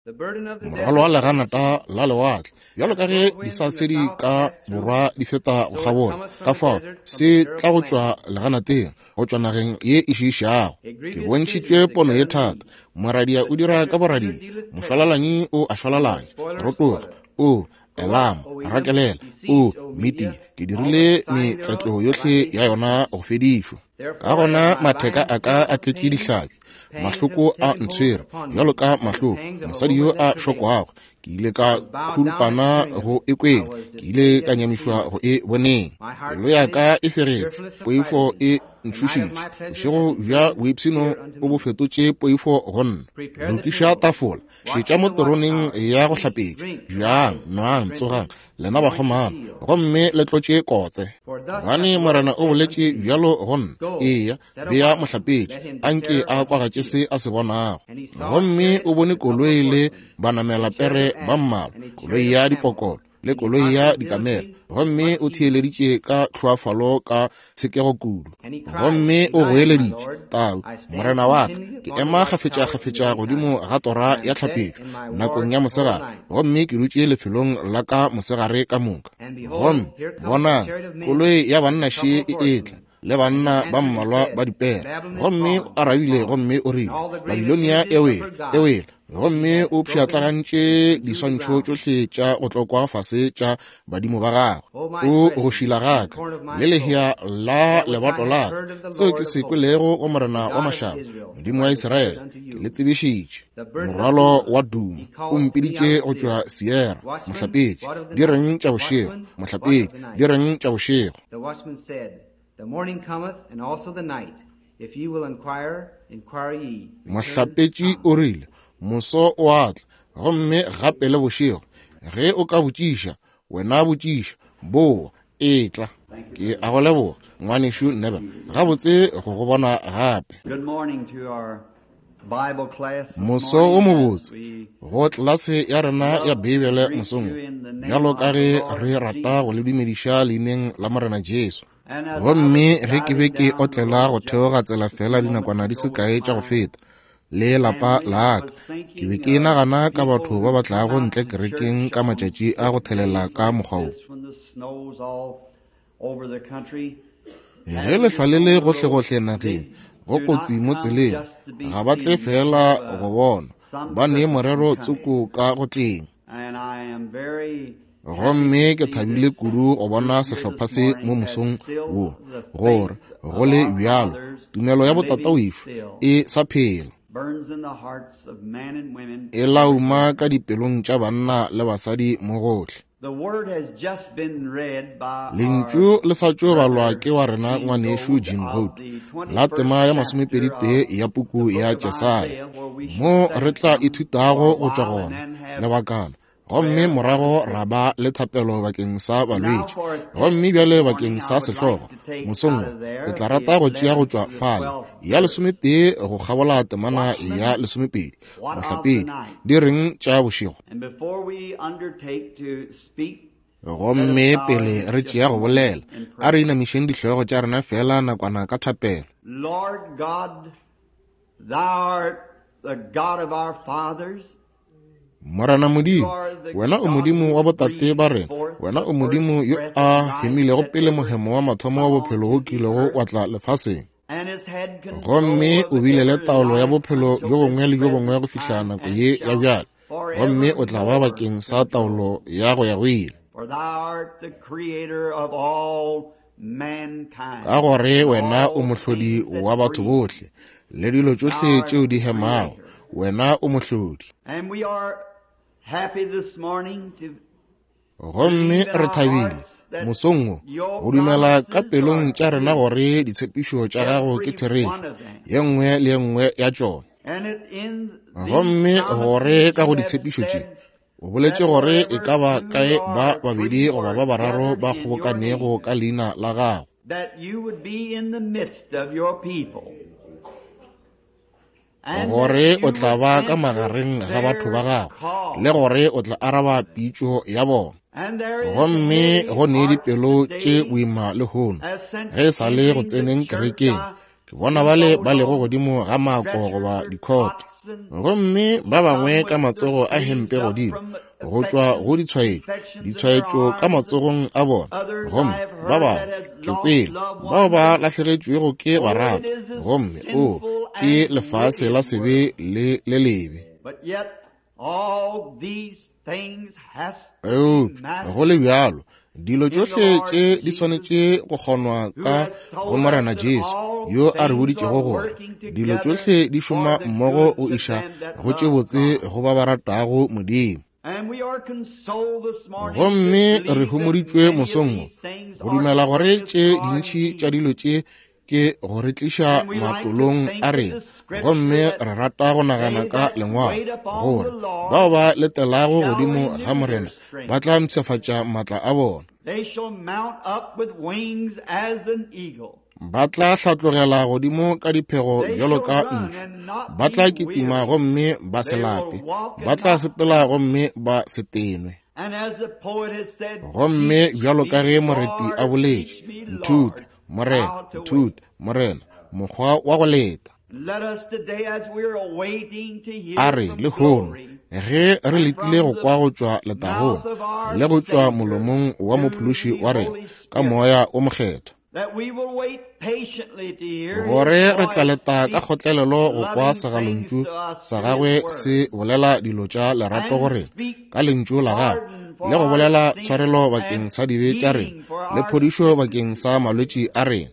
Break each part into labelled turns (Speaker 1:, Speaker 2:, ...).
Speaker 1: Morwalo wa leganata la lewatle, bjalo ka ge disasedi ka borwa di feta go kgabola, ka fao se tla go tšwa leganateng, go tšwa nageng ye e šiišago. Ke bontšhitšwe pono ye thata. Moradia o dira ka boradia, mošwalalanyi o a šwalalanya. Rotoga, o Elama, rakelela, o Media, ke dirile metsetlo yohle ya yona go fedišwa. Ka gona matheka a ka a tletše dihlabi, mahloko a ntshwere bjalo ka mahloko mosadi yo a šokwago. Ke ile ka khurupana go e kweng, ke ile ka nyamišwa go e boneng. Pelo ya ka e fegetšwe, poifo e ntšhošitše. Bošego bja boipshino o bo fetotše poifo go nna. Lokiša tafola, šetša mo teroneng ya go hlapetša. Jang, nwang, tsogang, lena bakgomana, gomme le tlotše kotse. Gobane Morena o boletše bjalo go nna, eya, bea mohlapetši, anke a kwagatše se a se bonago. Gomme o bone koloi le banamelapere ba mmalwa, koloi ya dipokolo le koloi ya dikamela, gomme o theeleditše ka tlhoafalo ka tshekego kudu. Gomme o goeleditše, Tau, morena wa ka, ke ema kgafetšakgafetša godimo ga tora ya tlhapetšo nakong ya mosegare, gomme ke dutše lefelong la ka mosegare ka moka. Gomme bonang, koloi ya banna še e etla, le banna ba mmalwa ba dipere. Gomme o arabile gomme o rile, Babilonia e wele, e wele, gomme o pšhatlagantše diswantšho tšohle tša go tlokwa fase tša badimo ba gagwe. O go šila ga ka le lehea la lebato la ka, seo ke se kwelego go Morena wa mašaba, Modimo wa Israele, ke le tsebišitše. Morwalo wa Duma o mpiditše go tšwa Sierra, mohlapetši, di reng tša bošego, mohlapetši, di reng tša bošego.
Speaker 2: The watchman said, The morning cometh, and also the night. If ye will inquire, inquire ye.
Speaker 1: Mohlapetši o rile, Moso o a tla, gomme gape le bošego. Ge o ka botšiša, wena botšiša. Boa, etla. Ke a go leboga, Ngwanešu Neville. Gabotse go go bona gape.
Speaker 3: Good morning to our
Speaker 1: Moso wo mobotse go tlelase ya rena ya Beibele mosong wo, bjalo ka ge re rata go le dumediša leineng la Morena Jesu. Gomme ge ke be ke otlela go theoga tsela fela dinakwana di se kae tša go feta, le lapa la ka, ke be ke nagana ka batho ba ba tlago ntle kerekeng ka matšatši a go thelela ka mokgwa wo. Ge lehlwa le le gohlegohle nageng, go kotsi mo tseleng, ga ba tle feela go bona, ba ne morero tsoko ka go tleng. Gomme ke thabile kudu go bona sehlopha se mo mosong wo, gore go le bjalo tumelo ya botatawešo e sa phela, e lauma ka dipelong tša banna le basadi mo gohle. Lentšu le sa tšo balwa ke wa rena ngwanešu Jim Hope la tema ya masomepeditee ya puku ya Jesaya, mo re tla ithutago go tšwa gona lebakana, gomme morago ra ba le thapelo bakeng sa balwetši. Gomme bjale bakeng sa sehlogo mosong wo, ke tla rata go tšea go tšwa fale ya lesometee go kgabola temana ya lesomepedi. Mohlapedi, di reng tša bošego? Gomme pele re tšea go bolela, a re inamišeng dihlogo tša rena feela nakwana ka thapelo.
Speaker 3: Lord God, thou art the God of our fathers.
Speaker 1: Morena Modimo, wena o Modimo wa botate ba rena, wena o Modimo yo a hemilego pele mohemo wa mathomo wa bophelo o kilego wa tla lefaseng. Gomme o bile le taolo ya bophelo bjo bongwe le bjo bongwe go fihla nako ye ya bjale, gomme o tla ba bakeng sa taolo ya go ya go ile. Ka gore wena o mohlodi wa batho bohle le dilo tšohle tšeo di hemago, wena o mohlodi. Gomme re thabile mosong wo go dumela ka pelong tša rena gore ditshepišo tša gago ke therešo, ye nngwe le ye nngwe ya tšona. Gomme gore ka go ditshepišo tše o boletše gore e ka ba kae ba babedi goba ba bararo ba kgobokanego ka leina la gago, gore o tla ba ka magareng ga batho ba gago le gore o tla araba pitšo ya bona. Gomme go ne dipelo tše boima lehono, ge e sa le go tseneng kerekeng. Ke bona bale ba lego godimo ga mako goba dikhoto, gomme ba bangwe ka matsogo a hempe godimo, go tšwa go ditshwaetšo, ditshwaetšo ka matsogong a bona, gomme ba bangwe, ke kwele, bao ba lahlegetšwego ke barata, gomme o, ke lefase la sebe le le lebe. Eupša go le bjalo, dilo tšohle tše di swanetše go kgonwa ka go Morena Jesu, yo a re boditšego gore dilo tšohle di šoma mmogo go iša go tše botse go ba ba ratago Modimo. Gomme re homoditšwe mosong wo go dumela gore tše dintši tša dilo tše ke go re tliša matolong a rena, gomme re rata go nagana ka lengwalo gore bao ba letelago godimo ga Morena ba tla mpshafatša maatla a bona, ba tla hlatlogela godimo ka diphego bjalo ka ntšhu, ba tla kitima gomme ba se lape, ba tla sepela gomme ba se tenwe. Gomme bjalo ka ge moreti a boletše, nthute Morena, nthute, Morena, mokgwa wa go leta. A re lehono, ge re letile go kwa go tšwa letagong le go tšwa molomong wa Mophološi wa rena ka Moya o Mokgethwa, gore re tla leta ka kgotlelelo go kwa segalontšu sa gagwe se bolela dilo tša lerato go rena ka lentšu la gagwe, le go bolela tshwarelo bakeng sa dibe tša rena le phodišo bakeng sa malwetši a rena.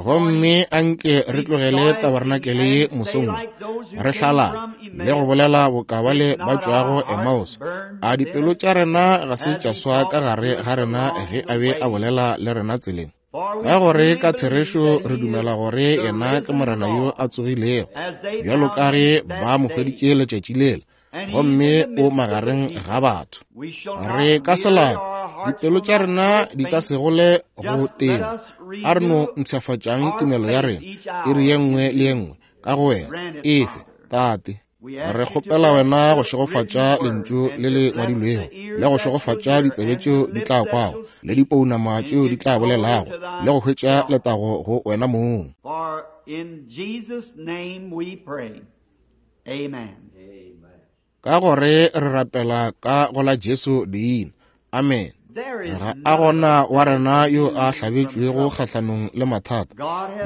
Speaker 1: Gomme anke re tlogele tabarenakele ye mosong re hlala le go bolela boka bale ba tšwago Emmaus. A dipelo tša rena ga se tša swa ka gare ga rena ge a be a bolela le rena tseleng? Ka gore ka therešo re dumela gore yena ke Morena yo a tsogilego, bjalo ka ge ba mo hweditše letšatši lela, gomme o magareng ga batho. Re ka se lape, dipelo tša rena di ka se gole go tena. A re no mpshafatšang tumelo ya rena iri ye nngwe le ye nngwe ka go wena. Efe, Tate. Re kgopela wena go šegofatša lentšu le le ngwadilwego, le go šegofatša ditsebe tšeo di tla kwago, le dipounama tšeo di tla bolelago, le go hwetša letago go wena mong. Ka gore re rapela ka go la Jesu leina. Amen. Ga a gona wa rena yo a hlabetšwego kgahlanong le mathata.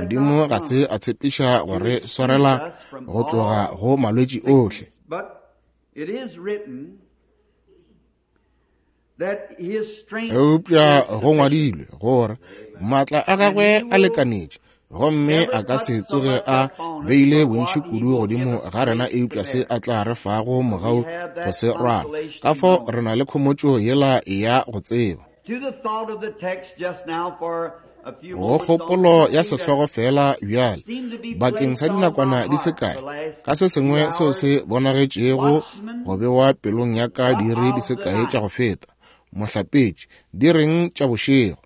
Speaker 1: Modimo ga se a tshepiša go re swarela go tloga go malwetši ohle. Eupša go ngwadilwe gore maatla a gagwe a lekanetše, gomme a ka se tsoge a beile bontši kudu godimo ga rena eupša se a tla re fago mogau go se rwala. Ka fao re na le khomotšo yela ya go tseba. Go kgopolo ya sehlogo fela bjale, bakeng sa dinakwana di se kae, ka se sengwe seo se bonagetšego go bewa pelong ya ka diiri di se kae tša go feta, mohlapetši, di reng tša bošego.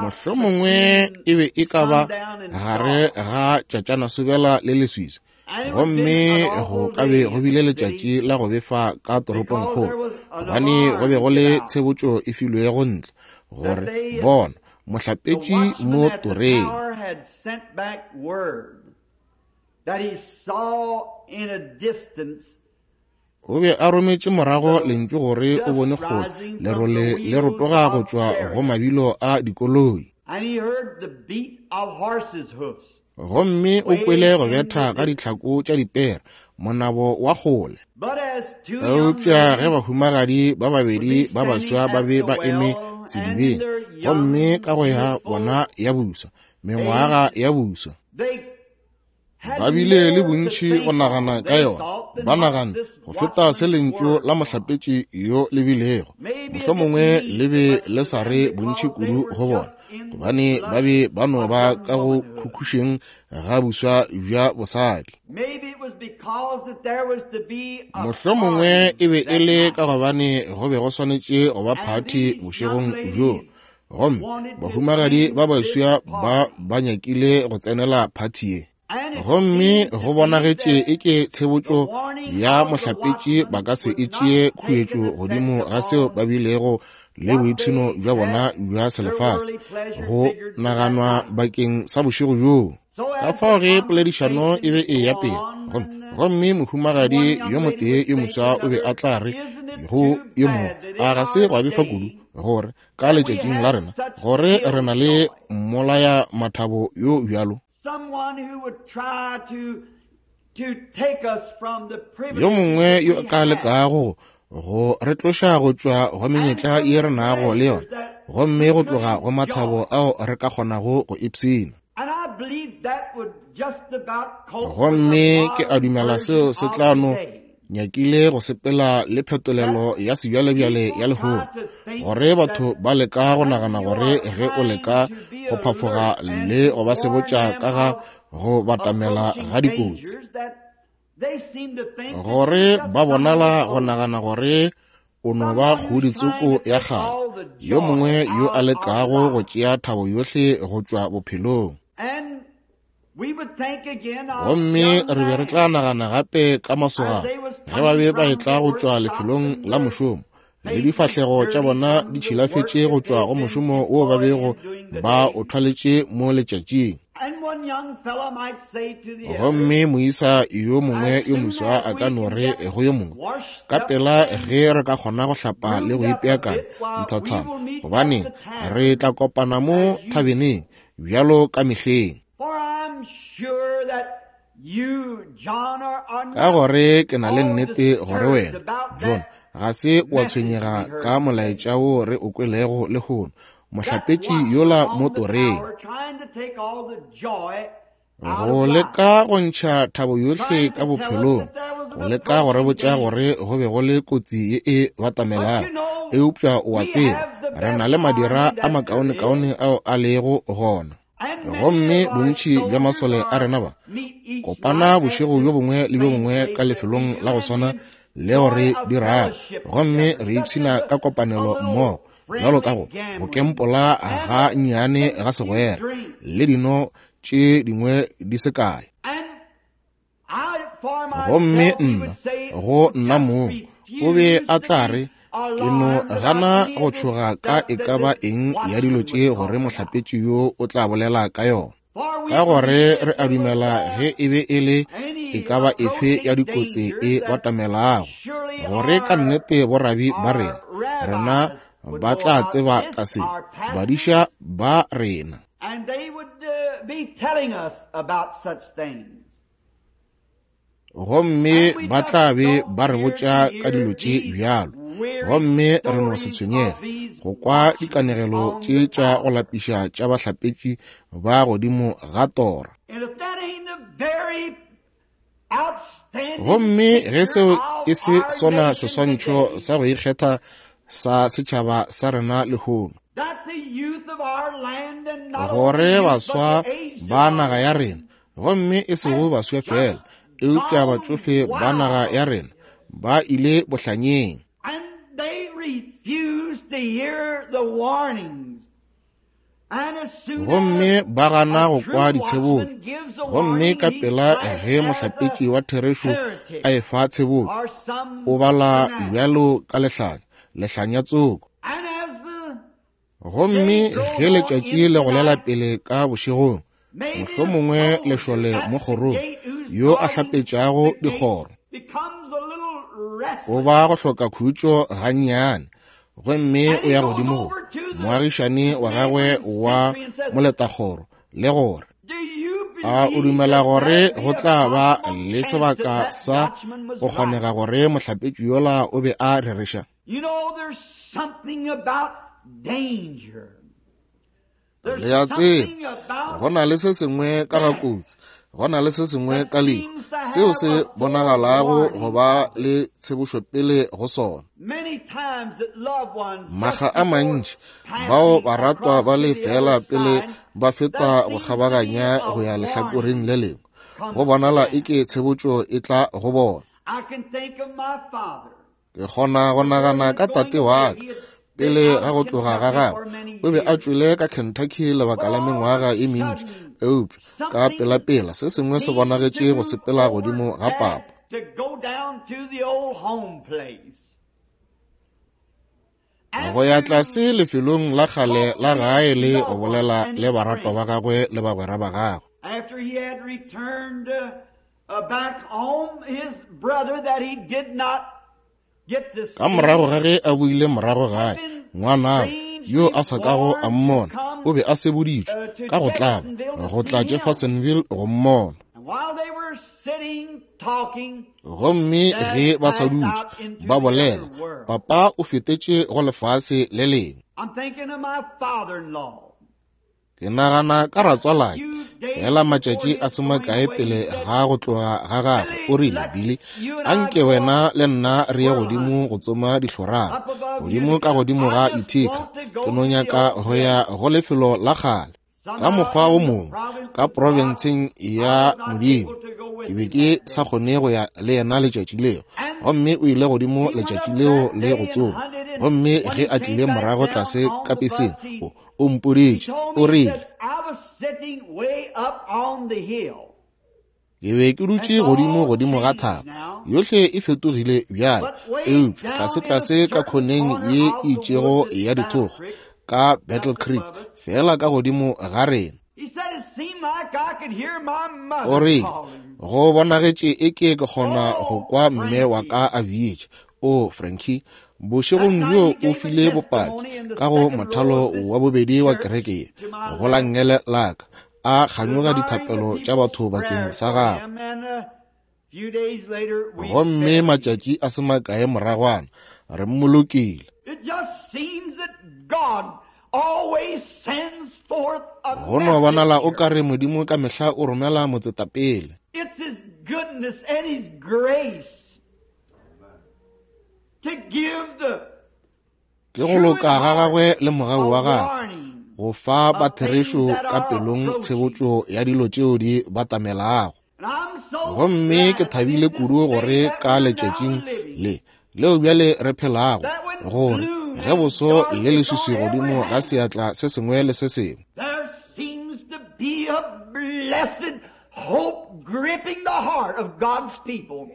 Speaker 1: Mohlomongwe e be e ka ba gare ga tšatšanasobela le leswiswi, gomme go ka be go bile letšatši la go befa ka toropongkgolo, gobane go be go le tshebotšo e filwego ntle gore bona mohlapetši mo toreng. O be a rometše morago lentšu gore o bone kgole lerole le rotoga go tšwa go mabilo a dikoloi. Gomme o kwele go betha ga ditlhako tša dipere, monabo wa kgole. Eupša ge bahumagadi ba babedi ba baswa ba be ba eme sedibeng, gomme ka go ya bona ya buswa, mengwaga ya buswa, ba bile le bontši go nagana ka yona, ba nagana go feta se lentšu la mohlapetši yo le bilego. Mohlomongwe le be le sa re bontši kudu go bona, gobane ba be ba no ba ka go khukhušeng ga buswa bja bosadi. Mohlomongwe e be e le ka gobane go be go swanetše go ba phathi bošegong bjoo, gomme bahumagadi ba baswa ba ba nyakile go tsenela phathi ye. Gomme go bonagetše e ke tshebotšo ya mohlapetši ba ka se e tšee khuetšo godimo ga seo ba bilego le boipshino bja bona bja selefase go naganwa bakeng sa bošego bjoo. Ka fao ge poledišano e be e eya pele, gomme mohumagadi yo motee yo moswa o be a tla re go yo mongwe, a ga se gwa befa kudu gore ka letšatšing la rena gore re na le mmolaya mathabo yo bjalo? Yo mongwe yo a ka lekago go re tloša go tšwa go menyetla ye re nago le yona, gomme go tloga go mathabo ao re ka kgonago go ipshina. Gomme ke a dumela seo se tla no nyakile go sepela le phetolelo ya sebjalebjale ya lehono, gore batho ba leka go nagana gore ge o leka go phafoga le go ba sebotša ka ga go batamela ga dikotsi, gore ba bonala go nagana gore o no ba kgodi tsoko ya kgale, yo mongwe yo a lekago go tšea thabo yohle go tšwa bophelong. Gomme re be re tla nagana gape ka masogana ge ba be ba etla go tšwa lefelong la mošomo, le difahlego tša bona di tšhilafetše go tšwa go mošomo wo ba bego ba o thwaletše mo letšatšing. Gomme moisa yo mongwe yo moswa a ka no re go yo mongwe, ka pela ge re ka kgona go hlapa le go ipeakanya nthathana, gobaneng re tla kopana mo thabeneng bjalo ka mehleng. Ka gore ke na le nnete gore wena, John, ga se wa tshwenyega ka molaetša wo re o kwelego lehono, mohlapetši yola mo toreng, go leka go ntšha thabo yohle ka bophelong, go leka go re botša gore go be go le kotsi ye e batamelago. Eupša o a tseba, re na le madira a makaonekaone ao a lego gona. Gomme bontši bja masole a rena ba kopana bošego bjo bongwe le bjo bongwe ka lefelong la go swana leo re dirago, gomme re ipshina ka kopanelo mmogo, bjalo ka go kempola ga nnyane ga segwera le dino tše dingwe di se kae. Gomme nna, go nna mong, o be a tla re, ke no gana go tšhoga ka e ka ba eng ya dilo tše gore mohlapetši yo o tla bolela ka yona, ka gore re a dumela ge e be e le e ka ba efe ya dikotsi e batamelago, gore ka nnete borabi ba rena, rena ba tla tseba ka se, badiša ba rena.
Speaker 3: And they would be telling us about such things.
Speaker 1: Gomme ba tla be ba re botša ka dilo tše bjalo, gomme re no se tshwenyege go kwa dikanegelo tše tša go lapiša tša bahlapetši ba godimo ga tora. Gomme ge seo e se sona seswantšho sa go ikgetha sa setšhaba sa rena lehono, gore baswa ba naga ya rena, gomme e sego baswa fela, eupša batšofe ba naga ya rena, ba ile bohlanyeng. Gomme ba gana go kwa ditshebotšo, gomme ka pela ge mohlapetši wa therešo a efa tshebotšo, o bala bjalo ka lehlanya, lehlanya tsoko. Gomme ge letšatši le golela pele ka bošegong, mohlomongwe lešole mo kgorong yo a hlapetšago dikgoro o ba go hloka khutšo gannyane, gomme o ya godimo go moagišane wa gagwe wa moletakgoro le gore, a o dumela gore go tla ba le sebaka sa go kgonega gore mohlapetši yola o be a rereša? Le a tseba, go na le se sengwe ka ga kotsi, go na le se sengwe ka lehu seo se bonagalago go ba le tshebošopele go sona. Makga a mantši bao baratwa ba le fela pele ba feta go kgabaganya go ya lehlakoreng le lengwe, go bonala eke tshebotšo e tla go bona. Ke kgona go nagana ka tate wa ka pele ga go tloga ga gagwe, o be a tšwele ka Kentucky lebaka la mengwaga e mentši, eupša ka pelapela se sengwe se bonagetše go sepela godimo ga papa. Go ya tlase lefelong la kgale la gae le go bolela le baratwa ba gagwe le bagwera ba gagwe.
Speaker 3: After he had returned back home, his brother that he did not get to see.
Speaker 1: Ka morago ga ge a boile morago gae, ngwanabo yo a sa kago a mmona o be a seboditšwe ka go tlaba go tla Jeffersonville go mmona.
Speaker 3: And while they were sitting talking,
Speaker 1: Gomme ge ba sa dutše ba bolela, papa o fetetše go lefase le lengwe.
Speaker 3: I'm thinking of my father-in-law.
Speaker 1: Ke nagana ka ratswalake fela matšatši a se makae pele ga go tloga ga gagwe, o rile, Billy, anke wena le nna re ye godimo go tsoma dihlorana, godimo ka godimo ga Utica. Ke no nyaka go ya go lefelo la kgale. Ka mokgwa wo mongwe, ka profenseng ya Modimo, ke be ke sa kgone go ya le yena letšatši leo. Gomme o ile godimo letšatši leo le go tsoma. Gomme ge a tlile morago tlase ka peseng, o mpoditše, o rile,
Speaker 3: I was sitting way up on the hill.
Speaker 1: Ke be ke dutše godimo godimo ga thaba, yohle e fetogile bjale, eupša tlase-tlase ka khoneng ye e itšego ya dithokgwa, ka Battle Creek, fela ka godimo ga rena.
Speaker 3: He said it seemed like I could hear my mother
Speaker 1: O rile,
Speaker 3: calling.
Speaker 1: go bonagetše e ke ke kgona go kwa mme wa ka a bitša. O, Frankie, bošegong bjo o file bopaki ka go mothalo wa bobedi wa kereke ye, go la nngele la ka, a kganyoga dithapelo tša batho bakeng sa gagwe.
Speaker 3: And a few days later, we
Speaker 1: Gomme
Speaker 3: buried him.
Speaker 1: matšatši a se makae moragwana, re mmolokile.
Speaker 3: It just seems that God always sends forth a
Speaker 1: Go no bonala o
Speaker 3: messenger.
Speaker 1: ka re Modimo ka mehla o romela motsetapele.
Speaker 3: It's His goodness and His grace to give the
Speaker 1: Ke go loka ga gagwe le mogau
Speaker 3: a
Speaker 1: wa gagwe
Speaker 3: warning
Speaker 1: go fa ba
Speaker 3: of things
Speaker 1: therešo
Speaker 3: that
Speaker 1: ka
Speaker 3: are
Speaker 1: pelong
Speaker 3: approaching.
Speaker 1: tshebotšo ya dilo tšeo di batamelago.
Speaker 3: And I'm so
Speaker 1: Gomme ke
Speaker 3: glad in
Speaker 1: thabile
Speaker 3: this
Speaker 1: kudu
Speaker 3: day
Speaker 1: gore
Speaker 3: that
Speaker 1: ka
Speaker 3: we're now
Speaker 1: letšatšing
Speaker 3: living,
Speaker 1: le leo bjale re phelago,
Speaker 3: that when
Speaker 1: gore
Speaker 3: gloom
Speaker 1: ge
Speaker 3: and
Speaker 1: boso le
Speaker 3: darkness on
Speaker 1: leswiswi
Speaker 3: every
Speaker 1: godimo ga
Speaker 3: hand,
Speaker 1: seatla se sengwe le se sengwe,
Speaker 3: there seems to be a blessed hope gripping the heart of God's people.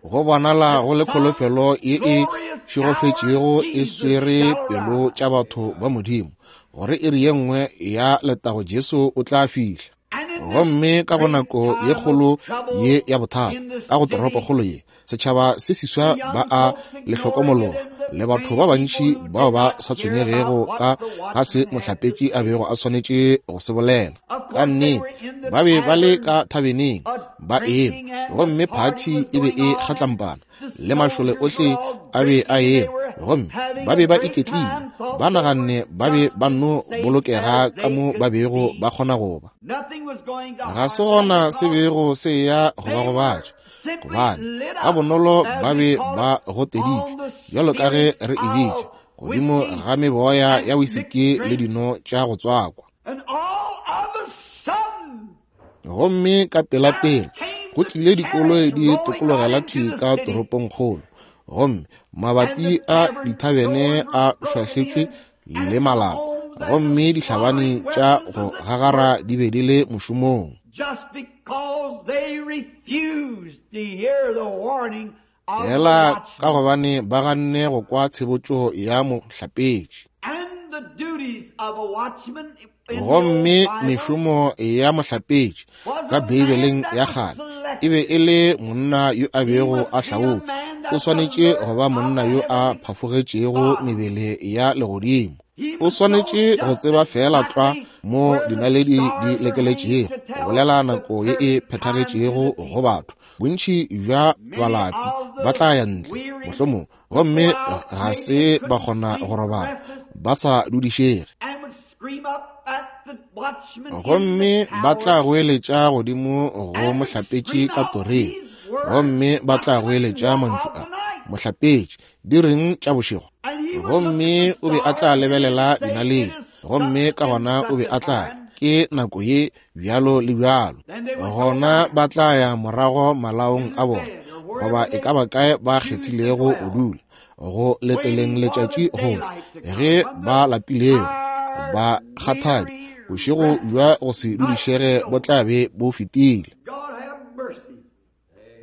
Speaker 1: go bonala
Speaker 3: That
Speaker 1: go le
Speaker 3: some
Speaker 1: kholofelo ye e
Speaker 3: glorious hour
Speaker 1: šegofetšego e
Speaker 3: Jesus
Speaker 1: swere
Speaker 3: shall
Speaker 1: pelo
Speaker 3: arise.
Speaker 1: tša batho ba Modimo, gore iri ye nngwe ya letago Jesu o tla fihla.
Speaker 3: And in this
Speaker 1: Gomme ka go
Speaker 3: great
Speaker 1: nako ye
Speaker 3: time of
Speaker 1: kgolo
Speaker 3: trouble
Speaker 1: ye ya bothata,
Speaker 3: in the
Speaker 1: ka go
Speaker 3: city,
Speaker 1: toropokgolo ye, setšhaba se seswa
Speaker 3: the
Speaker 1: ba
Speaker 3: young
Speaker 1: a
Speaker 3: folks
Speaker 1: le
Speaker 3: ignoring it
Speaker 1: hlokomologa,
Speaker 3: and the
Speaker 1: le batho
Speaker 3: vain
Speaker 1: ba
Speaker 3: people
Speaker 1: bantši
Speaker 3: who
Speaker 1: bao
Speaker 3: did
Speaker 1: ba
Speaker 3: not
Speaker 1: sa
Speaker 3: care
Speaker 1: tshwenyegego
Speaker 3: about
Speaker 1: ka
Speaker 3: what the
Speaker 1: ga se
Speaker 3: watchman had to
Speaker 1: mohlapetši a
Speaker 3: say.
Speaker 1: bego a swanetše go se bolela.
Speaker 3: Of
Speaker 1: Ka
Speaker 3: course, they
Speaker 1: nnete,
Speaker 3: were in the
Speaker 1: ba be ba le
Speaker 3: tavern
Speaker 1: ka thabeneng ba ema,
Speaker 3: drinking and the
Speaker 1: gomme
Speaker 3: party
Speaker 1: phathi
Speaker 3: was
Speaker 1: e be
Speaker 3: going
Speaker 1: e
Speaker 3: on and
Speaker 1: kgatlampana,
Speaker 3: the
Speaker 1: le mašole
Speaker 3: soldiers were
Speaker 1: ohle
Speaker 3: all
Speaker 1: a be a
Speaker 3: drinking and they
Speaker 1: ema,
Speaker 3: were
Speaker 1: gomme
Speaker 3: having
Speaker 1: ba
Speaker 3: a
Speaker 1: be ba
Speaker 3: great
Speaker 1: iketlile,
Speaker 3: time, thought
Speaker 1: ba
Speaker 3: they were
Speaker 1: naganne ba be
Speaker 3: just
Speaker 1: ba
Speaker 3: as
Speaker 1: no
Speaker 3: safe
Speaker 1: bolokega
Speaker 3: as
Speaker 1: ka
Speaker 3: they
Speaker 1: mo ba
Speaker 3: could
Speaker 1: bego
Speaker 3: be.
Speaker 1: ba kgona go ba.
Speaker 3: Nothing was going to
Speaker 1: Ga se
Speaker 3: harm them
Speaker 1: gona se
Speaker 3: because
Speaker 1: bego se ya go ba
Speaker 3: they were
Speaker 1: gobatša,
Speaker 3: simply
Speaker 1: gobane
Speaker 3: lit
Speaker 1: ka
Speaker 3: up,
Speaker 1: bonolo
Speaker 3: as
Speaker 1: ba
Speaker 3: we
Speaker 1: be
Speaker 3: call
Speaker 1: ba
Speaker 3: it,
Speaker 1: goteditšwe,
Speaker 3: on the
Speaker 1: bjalo ka ge
Speaker 3: spirits
Speaker 1: re e bitša,
Speaker 3: of
Speaker 1: godimo
Speaker 3: whiskey
Speaker 1: ga meboya ya
Speaker 3: and
Speaker 1: wisiki
Speaker 3: mixed
Speaker 1: le
Speaker 3: drink.
Speaker 1: dino tša go tswakwa.
Speaker 3: And all of a sudden,
Speaker 1: Gomme ka
Speaker 3: there
Speaker 1: pelapela
Speaker 3: came
Speaker 1: go
Speaker 3: the
Speaker 1: tlile dikoloi
Speaker 3: carriage
Speaker 1: di
Speaker 3: rolling out
Speaker 1: tokologela
Speaker 3: into
Speaker 1: thwi
Speaker 3: the
Speaker 1: ka
Speaker 3: city,
Speaker 1: toropongkgolo, gomme
Speaker 3: and
Speaker 1: mabati
Speaker 3: the
Speaker 1: a
Speaker 3: tavern
Speaker 1: dithabene
Speaker 3: doors were
Speaker 1: a
Speaker 3: broken
Speaker 1: šwahletšwe
Speaker 3: in, and
Speaker 1: le
Speaker 3: the
Speaker 1: malapa,
Speaker 3: homes and the
Speaker 1: gomme dihlabani
Speaker 3: slaughtering
Speaker 1: tša
Speaker 3: weapons
Speaker 1: go
Speaker 3: was at
Speaker 1: gagara
Speaker 3: work
Speaker 1: di be di le mošomong.
Speaker 3: just because they refused to hear the warning of the
Speaker 1: Fela ka
Speaker 3: watchman
Speaker 1: gobane ba ganne go kwa tshebotšo ya mohlapetši.
Speaker 3: and the duties of a watchman in the old
Speaker 1: Gomme
Speaker 3: Bible
Speaker 1: mešomo ya mohlapetši
Speaker 3: was
Speaker 1: ka
Speaker 3: a man
Speaker 1: Beibeleng
Speaker 3: that
Speaker 1: ya
Speaker 3: was
Speaker 1: kgale e be
Speaker 3: selected.
Speaker 1: e le monna yo a
Speaker 3: He
Speaker 1: bego
Speaker 3: must
Speaker 1: a
Speaker 3: be a
Speaker 1: hlaotšwe.
Speaker 3: man
Speaker 1: O
Speaker 3: that was
Speaker 1: swanetše go
Speaker 3: alert
Speaker 1: ba
Speaker 3: of
Speaker 1: monna
Speaker 3: the
Speaker 1: yo a
Speaker 3: heavenly
Speaker 1: phafogetšego
Speaker 3: body.
Speaker 1: mebele ya legodimo.
Speaker 3: He
Speaker 1: O
Speaker 3: must know
Speaker 1: swanetše go
Speaker 3: just
Speaker 1: tseba fela tlwa
Speaker 3: exactly
Speaker 1: mo
Speaker 3: where the
Speaker 1: dinaledi di
Speaker 3: stars are hanging
Speaker 1: lekeletšego,
Speaker 3: to
Speaker 1: go
Speaker 3: tell
Speaker 1: bolela
Speaker 3: the
Speaker 1: nako ye e
Speaker 3: perfect time to the
Speaker 1: phethagetšego go
Speaker 3: people.
Speaker 1: batho. Bontši bja
Speaker 3: Many
Speaker 1: balapi
Speaker 3: of
Speaker 1: ba
Speaker 3: the
Speaker 1: tla ya ntle,
Speaker 3: weary
Speaker 1: mohlomong,
Speaker 3: would go
Speaker 1: gomme
Speaker 3: out
Speaker 1: ga
Speaker 3: maybe
Speaker 1: se
Speaker 3: and
Speaker 1: ba
Speaker 3: couldn't
Speaker 1: kgona
Speaker 3: sleep
Speaker 1: go
Speaker 3: or
Speaker 1: robala,
Speaker 3: restless
Speaker 1: ba sa dudišege.
Speaker 3: and would scream up at the watchman in the
Speaker 1: Gomme ba tla
Speaker 3: tower
Speaker 1: goeletša godimo go
Speaker 3: and would
Speaker 1: mohlapetši
Speaker 3: scream
Speaker 1: ka
Speaker 3: out
Speaker 1: toreng,
Speaker 3: these words,
Speaker 1: gomme ba tla
Speaker 3: Watchman,
Speaker 1: goeletša
Speaker 3: what
Speaker 1: mantšu
Speaker 3: of
Speaker 1: a,
Speaker 3: the night?
Speaker 1: Mohlapetši, di reng tša bošego?
Speaker 3: And he would look at
Speaker 1: Gomme
Speaker 3: the
Speaker 1: o be a tla
Speaker 3: stars and he'd
Speaker 1: lebelela
Speaker 3: say, It
Speaker 1: dinaledi,
Speaker 3: is
Speaker 1: gomme
Speaker 3: such
Speaker 1: ka
Speaker 3: and
Speaker 1: gona o
Speaker 3: such
Speaker 1: be
Speaker 3: a
Speaker 1: a tla re,
Speaker 3: time.
Speaker 1: Ke nako ye bjalo le bjalo.
Speaker 3: Then they would go
Speaker 1: Gona
Speaker 3: back
Speaker 1: ba tla ya morago malaong
Speaker 3: to
Speaker 1: a
Speaker 3: the
Speaker 1: bona,
Speaker 3: bed or
Speaker 1: goba
Speaker 3: wherever
Speaker 1: e
Speaker 3: they
Speaker 1: ka ba kae ba
Speaker 3: choose to
Speaker 1: kgethilego go
Speaker 3: dwell,
Speaker 1: dula, go leteleng
Speaker 3: waiting for the
Speaker 1: letšatši go tla.
Speaker 3: daylight to come
Speaker 1: Ge
Speaker 3: when
Speaker 1: ba
Speaker 3: the
Speaker 1: lapilego,
Speaker 3: tired,
Speaker 1: ba kgathadi,
Speaker 3: weary,
Speaker 1: bošego bja
Speaker 3: restless
Speaker 1: go se
Speaker 3: night
Speaker 1: dudišege
Speaker 3: is
Speaker 1: bo
Speaker 3: over.
Speaker 1: tla be bo fetile.
Speaker 3: God have mercy.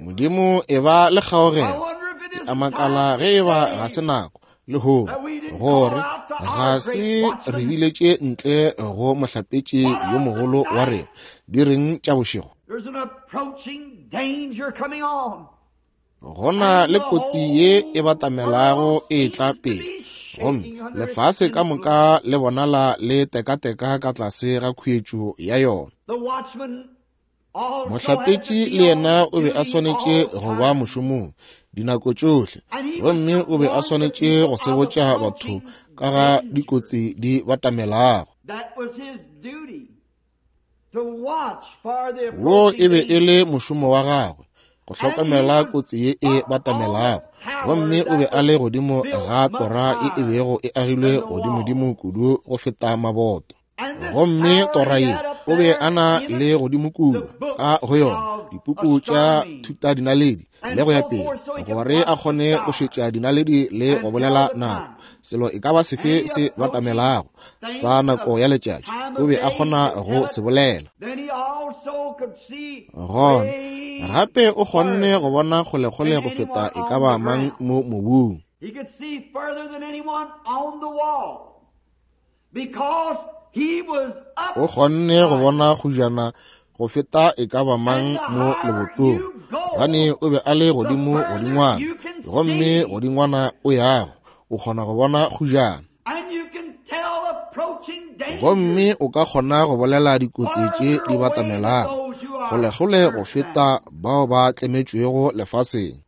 Speaker 1: Modimo e ba le
Speaker 3: I
Speaker 1: kgaogelo.
Speaker 3: wonder if it
Speaker 1: Ke a
Speaker 3: isn't
Speaker 1: makala
Speaker 3: time
Speaker 1: ge e ba ga
Speaker 3: today
Speaker 1: se nako lehono
Speaker 3: that we didn't
Speaker 1: Gore ga se re biletše ntle go mohlapetši yo mogolo wa rena di reng tša bošego. Go na le kotsi ye e batamelago e tla pele, gomme lefase ka moka le bonala le tekateka ka tlase ga khuetšo ya yona. Mohlapetši le yena o be a swanetše go ba mošomong dinako tšohle, gomme o be a swanetše go sebotša batho ka ga dikotsi di batamelago. Wo e be e le mošomo wa gagwe, go hlokomela kotsi ye e batamelago, gomme o be a le godimo ga tora ye e bego e agilwe godimodimo kudu go feta maboto. Gomme tora ye o be a na le godimo kua ka go yona dipuku tša thutadinaledi le go ya pele, gore a kgone go šetša dinaledi le go bolela nako, selo e ka ba sefe se batamelago sa nako ya letšatši, o be a kgona go se bolela. Gona gape o kgonne go bona kgolekgole go feta e ka ba mang mo mobung. O kgonne go bona kgojana go feta e ka ba mang mo lebotong, gobane o be a le godimo godingwana, gomme godingwana o yago, o kgona go bona kgojana. Gomme o ka kgona go bolela dikotsi tše di batamelago kgolekgole go feta bao ba tlemetšwego lefaseng.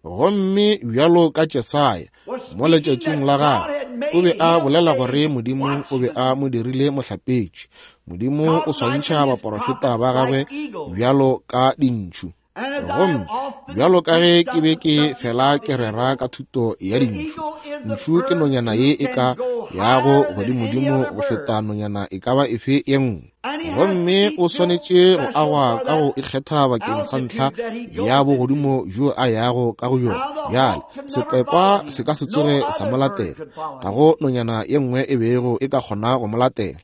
Speaker 1: Gomme bjalo ka Jesaya mo letšatšing la gagwe, o be a bolela gore Modimo o be a mo dirile mohlapetši. Modimo o swantšha baporofeta ba gagwe bjalo ka dintšhu. Gomme bjalo ka ge ke be ke fela ke rera ka thuto ya dintšhu, ntšhu ke nonyana ye e ka yago godimodimo go feta nonyana e ka ba efe ye nngwe. Gomme o swanetše go agwa ka go ikgetha bakeng sa ntlha ya bogodimo bjo a yago ka go yona. Bjale sepekwa se ka se tsoge sa mo latela, ga go nonyana ye nngwe e bego e ka kgona go mo latela.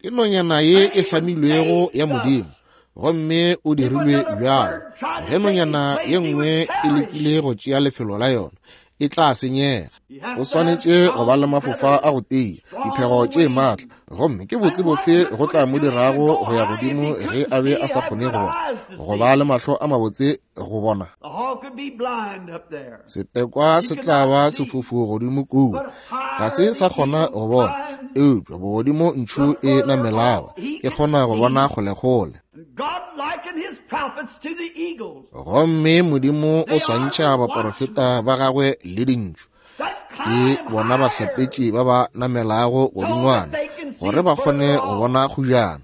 Speaker 1: Ke nonyana ye e hlamilwego ya Modimo, gomme o dirilwe bjalo. Ge nonyana ye nngwe e lekile go tšea lefelo la yona, e tla senyega. O swanetše go ba le mafofa a go tia, diphego tše maatla, gomme ke botse bofe go tla mo dirago go ya godimo ge a be a sa kgone go bona, go ba le mahlo a mabotse go bona. Sepekwa se tla ba sefofu godimo kua, ga se sa kgona go bona, eupša bogodimo ntšhu e namelago e kgona go bona kgolekgole. Gomme Modimo o swantšha baporofeta ba gagwe le dintšhu, ke bona bahlapetši ba ba namelago godingwana gore ba kgone go bona kgojana.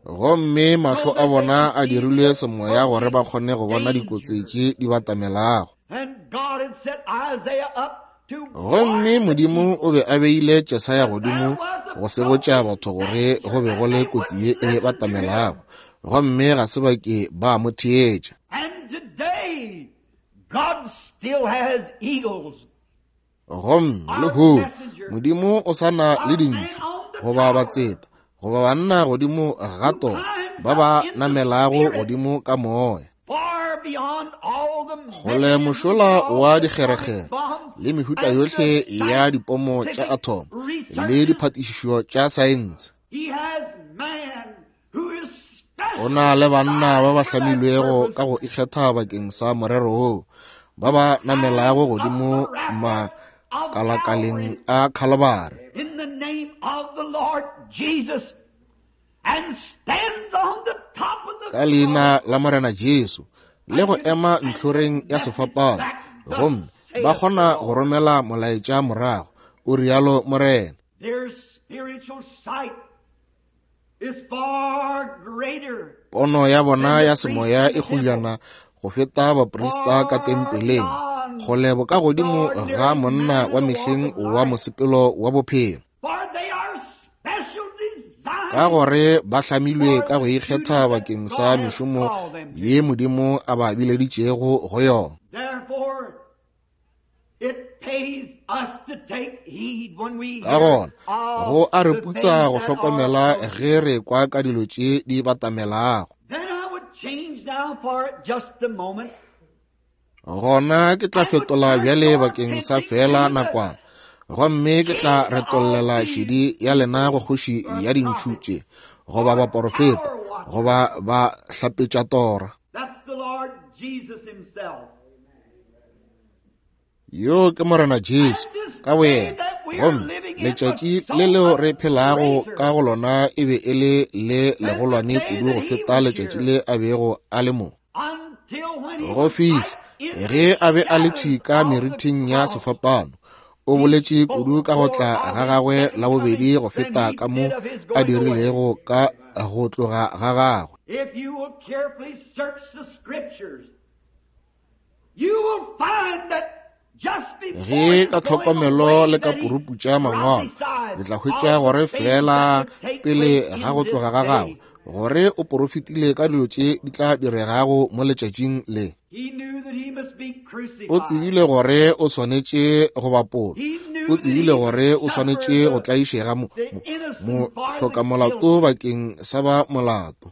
Speaker 1: Gomme mahlo a bona a dirilwe semoya gore ba kgone go bona dikotsi tše di batamelago. Gomme Modimo o be a beile Jesaya godimo go sebotša batho gore go be go le kotsi ye e batamelago, gomme ga se ba ke ba mo theetša. Gomme lehono Modimo o sa na le dintšhu goba batseta goba banna godimo ga tora ba ba namelago godimo ka moya. Kgole mošola wa dikgerekgere le mehuta yohle ya dipomo tša athomo le diphatišišo tša saense. O na le banna ba ba hlamilwego ka go ikgetha bakeng sa morero woo, ba ba namelago godimo makalakaleng a Khalabare. Ka leina la Morena Jesu, le go ema ntlhoreng ya sefapano, gomme ba kgona go romela molaetša morago, o rialo Morena. Pono ya bona ya semoya e kgojana go feta baprista ka tempeleng, kgole bokagodimo ga monna wa mehleng wa mosepelo wa bophelo. Ka gore ba hlamilwe ka go ikgetha bakeng sa mešomo ye Modimo a ba bileditšego go yona. Ka gona go a re putsa go hlokomela ge re kwa ka dilo tše di batamelago. Gona ke tla fetola bjale bakeng sa feela nakwana, gomme ke tla retollela šedi ya lena go kgoši ya dintšhu tše, goba baporofeta, goba ba hlapetša tora. Yo ke Morena Jesu ka boyena, gomme letšatši le leo re phelago ka go lona e be e le le legolwane kudu go feta letšatši le a bego a le mo. Go fihla ge a be a le thwi ka merithing ya sefapano, o boletše kudu ka go tla ga gagwe la bobedi go feta ka mo a dirilego ka go tloga ga gagwe. Ge ka tlhokomelo le ka puruputša mangwalo, le tla hwetša gore feela pele ga go tloga ga gagwe, gore o porofetile ka dilo tše di tla diregago mo letšatšing le. O tsebile gore o swanetše go bapolwa, o tsebile gore o swanetše go tlaišega mohlokamolato bakeng sa ba molato.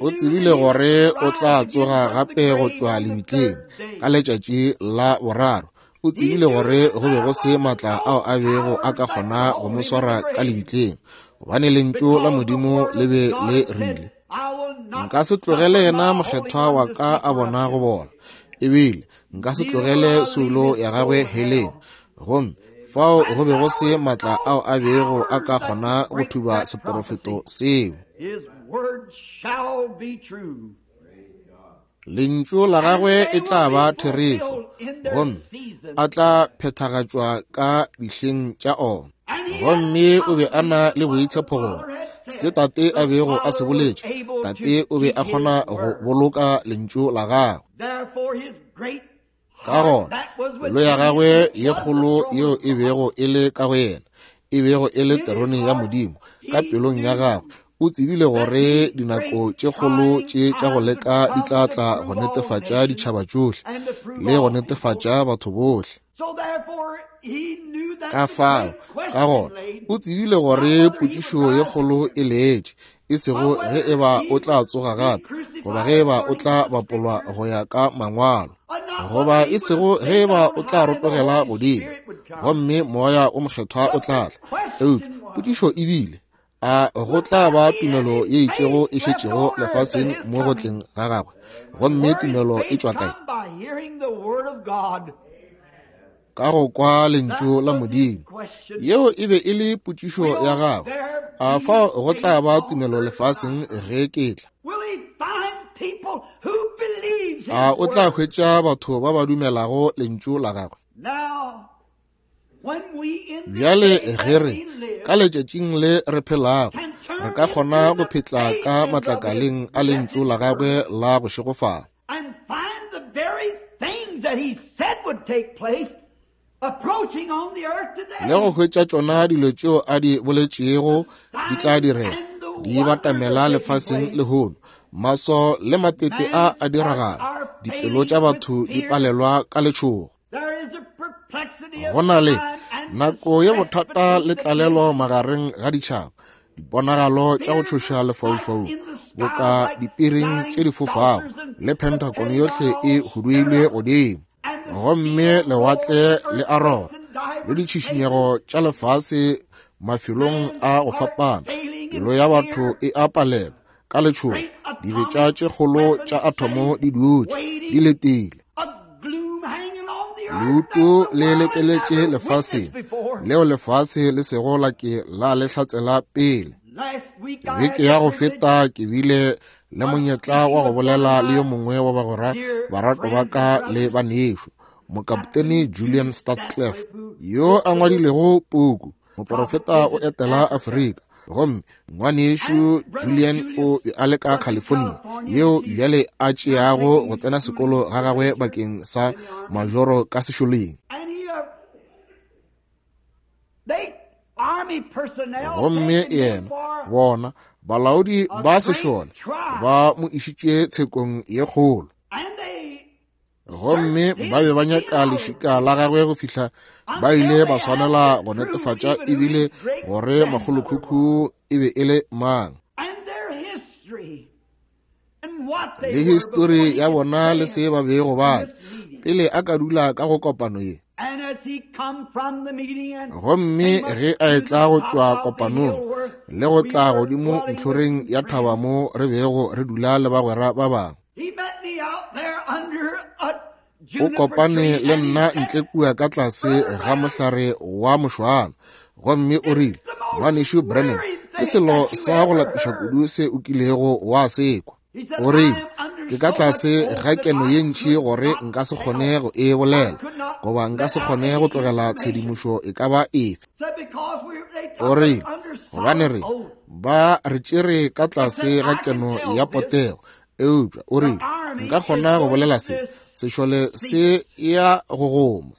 Speaker 1: O tsebile gore o tla tsoga gape go tšwa lebitleng ka letšatši la boraro. O tsebile gore go be go se matla ao a bego a ka kgona go mo swara ka lebitleng, gobane lentšu la Modimo le be le rile, Nka se tlogele yena mokgethwa wa ka a bona go bola, ebile nka se tlogele soulo ya gagwe heleng. Gomme fao go be go se matla ao a bego a ka kgona go thuba seporofeto seo. Lentšu la gagwe e tla ba therešo, gomme a tla phethagatšwa ka dihleng tša ona. Gomme o be a na le boitshepo gore se tate a bego a se boletše, tate o be a kgona go boloka lentšu la gagwe. Ka gona pelo ya gagwe ye kgolo yeo e bego e le ka go yena, e bego e le terone ya Modimo ka pelong ya gagwe, o tsebile gore dinako tše kgolo tše tša go leka di tla tla go netefatša ditšhaba tšohle le go netefatša batho bohle. Ka fao, ka gona, o tsebile gore potšišo ye kgolo e letše, e sego ge e ba o tla tsoga gape, goba ge e ba o tla bapolwa go ya ka mangwalo, goba e sego ge e ba o tla rotogela godimo gomme moya o mokgethwa o tla tla. Eupša potšišo e bile, a go tla ba tumelo ye itšego e šetšego lefaseng mo go tleng ga gagwe? Gomme tumelo e tšwa kae? Ka go kwa lentšu la Modimo. Yeo e be e le potšišo ya gagwe. A fao go tla ba tumelo lefaseng ge ke tla? A o tla hwetša batho ba ba dumelago lentšu la gagwe? Bjale ge re ka letšatšing le re phelago, re ka kgona go phetla ka matlakaleng a lentšu la gagwe la go šegofala le go hwetša tšona dilo tšeo a di boletšego di tla direga, di batamela lefaseng lehono. Maso le matete a a diragala, dipelo tša batho di palelwa ka letšhogo. Go na le nako ye bothata le tlalelo magareng ga ditšhaba, diponagalo tša go tšhoša lefaufaung boka dipiring tše di fofago, le Pentagon yohle e huduilwe godimo, gomme lewatle le a rora, le ditšhišinyego tša lefase mafelong a go fapana. Pelo ya batho e a palelwa ka letšhogo, dibetša tše kgolo tša athomo di dutše di letile. Leuto le lekeletše lefaseng leo lefase le sego la ke la le hlatsela pele. Beke ya go feta ke bile le monyetla wa go bolela le yo mongwe wa bagwera barato ba ka le banešu, mokaptene Julian Stadsklev, yo a ngwadilego puku Moporofeta o etela Afrika. Gomme ngwanešu Julian o be a le ka California, yeo bjale a tšeago go tsena sekolo ga gagwe bakeng sa majoro ka sešoleng. Gomme yena, bona balaodi ba sešole ba mo išitše tshekong ye kgolo. Gomme ba be ba nyaka lešika la gagwe go fihla ba ile ba swanela go netefatša ebile gore makgolokhukhu e be e le mang. Le histori ya bona le se ba bego ba pele a ka dula ka go kopano ye. Gomme ge a etla go tšwa kopanong le go tla godimo ntlhoreng ya thaba mo re bego re dula le bagwera ba bangwe, o kopane le nna ntle kua ka tlase ga mohlare wa mošwana, gomme o rile, Ngwanešu Branham, ke selo sa go lapiša kudu se o kilego wa se kwa. O rile, Ke ka tlase ga keno ye ntši gore nka se kgone go e bolela, goba nka se kgone go tlogela tshedimošo e ka ba efe. O rile, Gobane re ba re tšere ka tlase ga keno ya potego, eupša o rile, nka kgona go bolela se, sešole se ya go goma.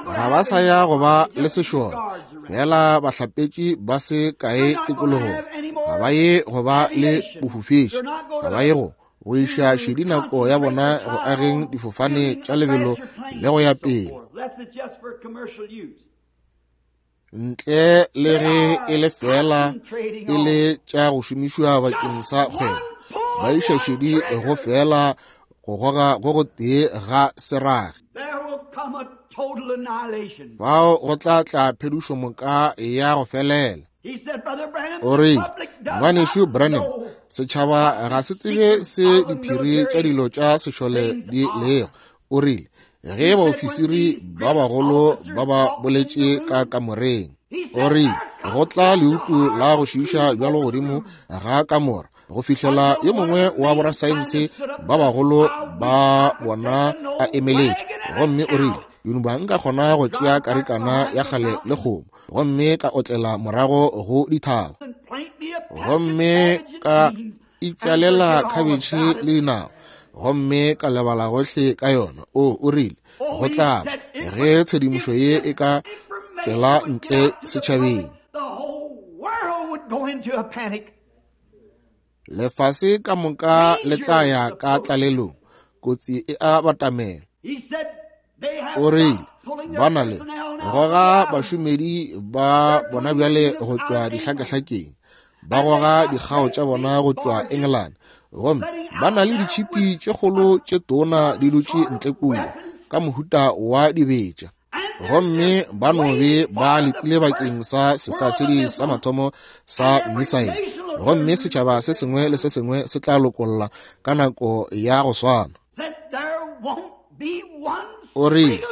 Speaker 1: Ga ba sa ya go ba le sešole, fela bahlapetši ba se kae tikologong. Ga ba ye go ba le bofofetši, ga ba ye go go iša šedi nako ya bona go ageng difofane tša lebelo le go ya pele. Ntle le ge e le fela e le tša go šomišwa bakeng sa kgwebo, ba iša šedi go fela go goga go go tee ga serage. Fao go tla tla phedišomoka ya go felela. O rile, Ngwanešu Branham, setšhaba ga se tsebe se diphiri tša dilo tša sešole di lego. O rile, ge baofisiri ba bagolo ba ba boletše ka kamoreng, o rile, go tla leutu la go šiiša bjalo godimo ga kamora go fihlela yo mongwe wa borasaense ba bagolo ba bona a emeletše. Gomme o rile, Yunuba nka kgona go tšea karikana ya kgale le kgomo gomme ka otlela morago go dithaba, gomme ka itšwalela khabetšhe le dinao, gomme ka lebala gohle ka yona. O o rile, go tla ge tshedimošo ye e ka tšwela ntle setšhabeng, lefase ka moka le tla ya ka tlalelong, kotsi e a batamela. O rile, ba na le goga bašomedi ba bona bjale go tšwa dihlakahlakeng, ba goga dikgao tša bona go tšwa Engelane, gomme ba na le ditšhipi tše kgolo tše tona di dutše ntle kua ka mohuta wa dibetša, gomme ba no be ba letile bakeng sa sesasedi sa mathomo sa misaele, gomme setšhaba se sengwe le se sengwe se tla lokolla ka nako ya go swana. O rile,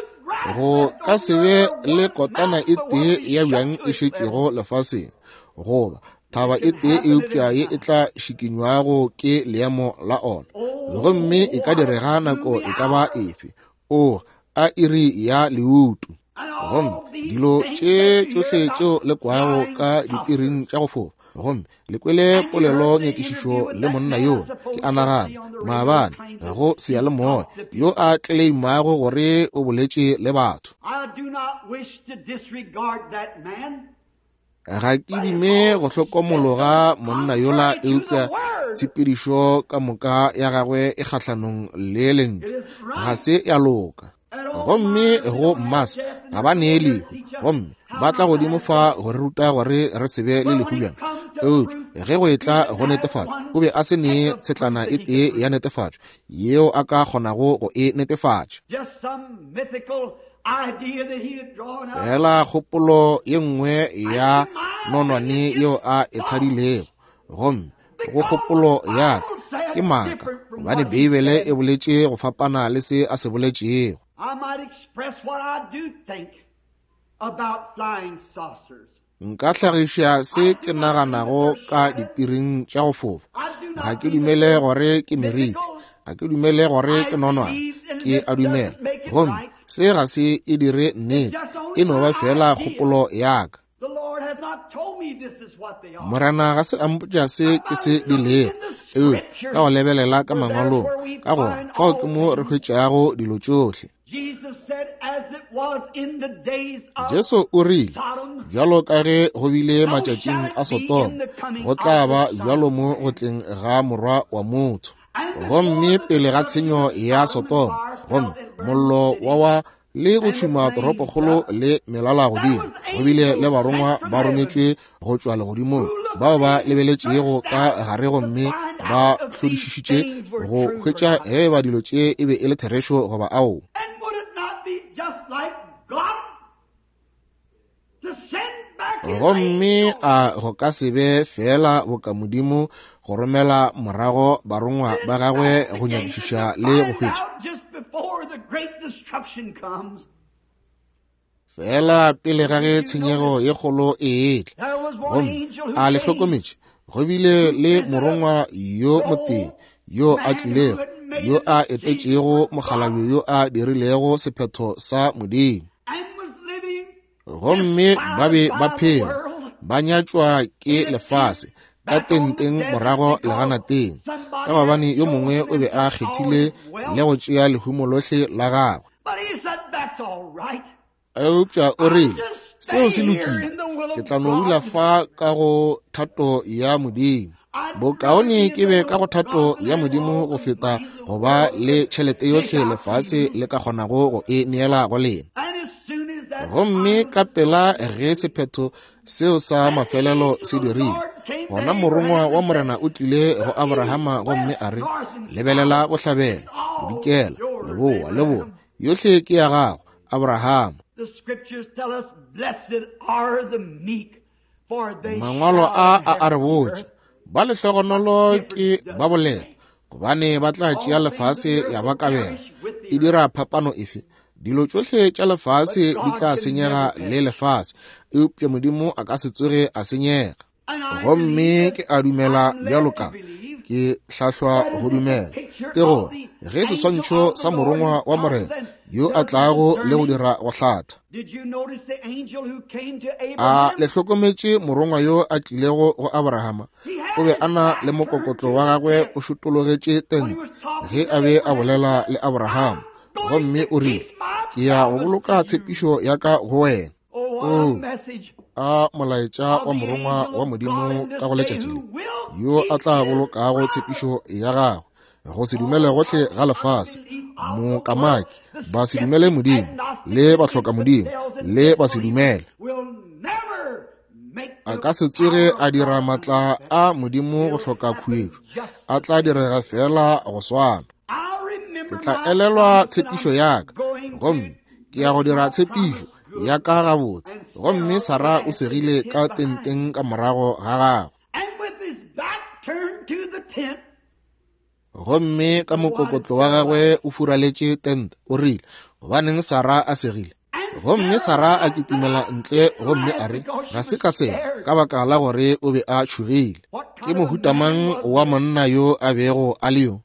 Speaker 1: go ka se be le kotana e tee ya bjang e šetšego lefaseng, goba thaba e tee eupša ye e tla šikinywago ke leemo la ona, gomme e ka direga nako e ka ba efe. O a iri ya leutu. Gomme dilo tše tšohle tšeo le kwago ka dipiring tša go fofa, gomme le kwele polelo nyakišišo le monna yo, ke a nagana maabane go seyalemoya, yo a tleleimago gore o boletše le batho. Ga ke dume go hlokomologa monna yola, eupša tshepedišo ka moka ya gagwe e kgahlanong le lentšu, ga se ya loka. Gomme go Mars ga ba nee lehu, gomme ba tla godimo fa go re ruta gore re se be le lehu bjang. Eupša ge go etla go netefatšo, o be a se nee tshetlana e tee ya netefatšo yeo a ka kgonago go e netefatša. Fela kgopolo ye nngwe ya nonwane yeo a e thadilego, gomme go kgopolo ya ka ke maaka, gobane Beibele e boletše go fapana le se a se boletšego. Nka hlagiša se ke naganago ka dipiring tša go fofa. Ga ke dumele gore ke meriti, ga ke dumele gore ke nonwane, ke a dumela. Gomme se ga se e dire nnete, e no ba fela kgopolo ya ka. Morena ga se a mpotša se ke se di lego, eupša ka go lebelela ka mangwalong, ka gona fao ke mo re hwetšago dilo tšohle. Jesu o rile, bjalo ka ge go bile matšatšing a Sodoma, go tla ba bjalo mo go tleng ga Morwa wa motho. Gomme pele ga tshenyo ya Sodoma, Gomme mollo wa wa le go tšhuma toropokgolo le melala godimo. Go bile le barongwa ba rometšwe go tšwa legodimong bao ba lebeletšego ka gare gomme ba hlodišišitše go hwetša ge ba dilo tše e be e le therešo goba ao. Gomme a go ka se be feela boka Modimo go romela morago barongwa ba gagwe go nyakišiša le go hwetša? Feela pele ga ge tshenyego ye kgolo e etla. Gomme a le hlokometše, go bile le morongwa yo motee yo a tlilego, yo a etetšego mokgalabje yo a dirilego sephetho sa Modimo. Gomme ba be ba phela, ba nyatšwa ke lefase, ka tenteng morago leganateng, ka gobane yo mongwe o be a kgethile le go tšea lehumo lohle la gagwe. Eupša o rile, seo se lokile, ke tla no dula fa ka go thato ya Modimo. Bokaone ke be ka go thato ya Modimo go feta go ba le tšhelete yohle lefase le ka kgonago go e neela go lena. Gomme ka pela ge sephetho seo sa mafelelo se dirile, gona morongwa wa Morena o tlile go Abrahama gomme a re, lebelela bohlabela, bodikela, leboa le borwa, yohle ke ya gago, Abrahama. Mangwalo a a a re botša, ba lehlogonolo ke ba boleta, gobane ba tla tšea lefase ya ba kabelo. E dira phapano efe? Dilo tšohle tša lefase di tla senyega le lefase, eupša Modimo a ka se tsoge a senyega. Gomme ke a dumela bjalo ka ke hlahlwa go dumela, ke gore ge seswantšho sa morongwa wa Morena yo a tlago le go dira go hlatha. A le hlokometše morongwa yo a tlilego go Abrahama? O be a na le mokokotlo wa gagwe o šotologetše tente ge a be a bolela le Abrahama, gomme o rile, ke ya go boloka tshepišo ya ka go wena. Oh, a molaetša wa morongwa wa Modimo ka go letšatši le, yo a tla bolokago tshepišo ya gagwe go se dumele gohle ga lefase, mokamaki, ba se dumele Modimo, le bahloka Modimo, le ba se dumele. A ka se tsoge a dira matla a Modimo go hloka khuetšo, a tla direga feela go swana. Ke tla elelwa tshepišo ya ka, gomme ke ya go dira tshepišo ya ka gabotse. Gomme Sara o segile ka tenteng ka morago ga gagwe. Gomme ka mokokotlo wa gagwe o furaletše tente, o rile, gobaneng Sara a segile? Gomme Sara a kitimela ntle gomme a re, ga se ka sega, ka baka la gore o be a tšhogile. Ke mohutamang wa monna yo a bego a le yo?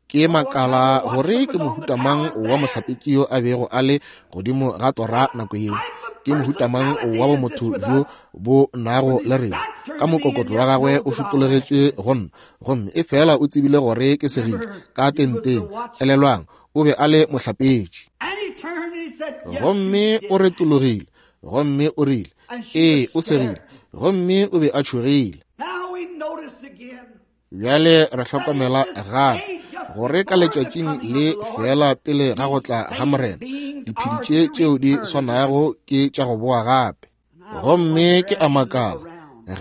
Speaker 1: Ke makala gore ke mohutamang wa mohlapetši yo a bego a le godimo ga tora nako yeo. Ke mohutamang wa bomotho bjo bo nago le rena. Ka mokokotlo wa gagwe o šupologetše go nna, gomme e fela o tsebile gore ke segile ka tenteng. Elelwang, o be a le mohlapetši. Gomme o retologile, gomme o rile, ee, o segile, gomme o be a tšhogile. Bjale re hlokomela gape gore ka letšatšing le feela pele ga go tla ga Morena, diphedi tše tšeo di swanago ke tša go boa gape. Gomme ke a makala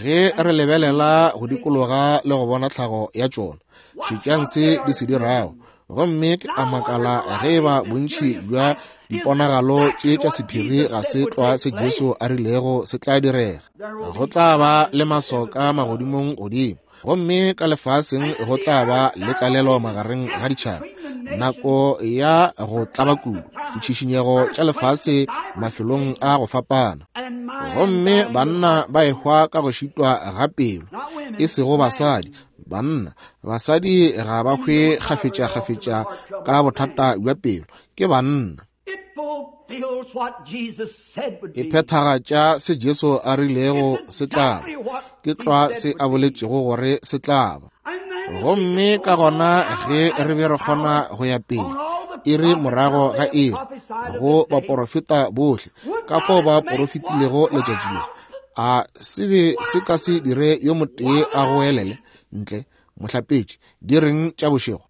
Speaker 1: ge re lebelela go dikologa le go bona tlhago ya tšona, šetšang se di se dirago. Gomme ke a makala ge e ba bontši bja diponagalo tše tša sephiri ga se tlwa se Jesu a rilego se tla direga. Go tla ba le masoka magodimong godimo, gomme ka lefaseng go tla ba le tlalelo magareng ga ditšhaba, nako ya go tlaba kudu, ditšhišinyego tša lefase mafelong a go fapana. Gomme banna ba ehwa ka go šitwa ga pelo, e sego basadi. Banna, basadi ga ba hwe kgafetša-kgafetša ka bothata bja pelo, ke banna. E phethagatša se Jesu a rilego se tla ba, ke tlwa se a boletšego gore se tla ba. Gomme ka gona ge re be re kgona go ya pele, iri morago ga iri, go baporofeta bohle, ka fao ba porofetilego letšatši le, a se be se ka se dire yo motee a goelele ntle, mohlapetši, di reng tša bošego?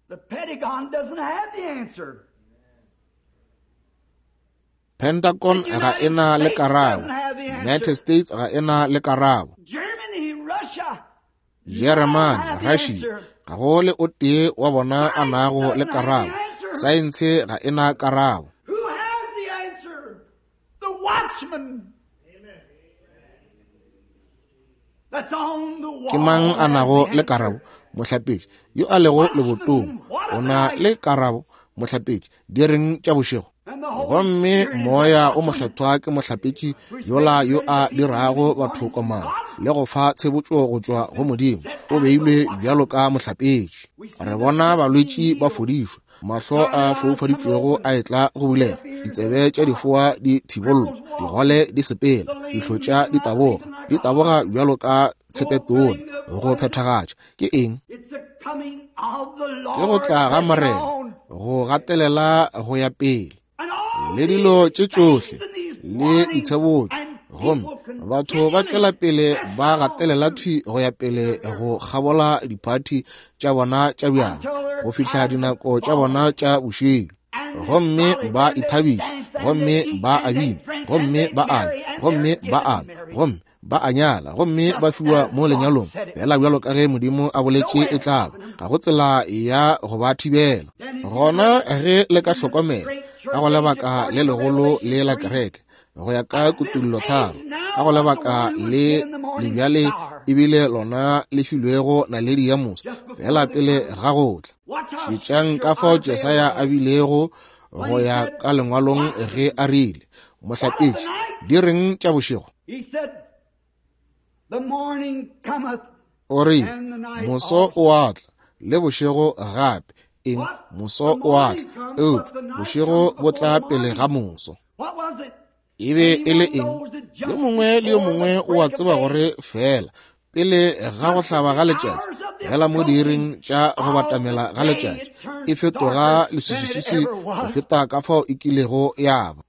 Speaker 1: Pentagon ga e na le karabo. United States ga e na le karabo. Jeremane, Russia, ga go le o tee wa bona a nago le karabo. Saense ga e na karabo. Ke mang a nago le karabo? Mohlapetši yo a lego lebotong o na le karabo. Mohlapetši, di reng tša bošego? Gomme Moya o Mokgethwa ke mohlapetši yola yo a dirago batho komana le go fa tshebotšo go tšwa go Modimo. O beilwe bjalo ka mohlapetši. Re bona balwetši ba fodišwa, mahlo a foufaditšwego a etla go bulega, ditsebe tša difoa di thibollwa, digole di sepela, dihlotša di taboga, di taboga bjalo ka tshepetona. Go phethagatša ke eng? Ke go tla ga Morena, go gatelela go ya pele le dilo tše tšohle le ditshebotšo, gomme batho ba tšwela pele ba gatelela thwi go ya pele go kgabola diphathi tša bona tša bjala go fihla dinako tša bona tša bošego, gomme ba ithabiša, gomme ba a bina, gomme ba a gomme ba a gomme ba a nyala, gomme ba fiwa mo lenyalong, fela bjalo ka ge Modimo a boletše e tla ba. Ga go tsela ya go ba thibela. Gona ge le ka hlokomela ka go lebaka le legolo le la kereke, go ya ka Kutullo 3, ka go lebaka le lebjale ebile lona le filwego naledi ya moso, fela pele ga go tla. Šetšang ka fao Jesaya a bilego go ya ka lengwalong ge a rile, Mohlapetši, di reng tša bošego? O rile, moso o a tla, le bošego gape. Eng? Moso o a tla, eupša bošego bo tla pele ga moso. E be e le eng? Yo mongwe le yo mongwe o a tseba gore fela pele ga go hlaba ga letšatši, fela mo diiring tša go batamela ga letšatši, e fetoga leswiswiswi go feta ka fao e kilego ya ba.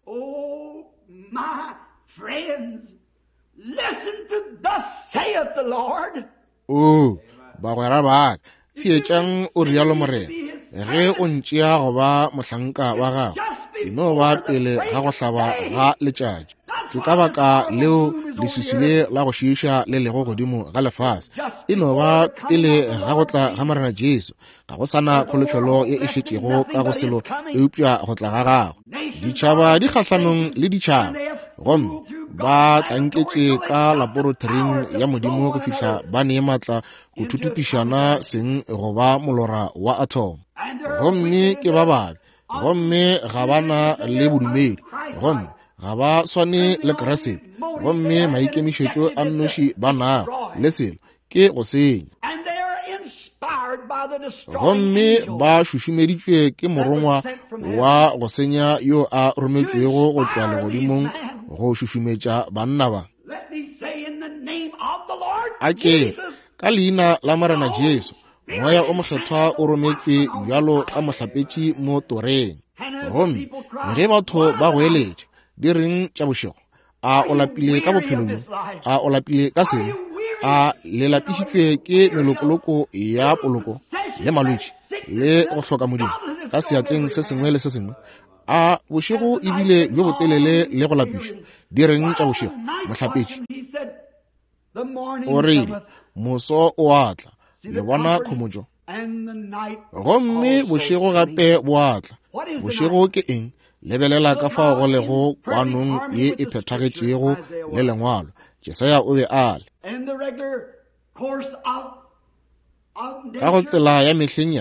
Speaker 1: Oo, bagwera ba ka, theetšang o rialo Morena, ge o ntšea go ba mohlanka wa gago, e no ba pele ga go hlaba ga letšatši. Ke ka baka leo leswiswi le la go šiiša le lego godimo ga lefase. E no ba pele ga go tla ga Morena Jesu. Ga go sana kholofelo ye e šetšego ka go selo eupša go tla ga gagwe. Ditšhaba di kgahlanong le ditšhaba, gomme ba tlanketše ka laboratoring ya Modimo go fihla ba ne matla go thuthupišana seng go ba molora wa atom. Gomme ke ba babe, gomme ga ba na le bodumedi, gomme ga ba swane le Kriste, gomme maikemišetšo a nnoši ba nago le selo ke go senya. Gomme ba šušumeditšwe ke morongwa wa go senya yo a rometšwego go tšwa legodimong go šušumetša banna ba. A ke ka leina la Morena Jesu, Moya o Mokgethwa o rometšwe bjalo ka mohlapetši mo toreng. Gomme ge batho ba goeletša, di reng tša bošego? A o lapile ka bophelo bjo? A o lapile ka sebe? A le lapišitšwe ke melokoloko ya poloko le malwetši le go hloka Modimo ka seatleng se sengwe le se sengwe? A bošego ebile bjo botelele le go lapiša? Di reng tša bošego, mohlapetši? O rile, moso o a tla, le bona khomotšo. Gomme bošego gape bo a tla. Bošego ke eng? Lebelela ka fao go lego kwanong ye e phethagetšego le lengwalo. Jesaya o be a le ka go tsela ya mehleng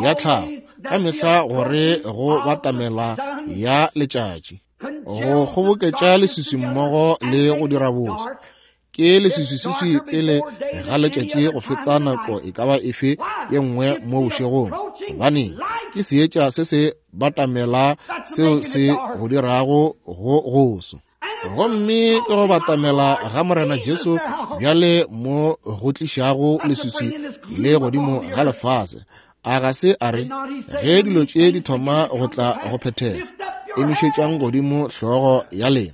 Speaker 1: ya tlhago, ka mehla gore go batamela ya letšatši, go kgoboketša leswiswi mmogo le go dira boso. Ke leswiswiswi pele ga letšatši go feta nako e ka ba efe ye nngwe mo bošegong, gobane ke seetša se se batamela seo se go dirago go goso. Gomme ke go batamela ga Morena Jesu bjale mo go tlišago leswiswi le godimo ga lefase. A ga se a re, ge dilo tše di thoma go tla go phethega, emišetšang godimo hlogo ya lena,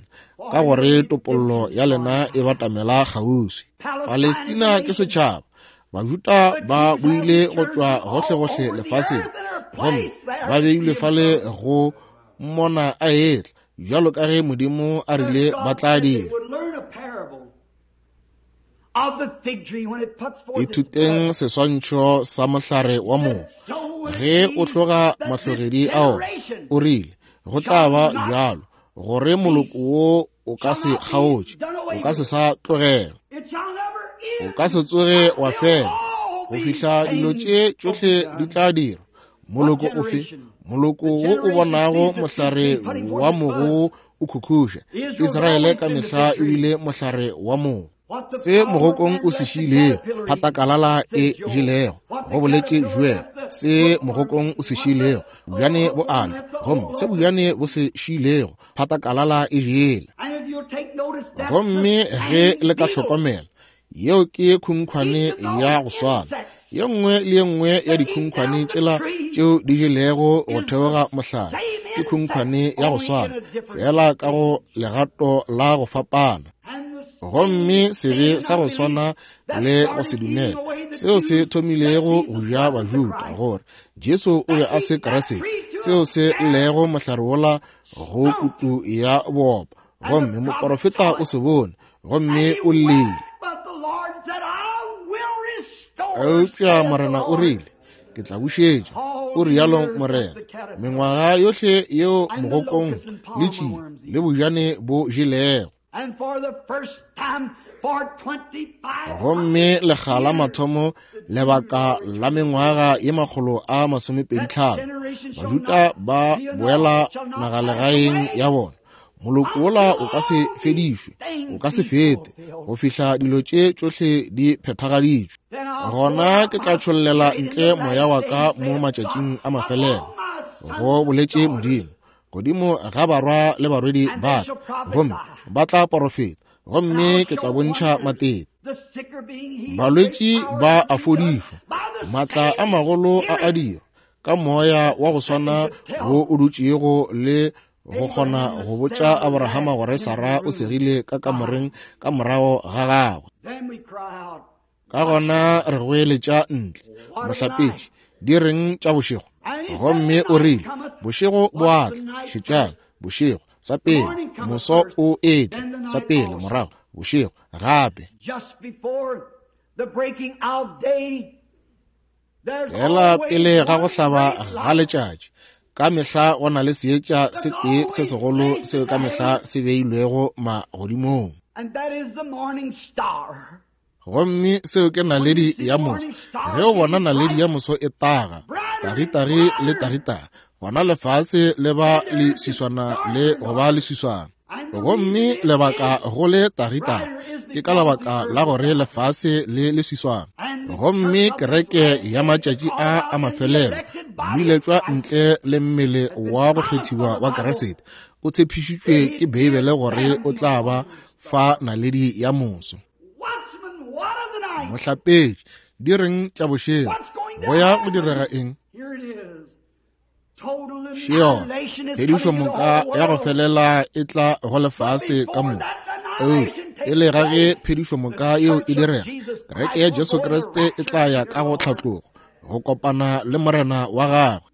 Speaker 1: ka gore topollo ya lena e batamela kgauswi. Palestina ke setšhaba. Bajuda ba boile go tšwa gohlegohle lefaseng, gomme ba beilwe fale go mmona a etla. bjalo ka ge Modimo a rile ba tla dira. Ithuteng seswantšho sa mohlare wa mogo. Ge o hloga mahlogedi ao, o rile, go tla ba bjalo, gore moloko wo o ka se kgaotše, o ka se sa tlogela, o ka se tsoge wa fela, go fihla dilo tše tšohle di tla dirwa. Moloko ofe? Moloko wo o bonago mohlare wa mogo o khukhuša. Israele ka mehla e bile mohlare wa mogo. Se mogokong o se šiilego, phatakalala e jelego, go boletše Joel. Se mogokong o se šiilego, bjane bo alwa, gomme se bjane bo se šiilego, phatakalala e jele. Gomme ge le ka hlokomela, yeo ke khunkhwane ya go swana. Ye nngwe le ye nngwe ya dikhunkhwane tšela tšeo di jelego go theoga mohlare ke khunkhwane ya go swana, fela ka go legato la go fapana. Gomme sebe sa go swana le go se dumela seo se thomilego go ja Bajuda gore Jesu o be a se Kriste, seo se llego mohlare wola go kutu ya boopa, gomme moporofeta o se bone gomme o llile. Eupša Morena o rile, ke tla bušetša, o rialo Morena, mengwaga yohle yeo mogokong le tšie le bojane bo jelego. Gomme lekga la mathomo lebaka la mengwaga ye 225, Bajuda ba boela nagalegaeng ya bona. Moloko wola o ka se fedišwe, o ka se fete, go fihla dilo tše tšohle di phethagaditšwe. Gona ke tla tšhollela ntle moya wa ka mo matšatšing a mafelelo, go boletše Modimo, godimo ga barwa le barwedi ba ka, gomme ba tla porofeta, gomme ke tla bontšha matete. Balwetši ba a fodišwa, maatla a magolo a a dirwa ka moya wa go swana wo o dutšego le go kgona go botša Abrahama gore Sara o segile ka kamoreng ka morago ga gagwe. Ka gona re goeletša ntle, mohlapetši, di reng tša bošego? Gomme o rile, bošego bo a tla, šetšang, bošego, sa pele, moso o etla, sa pele, morago, bošego, gape. Fela pele ga go hlaba ga letšatši, ka mehla go na le seetša se tee se segolo seo ka mehla se beilwego magodimong. Gomme seo ke naledi ya moso. Ge o bona naledi ya moso e taga, tagitagi le tagitagi, gona lefase le ba leswiswana le go ba leswiswana. Gomme lebaka go le tagitagi ke ka lebaka la gore lefase le leswiswana. Gomme kereke ya matšatši a a mafelelo, mmiletšwa ntle le mmele wa go kgethiwa wa Kriste, o tshepišitšwe ke Beibele gore o tla ba fa naledi ya moso. Mohlapetši, di reng tša bošego? Go ya go direga eng? Šeona, phedišo moka ya go felela e tla go lefase ka moka. Eupša pele ga ge phedišo moka yeo e direga, kereke ya Jesu Kriste e tla ya ka go tlhatlogo, go kopana le Morena wa gagwe.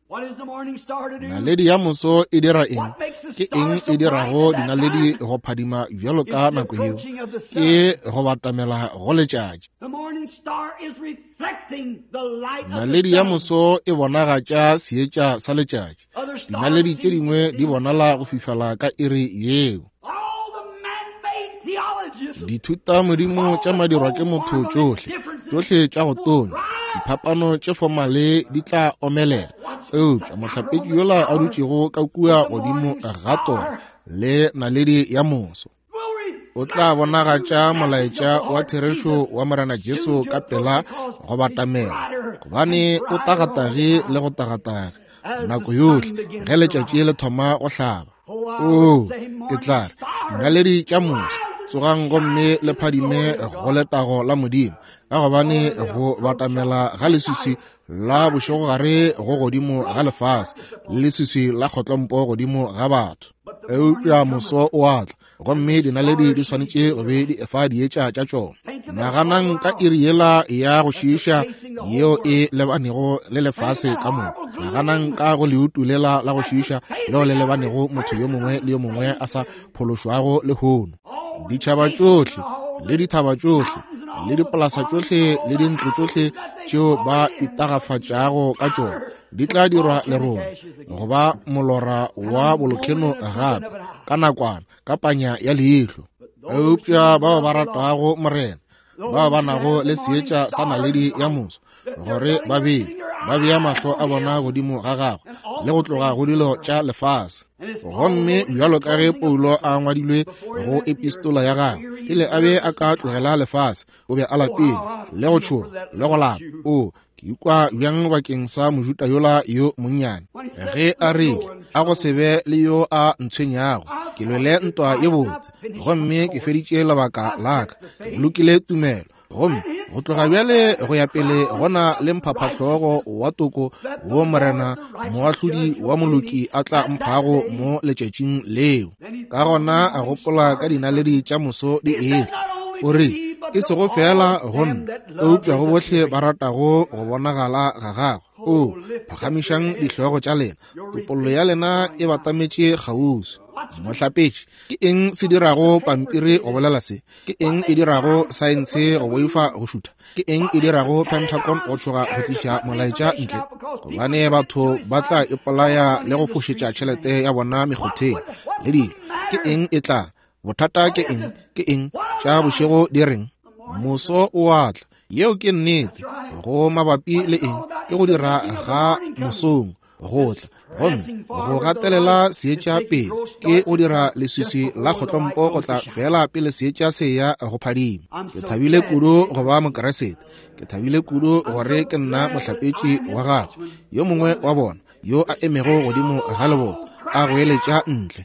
Speaker 1: Naledi ya moso e dira eng? Ke eng e dirago dinaledi go phadima bjalo ka nako yeo? Ke go batamela go letšatši. Naledi ya moso e bonagatša seetša sa letšatši. Dinaledi tše dingwe di bonala go fifala ka iri yeo. Dithutamodimo tša madirwa ke motho tšohle, tšohle tša go tonya, diphapano tše fomale di tla omelela. Eupša mohlapetši yola a dutšego ka kua godimo ga tora le naledi ya moso o tla bonagatša molaetša wa therešo wa Morena Jesu ka pela go batamela, gobane o tagatagi le go tagatagi nako yohle ge letšatši le thoma go hlaba. Oo, ke tla re, dinaledi tša moso, tsogang gomme le phadime go letago la Modimo, ka gobane go batamela ga leswiswi la bošegogare go godimo ga lefase, le leswiswi la kgotlompo godimo ga batho. Eupša moso o a tla, gomme dinaledi di swanetše go be di efa dietša tša tšona. Naganang ka iri yela ya go šiiša yeo e lebanego le lefase ka moka. Naganang ka go leutu lela la go šiiša leo le lebanego motho yo mongwe le yo mongwe a sa phološwago lehono. Ditšhaba tšohle le dithaba tšohle le dipolasa tšohle le dintlo tšohle tšeo ba itagafatšago ka tšona di tla dirwa lerole go ba molora wa bolokheno gape ka nakwana ka panya ya leihlo. Eupša bao ba ratago Morena, bao ba nago le seetša sa naledi ya moso, gore ba bee ba bea mahlo a bona godimo ga gagwe le go tloga go dilo tša lefase. Gomme bjalo ka ge Paulo a ngwadilwe go epistola ya gagwe, pele a be a ka tlogela lefase, o be a lapile le go tšhoga le go lapa. O ke ikwa bjang bakeng sa Mojuda yola yo monnyane ge a rile, a go se be le yo a ntshwenyago, ke lwele ntwa ye botse, gomme ke feditše lebaka la ka, ke bolokile tumelo, gomme go tloga bjale go ya pele gona le mphaphahlogo wa toko wo Morena moahlodi wa moloki a tla mphago mo letšatšing leo. Ka gona a gopola ka dinaledi tša moso di etla, o rile, e sego feela go nna, eupša go bohle ba ratago go bonagala ga gagwe. O phagamišang dihlogo tša lena, topollo ya lena e batametše kgauswi. Mohlapetši, ke eng se dirago pampiri go bolela se? Ke eng e dirago saense go boifa go šutha? Ke eng e dirago Pentagon go tšhoga go tliša molaetša ntle? Gobane batho ba tla ipolaya le go fošetša tšhelete ya bona mekgotheng le dilo. Ke eng e tla? Bothata ke eng? Ke eng tša bošego di reng? Moso o a tla. Yeo ke nnete. Go mabapi le eng? Ke go dira ga mosong go tla, gomme go gatelela seetša pele ke go dira leswiswi la kgotlompo go tla fela pele seetša se ya go phadima. Ke thabile kudu go ba Mokeresete. Ke thabile kudu gore ke nna mohlapetši wa gagwe, yo mongwe wa bona yo a emego godimo ga leboto a goeletša ntle,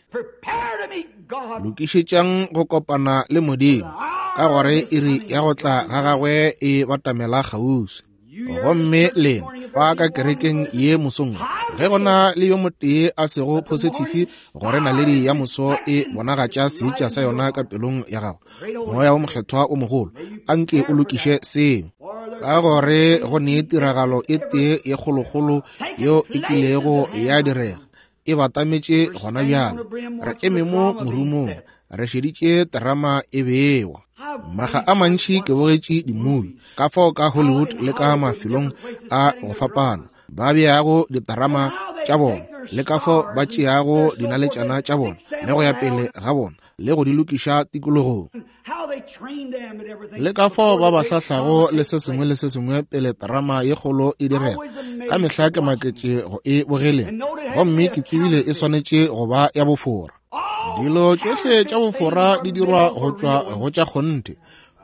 Speaker 1: lokišetšang go kopana le Modimo, ka gore iri ya go tla ga gagwe e batamela kgauswi. Gomme lena ba ka kerekeng ye mosong, ge go na le yo motee a sego phosithifi gore naledi ya moso e bonagatša seetša sa yona ka pelong ya gago, Moya wo Mokgethwa o mogolo a nke o lokiše seo, ka gore go ne tiragalo e tee ye kgolokgolo yeo e kilego ya direga, e batametše gona bjale. Re eme mo morumong, re šeditše terama e bewa. Maga a mantši ke bogetše dimubi ka fao ka Hollywood le ka mafelong a go fapana ba beago diterama tša bona, le ka fao ba tšeago dinaletšana tša bona le go ya pele ga bona le go di lokiša tikologong, le ka fao ba ba hlahlago le se sengwe le se sengwe pele terama ye kgolo e direga. Ka mehla ke maketše go e bogeleng, gomme ke tsebile e swanetše go ba ya bofora. Dilo tšohle tša bofora di dirwa go tšwa go tša kgonthe.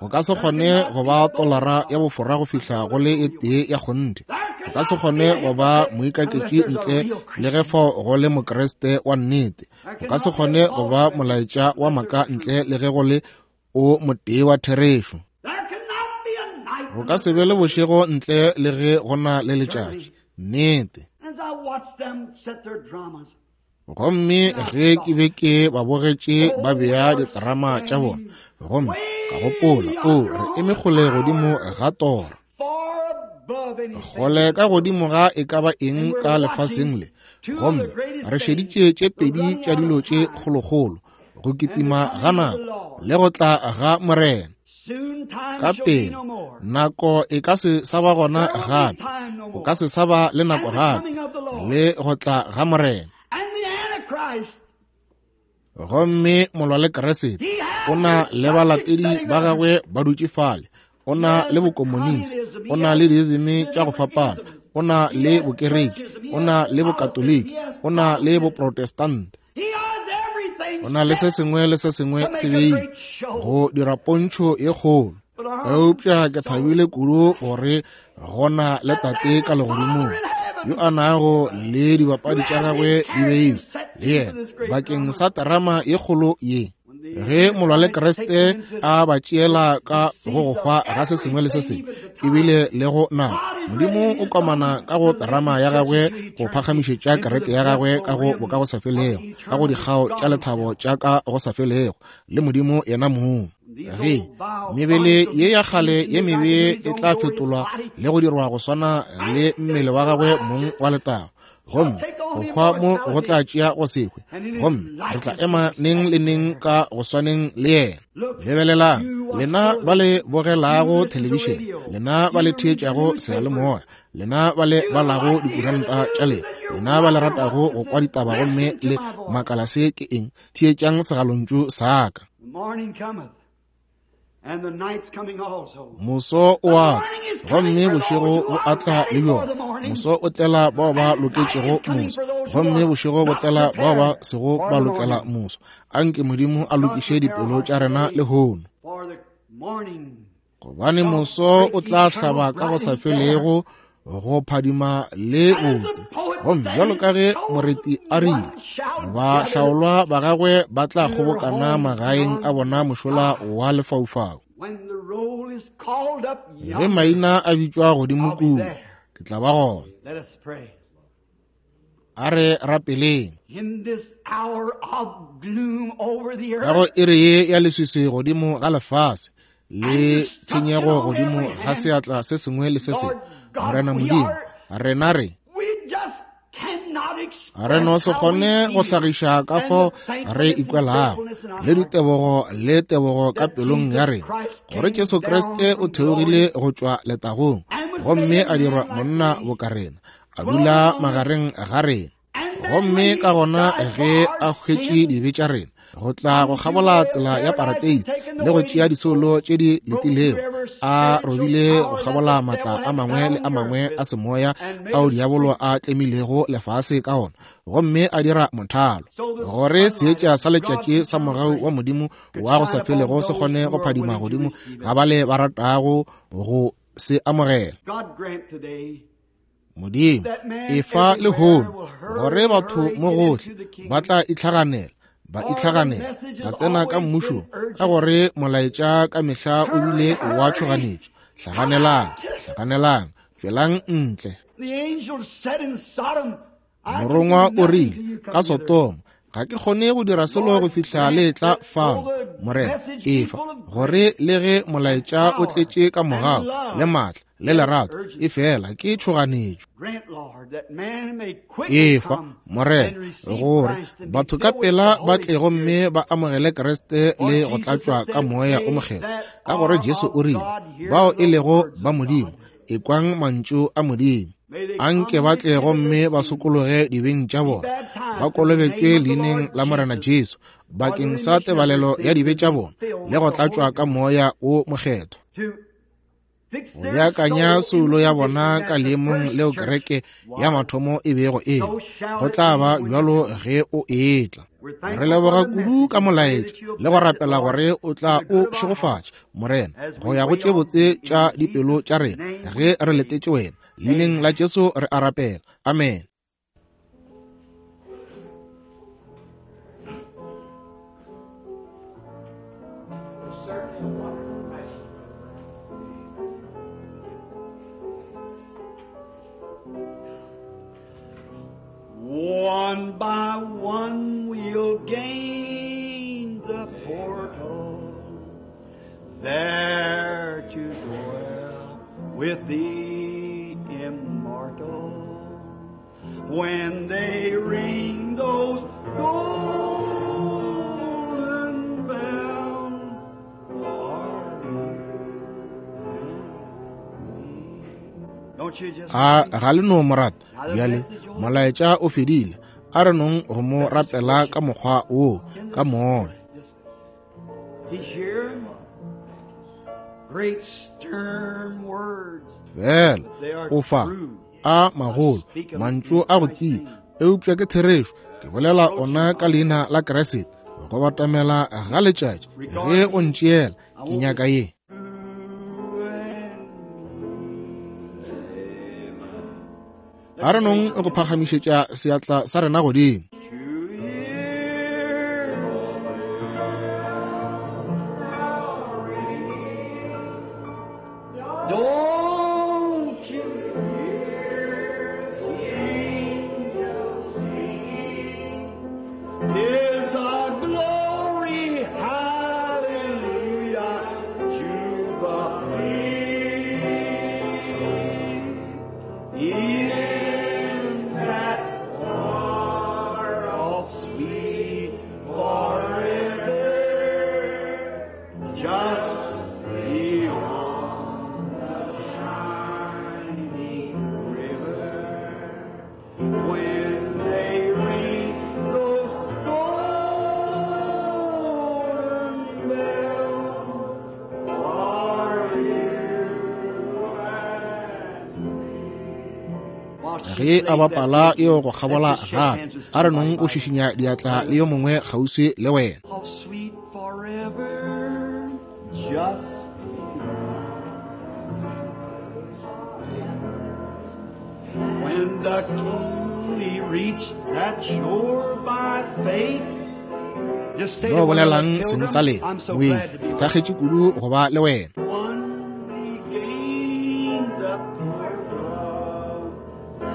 Speaker 1: Go ka se kgone go ba tolara ya bofora go fihla go le e tee ya kgonthe. Go ka se kgone go ba moikaketši ntle le ge fao go le Mokriste wa nnete. Go ka se kgone go ba molaetša wa maaka ntle le ge go le o motee wa therešo. Go ka se be le bošego ntle le ge go na le letšatši. Nnete. Gomme ge ke be ke ba bogetše ba bea diterama tša bona, gomme ka gopola, o re eme kgole godimo ga tora, kgole ka godimo ga e ka ba eng ka lefaseng le, gomme re šeditše tše pedi tša dilo tše kgolokgolo, go kitima ga nako le go tla ga Morena. Ka pele nako e ka se sa ba gona gape, go ka se sa ba le nako gape, le go tla ga Morena. Gomme molwa le Keresete o na le balatedi ba gagwe ba dutše fale, o na le bokomonisi, o na le diizime tša go fapana, o na le bokereki, o na le bokatoliki, o na le boprotestante, o na le se sengwe le se sengwe se beile go dira pontšho ye kgolo. Eupša ke thabile kudu gore go na le Tate ka legodimong yo a nago le dibapadi tša gagwe di beilwe le yena bakeng sa terama ye kgolo ye. Ge molwa le Kriste a ba tšeela ka go go hwa ga se sengwe le se sengwe, ebile le go nako, Modimo o komana ka go terama ya gagwe go phagamišetša kereke ya gagwe ka go bokagosafelego, ka go dikgao tša lethabo tša ka go sa felego le Modimo yena mong. Ge mebele ye ya kgale ye mebe e tla fetolwa le go dirwa go swana le mmele wa gagwe mong wa letago, gomme go hwa mo go tla tšea go se hwe, gomme re tla ema neng le neng ka go swaneng le yena. Lebelelang, lena ba le bogelago thelebišene, lena ba le theetšago seyalemoya, lena ba le balago dikuranta tša lena, lena ba le ratago go kwa ditaba gomme le makala se ke eng, theetšang segalontšu sa ka. Moso o a tla, gomme bošego bo a tla le bjona. Moso o tlela bao ba loketšego moso, gomme bošego bo tlela bao ba sego ba lokela moso. Anke Modimo a lokiše dipelo tša rena lehono, gobane moso o tla hlaba ka go sa felego, go phadima le botse. Gomme bjalo ka ge moreti a rile, bahlaolwa ba gagwe ba tla kgobokana magaeng a bona mošola wa lefaufau. Ge maina a bitšwa godimo kua, ke tla ba gona. A re rapeleng. Ka go iri ye ya leswiswi godimo ga lefase le tshenyego godimo ga seatla se sengwe le se sengwe, Morena Modimo, rena re no se kgone go hlagiša ka fao re ikwelago le ditebogo le tebogo ka pelong ya rena gore Jesu Kriste o theogile go tšwa letagong gomme a dirwa monna boka rena, a dula magareng ga rena, gomme ka gona ge a hwetše dibe tša rena go tla go kgabola tsela ya parateisi le go tšea disoulo tše di letilego, a robile go kgabola maatla a mangwe le a mangwe a semoya ao diabolo a tlemilego lefase ka ona, gomme a dira mothalo gore seetša sa letšatši sa mogau wa Modimo wa go sa felego se kgone go phadima godimo ga bale ba ratago go se amogela. Modimo, efa lehono gore batho mo gohle ba tla itlhaganela, ba itlhaganela ba tsena ka mmušong, ka gore molaetša ka mehla o bile wa tšhoganetšo. Hlaganelang, hlaganelang, tšwelang ntle. Morongwa o rile ka Sodoma, ga ke kgone go dira selo go fihla le tla fano. Morena, efa gore le ge molaetša o tletše ka mogau le maatla le lerato, e fela ke tšhoganetšo. Efa, Morena, gore batho ka pela ba tle gomme ba amogele Kriste le go tlatšwa ka Moya o Mokgethwa, ka gore Jesu o rile, bao e lego ba Modimo, ekwang mantšu a Modimo. Anke ba tle gomme ba sokologe dibeng tša bona, ba kolobetšwe leineng la Morena Jesu bakeng sa tebalelo ya dibe tša bona le go tlatšwa ka Moya o Mokgethwa, go beakanya soulo ya bona ka leemong leo kereke ya mathomo e bego e go tla ba bjalo ge o etla. Re leboga kudu ka molaetša le go rapela gore o tla o šegofatša, Morena, go ya go tše botse tša dipelo tša rena ge re letetše wena. Leineng la Jesu re a rapela. Amen.
Speaker 3: One by one we'll gain the portal, there to dwell with the immortal. When they ring those golden bells, don't you just
Speaker 1: A ga le no morata bjale molaetša o fedile, a re nong go mo rapela ka mokgwa wo ka moya.
Speaker 3: He's here. Great stern words.
Speaker 1: Fela o fa a magolo mantšu a go tia, eupša ke therešo, ke bolela ona ka leina la Kriste, go batamela ga letšatši ge o ntšeela, ke nyaka ye. A re nong go phagamišetša seatla sa rena godimo.
Speaker 3: Don't you hear the angels sing? 'Tis a glory, hallelujah.
Speaker 1: Ge a bapala eo go kgabola gape, a re nong o šišinya diatla le yo mongwe kgauswi le wena.
Speaker 3: How sweet forever, just when the King he reached that shore by faith. Just say
Speaker 1: No
Speaker 3: to one another,
Speaker 1: bolelang seng sa
Speaker 3: pilgrim,
Speaker 1: lena.
Speaker 3: I'm so
Speaker 1: Moeng,
Speaker 3: glad to be
Speaker 1: ke thakgetše kudu go ba le wena.
Speaker 3: one regained the pardon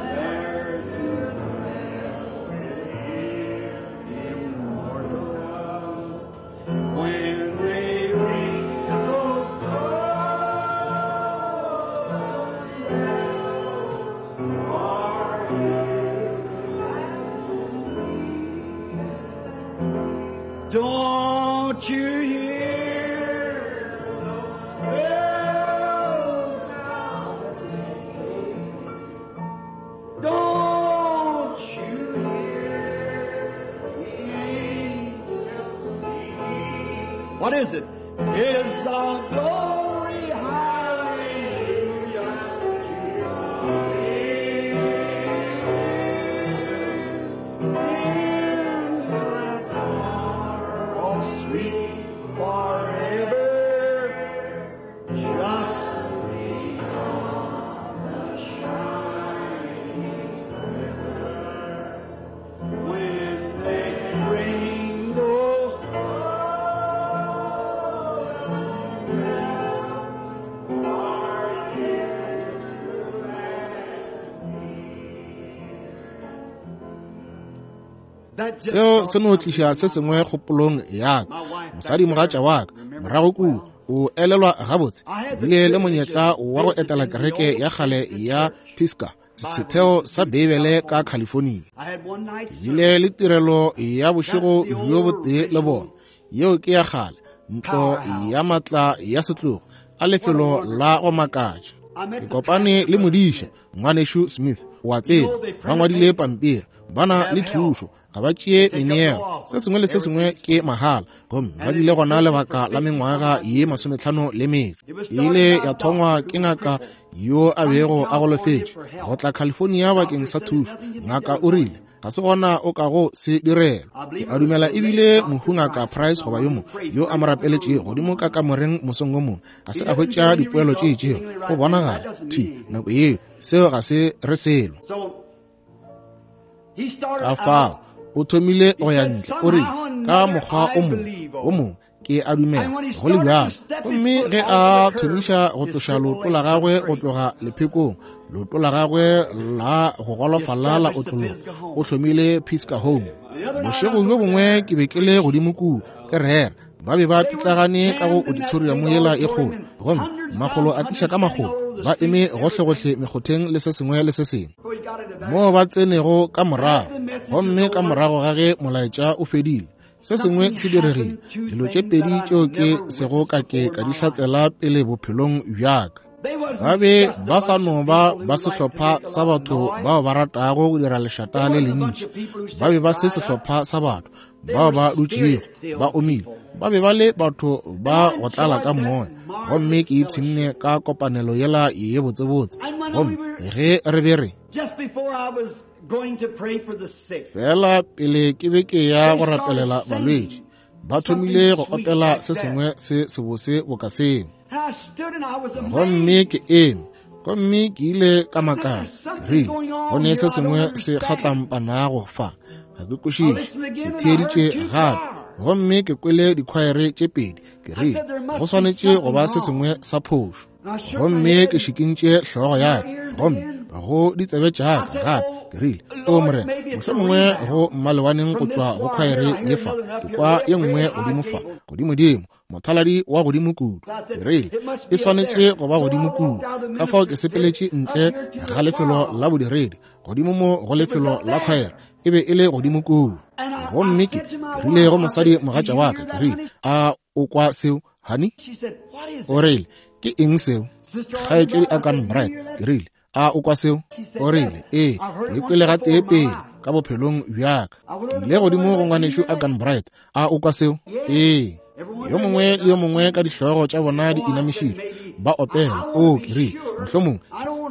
Speaker 3: there to immortal. When they ring those Don't you hear the bells sound? Don't you hear the angels sing? What is it? It's a glory, hallelujah to in that far, oh, sweet forever, just beyond the shining river. When they ring those That just
Speaker 1: Seo
Speaker 3: brought
Speaker 1: se no
Speaker 3: something
Speaker 1: tliša
Speaker 3: to
Speaker 1: se
Speaker 3: my
Speaker 1: sengwe kgopolong ya ka. Mosadimogatša wa ka morago kua o elelwa gabotse. Ke bile le monyetla wa go etela kereke ya kgale ya Pisgah, setheo sa Beibele ka California.
Speaker 3: I had one night
Speaker 1: Ke bile le tirelo ya bošego bjo botee le bona. Yeo ke ya kgale, ntlo ya matla ya setlogo, a lefelo la go makatša. Ke kopane le modiša, ngwanešu Smith, wa tseba, ba ngwadile pampiri, ba na le thušo, ga ba tšee meneelo, se sengwe le se sengwe ke mahala, gomme ba bile gona lebaka la mengwaga ye 54. E ile ya thongwa ke ngaka yo a bego a golofetše go tla California bakeng sa thušo. Ngaka o rile, ga se gona o ka go se direlwa. Ke a dumela ebile mohu ngaka Price goba yo mongwe yo a mo rapeletšego godimo ka kamoreng mosong o mongwe, ga se a hwetša dipoelo tše itšego. Go bonagala thwi nako yeo seo ga se re selo.
Speaker 3: So he started
Speaker 1: Ka
Speaker 3: out
Speaker 1: fao o thomile go ya ntle, o rile, ka mokgwa o mongwe o mongwe ke a dumela go le bjalo. Gomme ge a thomiša go tloša leoto la gagwe go tloga lephekong, leoto la gagwe la go golofala la otlologa, o hlomile Pisgah Home. Bošego bjo bongwe ke be ke le godimo kua ke rera, ba be ba pitlagane ka go auditorium yela e kgolo, gomme makgolo a tiša ka makgolo, ba eme gohlegohle mekgotheng le se sengwe le se sengwe
Speaker 3: before he got in the back.
Speaker 1: moo ba tsenego ka morago. Gomme ka morago ga ge molaetša o fedile, se sengwe se diregile. Dilo tše pedi tšeo ke sego ka ke ka di hlatsela pele bophelong bja ka.
Speaker 3: They wasn't
Speaker 1: Ba be
Speaker 3: just a
Speaker 1: ba sa
Speaker 3: bunch
Speaker 1: no
Speaker 3: of
Speaker 1: ba
Speaker 3: people who
Speaker 1: ba
Speaker 3: liked to
Speaker 1: sehlopha
Speaker 3: make a
Speaker 1: sa
Speaker 3: lot of
Speaker 1: batho
Speaker 3: noise.
Speaker 1: bao ba ratago go dira lešata le lentši. Ba be ba se sehlopha sa batho bao ba dutšego ba omile. Ba be ba le batho ba go tlala ka moya, gomme ke ipshinne ka kopanelo yela ye botsebotse. Gomme ge re be re
Speaker 3: Just before I was going to pray for the sick,
Speaker 1: fela pele ke be ke ya go rapelela balwetši, ba thomile go opela se sengwe se sebose boka seo.
Speaker 3: and I stood and I was
Speaker 1: Gomme
Speaker 3: amazed.
Speaker 1: ke eme, gomme ke ile ka makala, rile, go ne se sengwe se kgatlampanago fa, ga ke kwešiše. Ke theeditše gape, gomme ke kwele dikhwaere tše pedi. Ke rile, go swanetše go ba se sengwe sa phošo. Gomme ke šikintše hlogo ya ka, gomme go ditsebe tša ka gape. Ke rile, o Morena, mohlomongwe go mmalewaneng go tšwa go khwaere ye fa, ke kwa ye nngwe godimo fa, godimodimo, mothaladi wa godimo kudu. Ke rile, e swanetše go ba godimo kudu. Ka fao ke sepeletše ntle ga lefelo la bodiredi, godimo mo go lefelo la khwaere, e be e le godimo kudu. Gomme ke rile go mosadi mogatša wa ka, ke rile, a o kwa seo, honey?
Speaker 3: She said, "What is
Speaker 1: O
Speaker 3: it?"
Speaker 1: rile, ke eng seo? Kgaetšedi a kan Bright, ke rile, a o kwa seo? O rile, ee, ke kwele gatee pele ka bophelong bja ka. Ke ile godimo go ngwanešu a kan Bright, a o kwa seo? Ee. Yo mongwe le yo mongwe ka dihlogo tša bona di inamišitšwe, ba opela. O, ke rile, mohlomongwe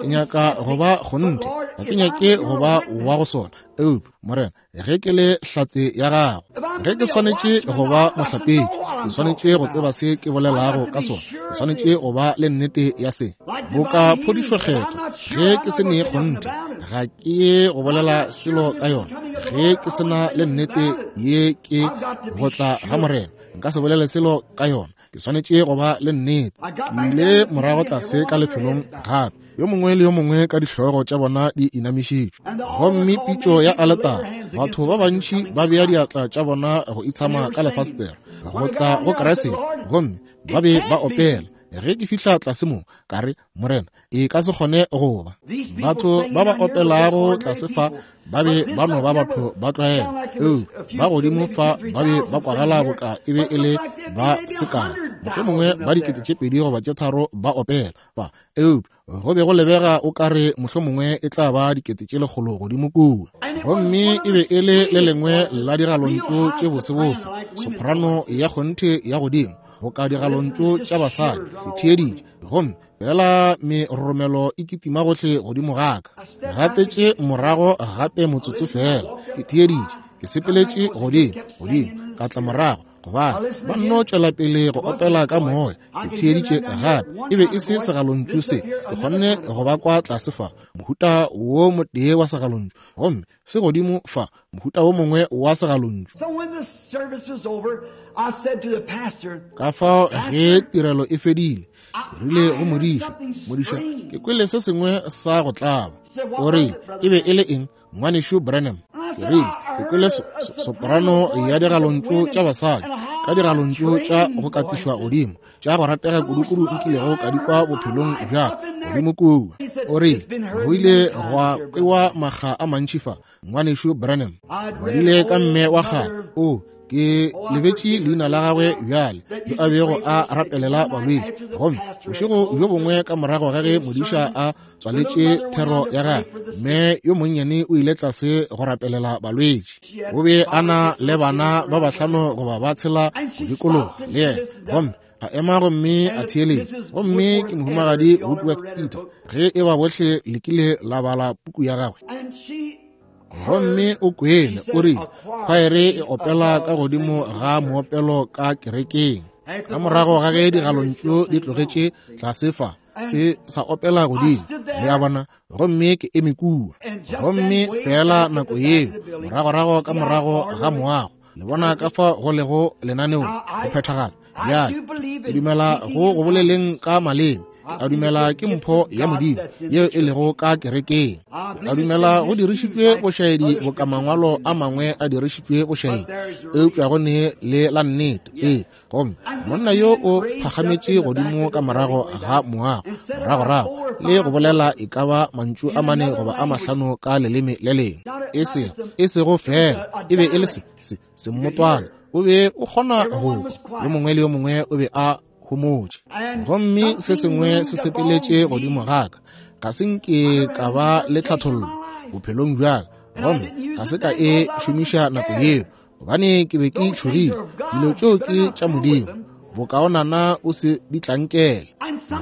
Speaker 1: ke nyaka go ba kgonthe, Ga ke nyake go ba wa go sona, eupša, Morena, ge ke le hlatse ya gago, ge ke swanetše go ba mohlapetši, ke swanetše go tseba se ke bolelago ka sona. Ke swanetše go ba le nnete ya se. Boka phodišo kgethwa, ge ke se ne kgonthe, ga ke ye go bolela selo ka yona. Ge ke se na le nnete ye ke go tla ga Morena, nka se bolele selo ka yona. Ke swanetše go ba le nnete. Ke ile morago tlase ka lefelong gape, yo mongwe le yo mongwe ka dihlogo tša bona di inamišitšwe, gomme pitšo ya aletara, batho ba bantši ba bea diatla tša bona go itshama ka lefastere go tla go Kriste, gomme ba be ba opela. Ge ke fihla tlase mo, ka re, Morena, e ka se kgone go ba. Batho ba ba opelago tlase fa ba be ba no ba batho ba tlwaelo, eupša ba godimo fa ba be ba kwagala boka e be e le ba sekae, mohlomongwe ba 2000 goba 3000 ba opela fa, eupša go be go lebega o ka re mohlomongwe e tla ba 100,000 godimo kua. Gomme e be e le le lengwe la digalontšu tše bosebose, soprano ya kgonthe ya godimo, boka digalontšu tša basadi. Ke theeditše, gomme fela meroromelo e kitima gohle godimo ga ka. Gatetše morago gape motsotso fela, ke theeditše, ke sepeletše godimo godimo, ka tla morago, gobane ba nno tšwela pele go opela ka moya. Ke theeditše gape, e be e se segalontšu se, ke kgonne go ba kwa tlase fa, mohuta wo motee wa segalontšu, gomme se godimo fa, mohuta wo mongwe wa segalontšu. Ka fao ge tirelo e fedile, ke rile go modiša, modiša, ke kwele se sengwe sa go tlaba. O rile, e be e le eng, Ngwanešu Branham? Ke rile, ke kwele soprano ya digalontšu tša basadi, ka digalontšu tša go katišwa godimo, tša go ratega kudukudu nkilego ka di kwa bophelong bja godimo kua. O rile, go ile gwa kwewa makga a mantši fa, Ngwanešu Branham. Badile ka mme wa kgale, o ke lebetše leina la gagwe bjale, yo a bego a rapelela balwetši. Gomme bošego bjo bongwe ka morago ga ge modiša a tswaletše thero ya gagwe, mme yo monnyane o ile tlase go rapelela balwetši. O be a na le bana ba bahlano goba ba tshela go dikologa le yena, gomme a ema gomme a theeletša. Gomme ke mohumagadi Woodworth Eater, ge e ba bohle le kile la bala puku ya gagwe. Gomme o kwele, o rile, khwaere e opela ka godimo ga moopelo ka kerekeng. Ka morago ga ge digalontšu di tlogetše tlase fa, se sa opela godimo, le a bona, gomme ke eme kua. Gomme feela nako yeo, moragorago ka morago ga moago, le bona ka fa go lego lenaneong go phethagala. Bjale, ke dumela go go boleleng ka maleme. Ke a dumela ke mpho ya Modimo yeo e lego ka kerekeng. Ke a dumela go dirišitšwe bošaedi boka mangwalo a mangwe a dirišitšwe bošaedi, eupša go ne le la nnete. Ee, gomme monna yo o phagametše godimo ka morago ga moago, moragorago, le go bolela e ka ba mantšu a mane goba a mahlano ka leleme le lengwe, e sego, e sego fela, e be e le se, se, semmotwana. O be o kgona go kwa, yo mongwe le yo mongwe o be a homotše. Gomme se sengwe se sepeletše godimo ga ka, ga se nke ka ba le tlhathollo bophelong bja ka, gomme ga se ka e šomiša nako yeo, gobane ke be ke tšhogile. Dilo tšeo ke tša Modimo, bokaonana o se di tlankele.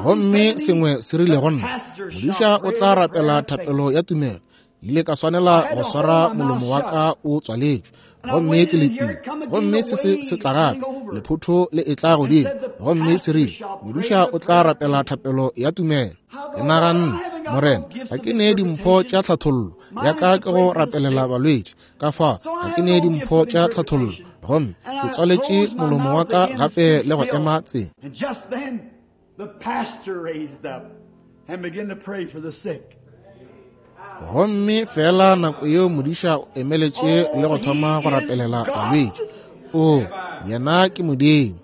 Speaker 1: Gomme sengwe se rile go nna, modiša o tla rapela thapelo ya tumelo. Ile ka swanela go swara molomo wa ka o tswaletšwe, gomme ke letile. Gomme se se se tla gape, lephotho le e tla godimo, gomme se rile, modiša o tla rapela thapelo ya tumelo. Ke naganne, Morena, ga ke nee dimpho tša tlhathollo, ya ka ke go rapelela balwetši, ka fa ga ke nee dimpho tša tlhathollo. Gomme ke tswaletše molomo wa ka gape le go ema tsela.
Speaker 3: And just then, the pastor raised up and began to pray for the sick.
Speaker 1: Gomme fela nako yeo modiša o emeletše le go thoma go rapelela balwetši. O, yena ke Modimo.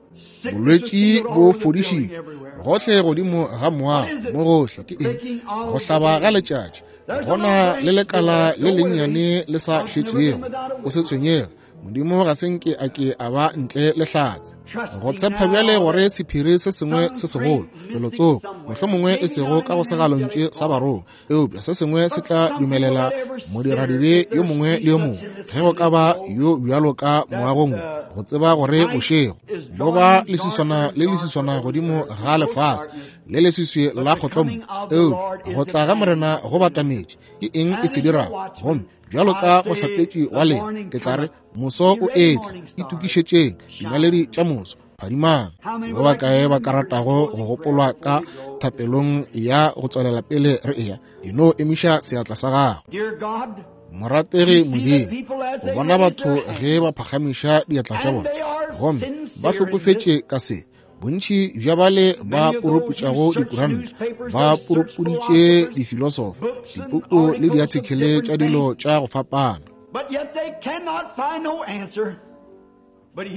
Speaker 1: Bolwetši bo fodišitšwe gohle godimo ga moago, mo gohle. Ke eng? Go hlaba ga letšatši. Go na le lekala le lennyane le sa šetšego. O se tshwenyege. Modimo ga se nke a ke a ba ntle le hlatse. Go tshepa bjale gore sephiri se sengwe se segolo, felotsoko, mohlomongwe e sego ka go segalontšu sa barongwa, eupša se sengwe se tla dumelela modiradibe yo mongwe le yo mongwe, ge go ka ba yo bjalo ka moagong wo, go tseba gore bošego bo ba leswiswana le leswiswana godimo ga lefase le leswiswi la kgotlommo, eupša go tla ga Morena go batametše. Ke eng e se dirago? Gomme bjalo ka mohlapetši wa lena, ke tla re, moso o etla, itokišetšeng dinaledi tša moso, phadimang. Ba bakae ba ka ratago go gopolwa ka thapelong ya go tswelela pele re eya? E no emiša seatla sa gago. Morategi Modimo, o bona batho ge ba phagamiša diatla tša bona gomme ba hlokofetše ka se. Bontši bja bale ba puruputšago dikuranta ba purupuditše difilosofa, dipuku le diathikele tša dilo tša go fapana.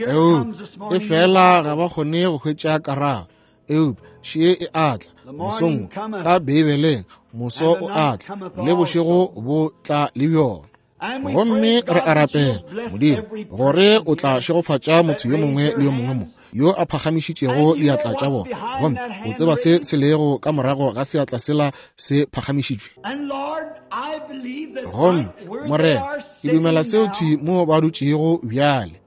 Speaker 1: Eupša e fela ga ba kgone go hwetša karabo. Eupša še e atla mosong ka Beibeleng, moso o atla le bošego bo tla le bjona. Gomme re a rapela, Modimo, gore o tla šegofatša motho yo mongwe le yo mongwe mo yo a phagamišitšego diatla tša bona, gomme o tseba se se lego ka morago ga seatla sela se phagamišitšwe. Gomme Morena, ke dumela seo thwi mo ba dutšego bjale,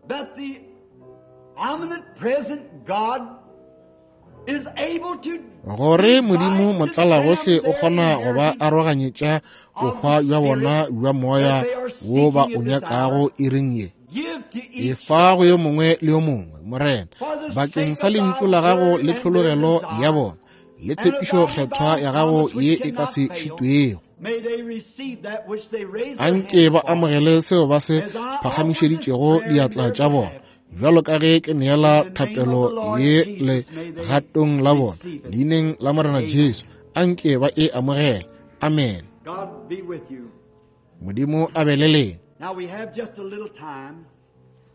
Speaker 1: gore Modimo motlalagohle o kgona go ba aroganyetša bohwa bja bona bja moya wo ba o nyakago iring ye. Efa go yo mongwe le yo mongwe, Morena, bakeng sa lentšu la gago le tlhologelo ya bona le tshepišo kgethwa ya gago ye e ka se šitwego. Anke ba amogele seo ba se phagamišeditšego diatla tša bona, bjalo ka ge ke neela thapelo ye legatong la bona, leineng la Morena Jesu. Anke ba e amogele. Amen. Modimo a be le lena.
Speaker 3: Now we have just a little time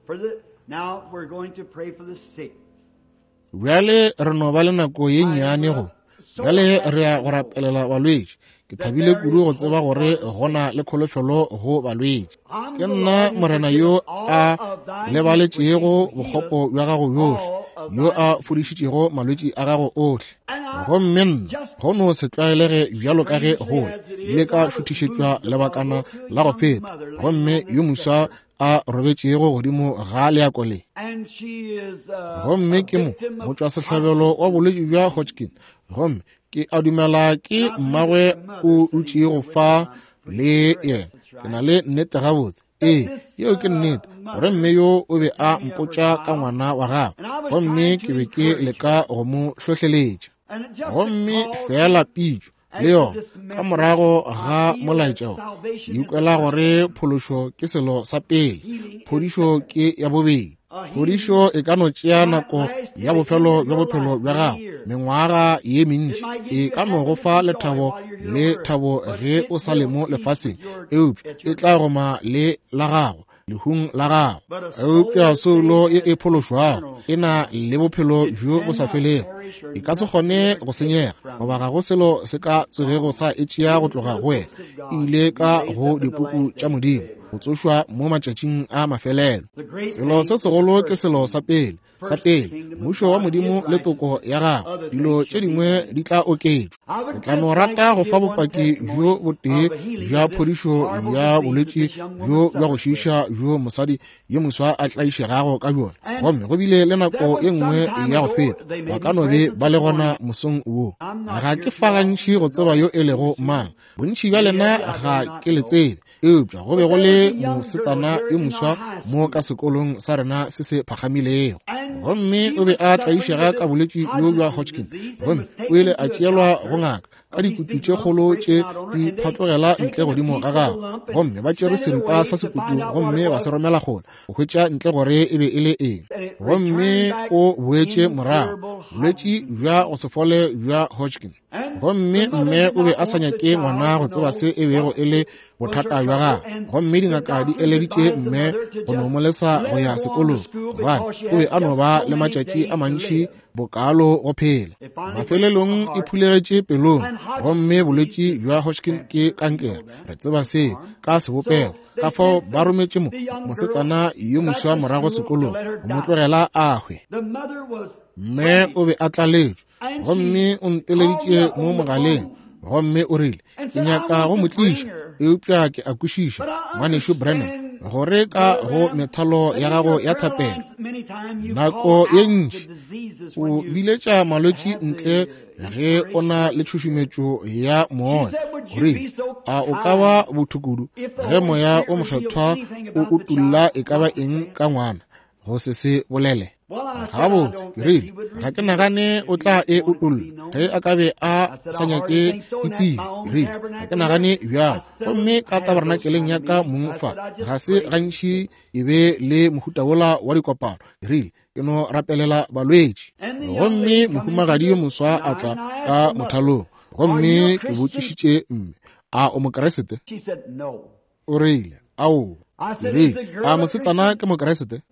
Speaker 3: for the, now we're going to pray for the sick.
Speaker 1: Bjale re no ba le nako ye nnyane go. Bjale re ya go rapelela balwetši. Ke thabile kudu go tseba gore go na le kholofelo go balwetši. Ke nna Morena yo a lebaletšego bokgopo bja gago bjohle, yo a fodišitšego malwetši a gago ohle. Gomme nna go no se tlwaelege bjalo ka ge go ile ka šuthišetšwa lebakana la go feta, gomme yo moswa a robetšego godimo ga leako le. Gomme ke mo motšwasehlabelo wa bolwetši bja Hodgkin, gomme ke a dumela ke mmagwe o dutšego fa le yena. Ke na le nnete gabotse. Ee, yeo ke nnete, gore mme yo o be a mpotša ka ngwana wa gagwe, gomme ke be ke leka go mo hlohleletša. Gomme feela pitšo le yona ka morago ga molaetša wo, ke ikwela gore phološo ke selo sa pele, phodišo ke ya bobedi. Phodišo e ka no tšea nako ya bofelo bja bophelo bja gago, mengwaga ye mentši, e ka no go fa lethabo le thabo ge o sa le mo lefaseng, eupša e tla goma le la gago lehung la gago. Eupša soulo ye e phološwago e na le bophelo bjo bo sa felego, e ka se kgone go senyega, goba ga go selo se ka tsogego sa e tšea go tloga go wena. E ile ka go dipuku tša Modimo go tsošwa mo matšatšing a mafelelo. Selo se segolo ke selo sa pele, sa pele mmušo wa Modimo le toko ya gagwe, dilo tše dingwe di tla oketšwa. Ke tla no rata go fa bopaki bjo botee bja phodišo ya bolwetši bjo bja go šiiša bjo mosadi yo moswa a tlaišegago ka bjona. Gomme go bile le nako e nngwe ya go feta, ba ka no be ba le gona mosong wo. Ga ke fa gantši go tseba yo e lego mang, bontši bja lena ga ke le tsebe, eupša go be go le mosetsana yo moswa mo ka sekolong sa rena se se phagamilego, gomme o be a tlaišega ka bolwetši bjo bja Hodgkin, gomme o ile a tšeelwa go ngaka ka dikutu tše kgolo tše di phatlogela ntle godimo ga gagwe, gomme ba tšere seripa sa sekutu gomme ba se romela kgole go hwetša ntle gore e be e le eng, gomme o boetše morago bolwetši bja go se fole bja Hodgkin. Gomme mme o be a sa nyake ngwana go tseba se e bego e le bothata bja gagwe. Gomme dingaka di eleditše mme go no mo lesa go ya sekolong, gobane o be a no ba le matšatši a mantši bokaalo go phela. Mafelelong e phulegetše pelong, gomme bolwetši bja Hodgkin ke kankere. Re tseba seo ka sebopego. Ka fao ba rometše mosetsana yo moswa morago sekolong go mo tlogela a hwe. Mme o be a tlaletšwe, gomme o nteleditše mo mogaleng, gomme o rile, ke nyaka go mo tliša, eupša ke a kwešiša, Ngwanešu Branham, gore ka go methalo ya gago ya thapelo nako ye ntši o biletša malwetši ntle ge o na le tšhušumetšo ya moya. O rile, a o ka ba botho kudu ge moya o mokgethwa o utulla e ka ba eng ka ngwana go se se bolele? Gabotse, ke rile, ga ke nagane o tla e utolla ge a ka be a sa nyake ke tsebe. Ke rile, ga ke nagane bjalo. Gomme ka tabernakeleng ya ka mong fa, ga se gantši e be le mohuta wola wa dikopano. Ke rile, ke no rapelela balwetši. Gomme mohumagadi yo moswa a tla ka mothalong, gomme ke botšišitše mme, a o Mokeresete? O rile, aowa. Ke rile, a mosetsana ke Mokeresete?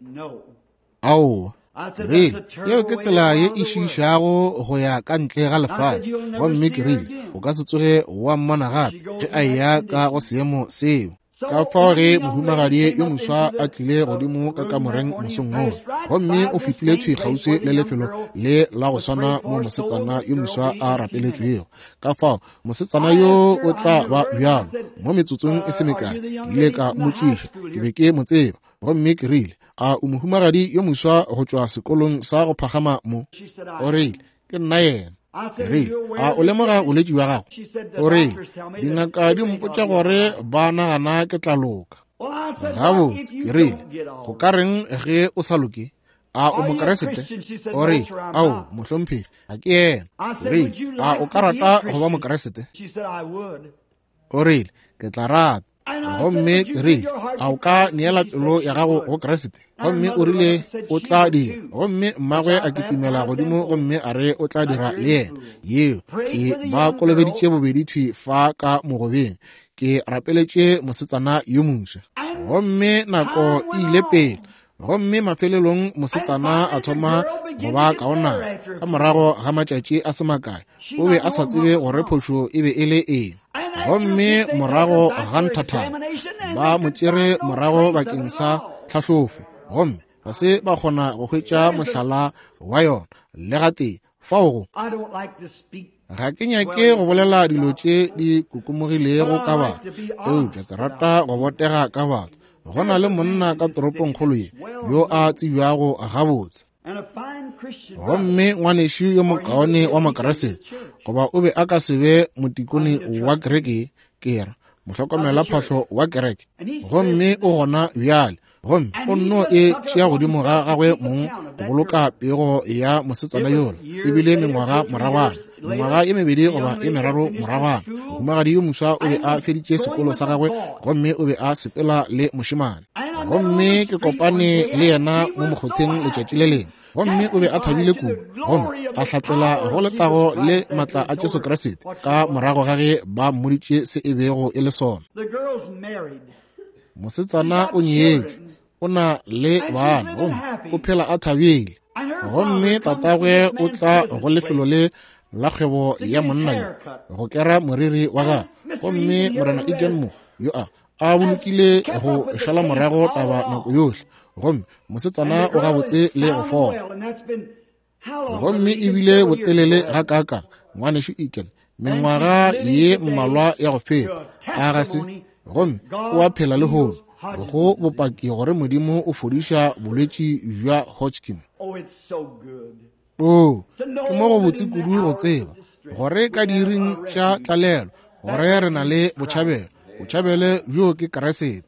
Speaker 1: Aowa. Ke rile, yeo ke tsela ye e šiišago go ya ka ntle ga lefase. Gomme ke rile, o ka se tsoge wa mmona gape ge a eya ka go seemo seo. Ka fao ge mohumagadi yo moswa a tlile godimo ka kamoreng mosong woo, gomme o fetile thwi kgauswi le lefelo le la go swana mo mosetsana yo moswa a rapeletšwego. Ka fao mosetsana yo o tla ba bjalo mo metsotsong e se mekae. Ke ile ka mmotšiša, ke be ke mo tseba, gomme ke rile, a o mohumagadi yo moswa go tšwa sekolong sa go phagama mo? O rile, ke nna yena. Ke rile, a o lemoga bolwetši bja gago? O rile, dingaka di mpotša gore ba nagana ke tla loka. Gabotse, ke rile, go ka reng ge o sa loke? A o Mokeresete? O rile, ao, mohlomphegi, ga ke yena. Ke rile, a o ka rata go ba Mokeresete? O rile, ke tla rata. Gomme ke rile, a o ka neela pelo ya gago go Kriste? Gomme o rile o tla dira. Gomme mmagwe a kitimela godimo gomme a re o tla dira le yena. Yeo ke ba kolobeditše bobedi thwi fa ka mogobeng. Ke rapeletše mosetsana yo moswa. Gomme nako e ile pele. Gomme mafelelong mosetsana a thoma go ba kaonana. Ka morago ga matšatši a se makae, o be a sa tsebe gore phošo e be e le eng. Gomme morago ga nthathana, ba mo tšere morago bakeng sa tlhahlofo, gomme ga se ba kgona go hwetša mohlala wa yona le gatee. Fao go ga ke nyake go bolela dilo tše di kokomogilego ka batho, eupša ke rata go botega ka batho. Go na le monna ka toropongkgolo ye yo a tsebjago gabotse, gomme ngwanešu yo mokaone wa Mokeresete, goba o be a ka se be motikone wa kereke, ke ra mohlokomela phahlo wa kereke, gomme o gona bjale. Gomme o nno e tšea godimo ga gagwe mong go boloka pego ya mosetsana yola. Ebile mengwaga moragwana, mengwaga e mebedi goba e meraro moragwana, mohumagadi yo moswa o be a feditše sekolo sa gagwe gomme o be a sepela le mošemane. Gomme ke kopane le yena mo mokgotheng letšatši le lengwe, gomme o be a thabile kudu, gomme a hlatsela go letago le matla a Jesu Kriste ka morago ga ge ba mmoditše se e bego e le sona. Mosetsana o nyetšwe, o na le bana, gomme o phela a thabile. Gomme tatagwe o tla go lefelo le la kgwebo ya monna yo go kera moriri wa gagwe. Gomme Morena Egan mo yo a bolokile go šala morago taba nako yohle, gomme mosetsana o gabotse le go fola. Gomme ebile botelele ga kaka, ngwanešu Egan, mengwaga ye mmalwa ya go feta, a ga se? Gomme o a phela lehono go bopaki gore Modimo o fodiša bolwetši bja Hodgkin. Oo, ke mo go botse kudu go tseba gore ka diiring tša tlalelo gore re na le botšhabelo. Botšhabelo bjo ke Kriste.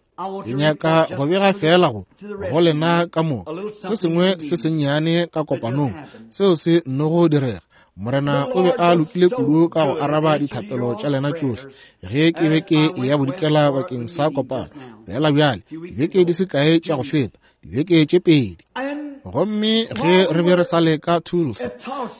Speaker 1: Ke nyaka go bega fela go lena ka mo se sengwe se sennyane ka kopanong seo se nnogo direga. Morena o be a lokile kudu ka go araba dithapelo tša lena tšohle ge ke be ke ya bodikela bakeng sa kopano. Fela bjale dibeke di se kae tša go feta, dibeke tše pedi. Gomme ge re be re sa le ka Tulsa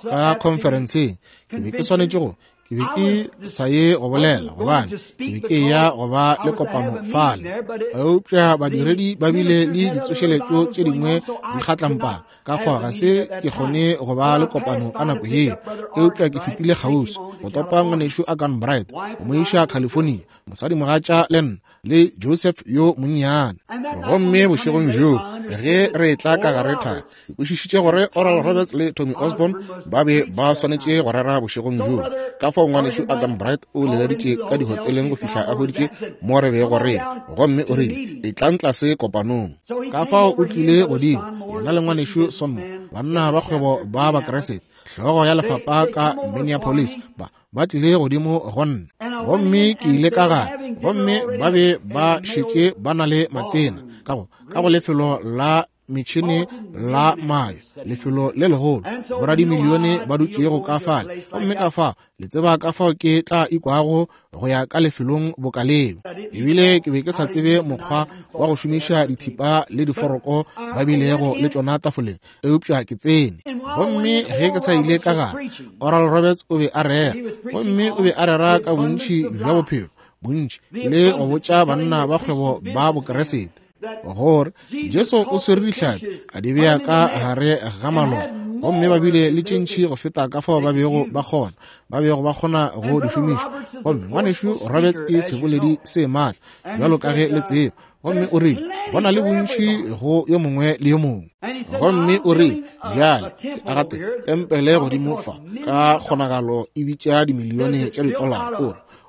Speaker 1: ka conferenceng, ke be ke swanetše go Ke be ke sa ye go bolela gobane ke be ke ya go ba le kopano fale, eupša badiredi ba bile le ditsošeletšo tše dingwe di kgatlampana, ka fao ga se ke kgone go ba le kopano ka nako yeo. Eupša ke fetile kgauswi go topa ngwanešu Agan Bright go mo iša California, mosadimogatša le nna le Joseph yo monnyane. Gomme bošegong bjoo ge re etla ka gare thari, ke kwešišitše gore Oral Roberts le Tommy Osborn ba be ba swanetše go rera bošegong bjoo. Ka fao ngwanešu Adam Bright o leleditše ka dihoteleng go fihla a hweditše mo re bego re ya, gomme o rile, Etlang tlase kopanong. Ka fao o tlile godimo, yena le ngwanešu Sonmo, banna ba kgwebo ba Bakeresete, hlogo ya lefapha ka Minneapolis, ba ba tlile godimo go nna. Gomme ke ile ka gae, gomme ba be ba šetše ba na le matena ka go lefelo la metšhene la mayo, lefelo le legolo, boradimilione ba dutšego ka fale. Gomme ka fao le tseba ka fao ke tla ikwago go ya ka lefelong boka leo. Ebile ke be ke sa tsebe mokgwa wa go šomiša dithipa le diforoko ba bilego le tšona tafoleng, eupša ke tsene. Gomme ge ke sa ile ka gare, Oral Roberts o be a rera, gomme o be a rera ka bontši bja bophelo, bontši, le go botša banna ba kgwebo ba Bokeresete gore Jesu o swere dihlapi a di bea ka gare ga maloba, gomme ba bile le tše ntši go feta ka fao ba bego ba kgona go di šomiša. Gomme ngwanešu Roberts ke seboledi se maatla bjalo ka ge le tseba, gomme o rile go na le bontši go yo mongwe le yo mongwe. Gomme o rile, bjale ke aga tempele godimo fa, ka kgonagalo e bitša dimilione tša ditolara.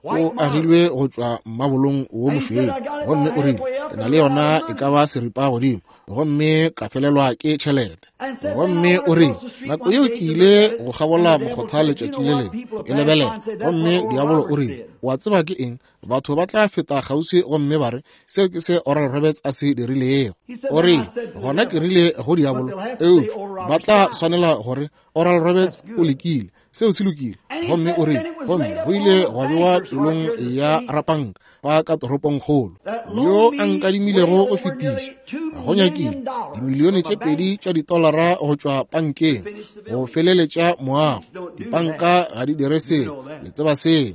Speaker 1: O re o agilwe go tšwa mmabolong wo mošweu, gomme o rile ke na le yona e ka ba seripa godimo, gomme ka felelwa ke tšhelete. Gomme o rile nako yeo ke ile go kgabola mokgotha letšatši le lengwe e lebelela, gomme diabolo o rile, wa tseba ke eng, batho ba tla feta kgauswi gomme ba re seo ke se Oral Roberts a se dirilego. O rile gona ke rile go diabolo, eupša ba tla swanela gore Oral Roberts o lekile, seo se lokile. Gomme o rile, gomme go ile gwa bewa pelong ya rapanka ba ka toropongkgolo yo a nkadimilego go fetiša go nyakile dimilione tše 2 tša ditolara go tšwa pankeng go feleletša moago. Dipanka ga di dire seo, le tseba seo.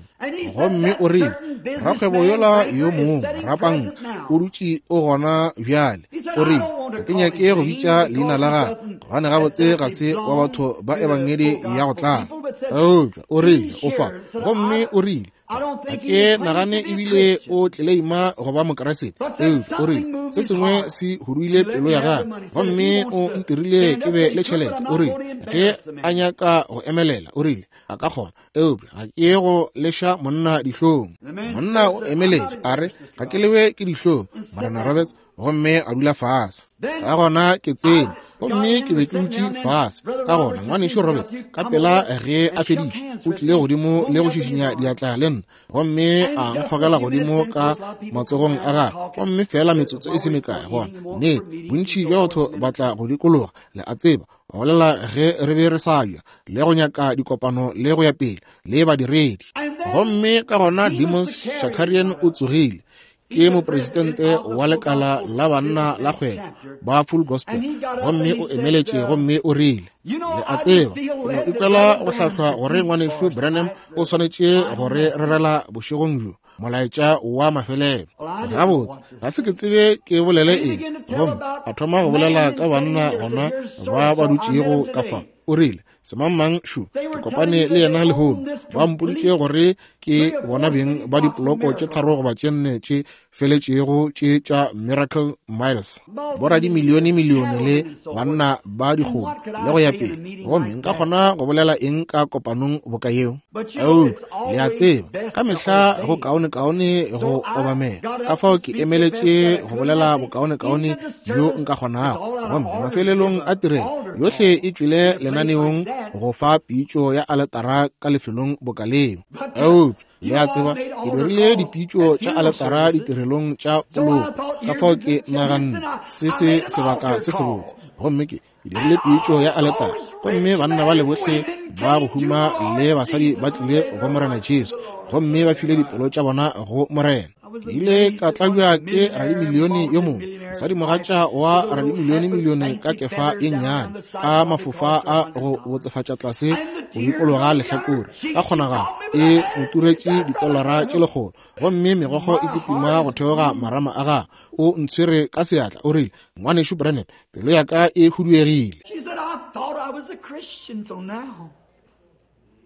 Speaker 1: Gomme o rile rakgwebo yola yo mongwe rapanka o dutše o gona bjale. O rile ga ke nyake go bitša leina la gagwe gobane gabotse ga se wa batho ba ebangedi ya go tlala, eupša o rile o fa. Gomme o rile ga ke nagane ebile o tleleima go ba Mokeresete, eupša o rile se sengwe se huduile pelo ya gagwe gomme o ntirile ke be le tšhelete. O rile ge a nyaka go emelela, o rile a ka kgona, eupša ga ke go leša monna dihlong. Monna o emeletše a re, ga ke lewe ke dihlong, Morena Roberts, gomme a dula fase. Ka gona ke tsene, gomme ke be ke dutše fase. Ka gona ngwanešu Roberts ka pela ge a feditše o tlile godimo le go šišinya diatla le nna, gomme a nkgogela godimo ka matsogong a gagwe, gomme fela metsotso e se mekae gona nnete bontši bja batho ba tla go dikologa, le a tseba, ba bolela ge re be re sa ja le go nyaka dikopano le go ya pele le badiredi. Gomme ka gona Demos Shakarian o tsogile, ke mopresidente wa lekala la banna la kgwebo ba Full Gospel, gomme o emeletše gomme o rile, le a tseba, ke no ikwela go hlahlwa gore ngwanešu Branham o swanetše go re rerela bošegong bjo molaetša wa mafelelo. Gabotse ga se ke tsebe ke bolele eng, gomme a thoma go bolela ka banna gona ba ba dutšego ka fa. O rile, semangmang šo, ke kopane le yena lehono, ba mpoditše gore ke bona beng ba dipoloko tše 3 goba tše 4 tše feletšego tše tša Miracle Miles, boradimilione milione le banna ba dikgomo le go ya pele. Gomme nka kgona go bolela eng ka kopanong boka yeo? Eupša le a tseba, ka mehla go kaonekaone go obamela. Ka fao ke emeletše go bolela bokaonekaone bjo nka kgonago. Gomme mafelelong a tirelo yohle e tšwele lenaneong go fa pitšo ya aletara ka lefelong boka leo. Eupša le a tseba, ke dirile dipitšo tša aletara ditirelong tša poloko. Ka fao ke naganne se se sebaka se sebotse, gomme ke dirile pitšo ya aletara, gomme banna ba le bohle ba go huma le basadi ba tlile go Morena Jesu, gomme ba file dipelo tša bona go Morena. Ke ile ka tlabja ke radimilione yo mongwe, mosadimogatša wa radimilione-milione ka kefa ye nnyane, ka mafofa a go botsefatša tlase go dikologa lehlakore. Ka kgonagalo e mo turetše ditolara tše 100, gomme megokgo e kitima go theoga marama a gagwe. O ntshwere ka seatla, o rile, Ngwanešu Branham, pelo ya ka e huduegile.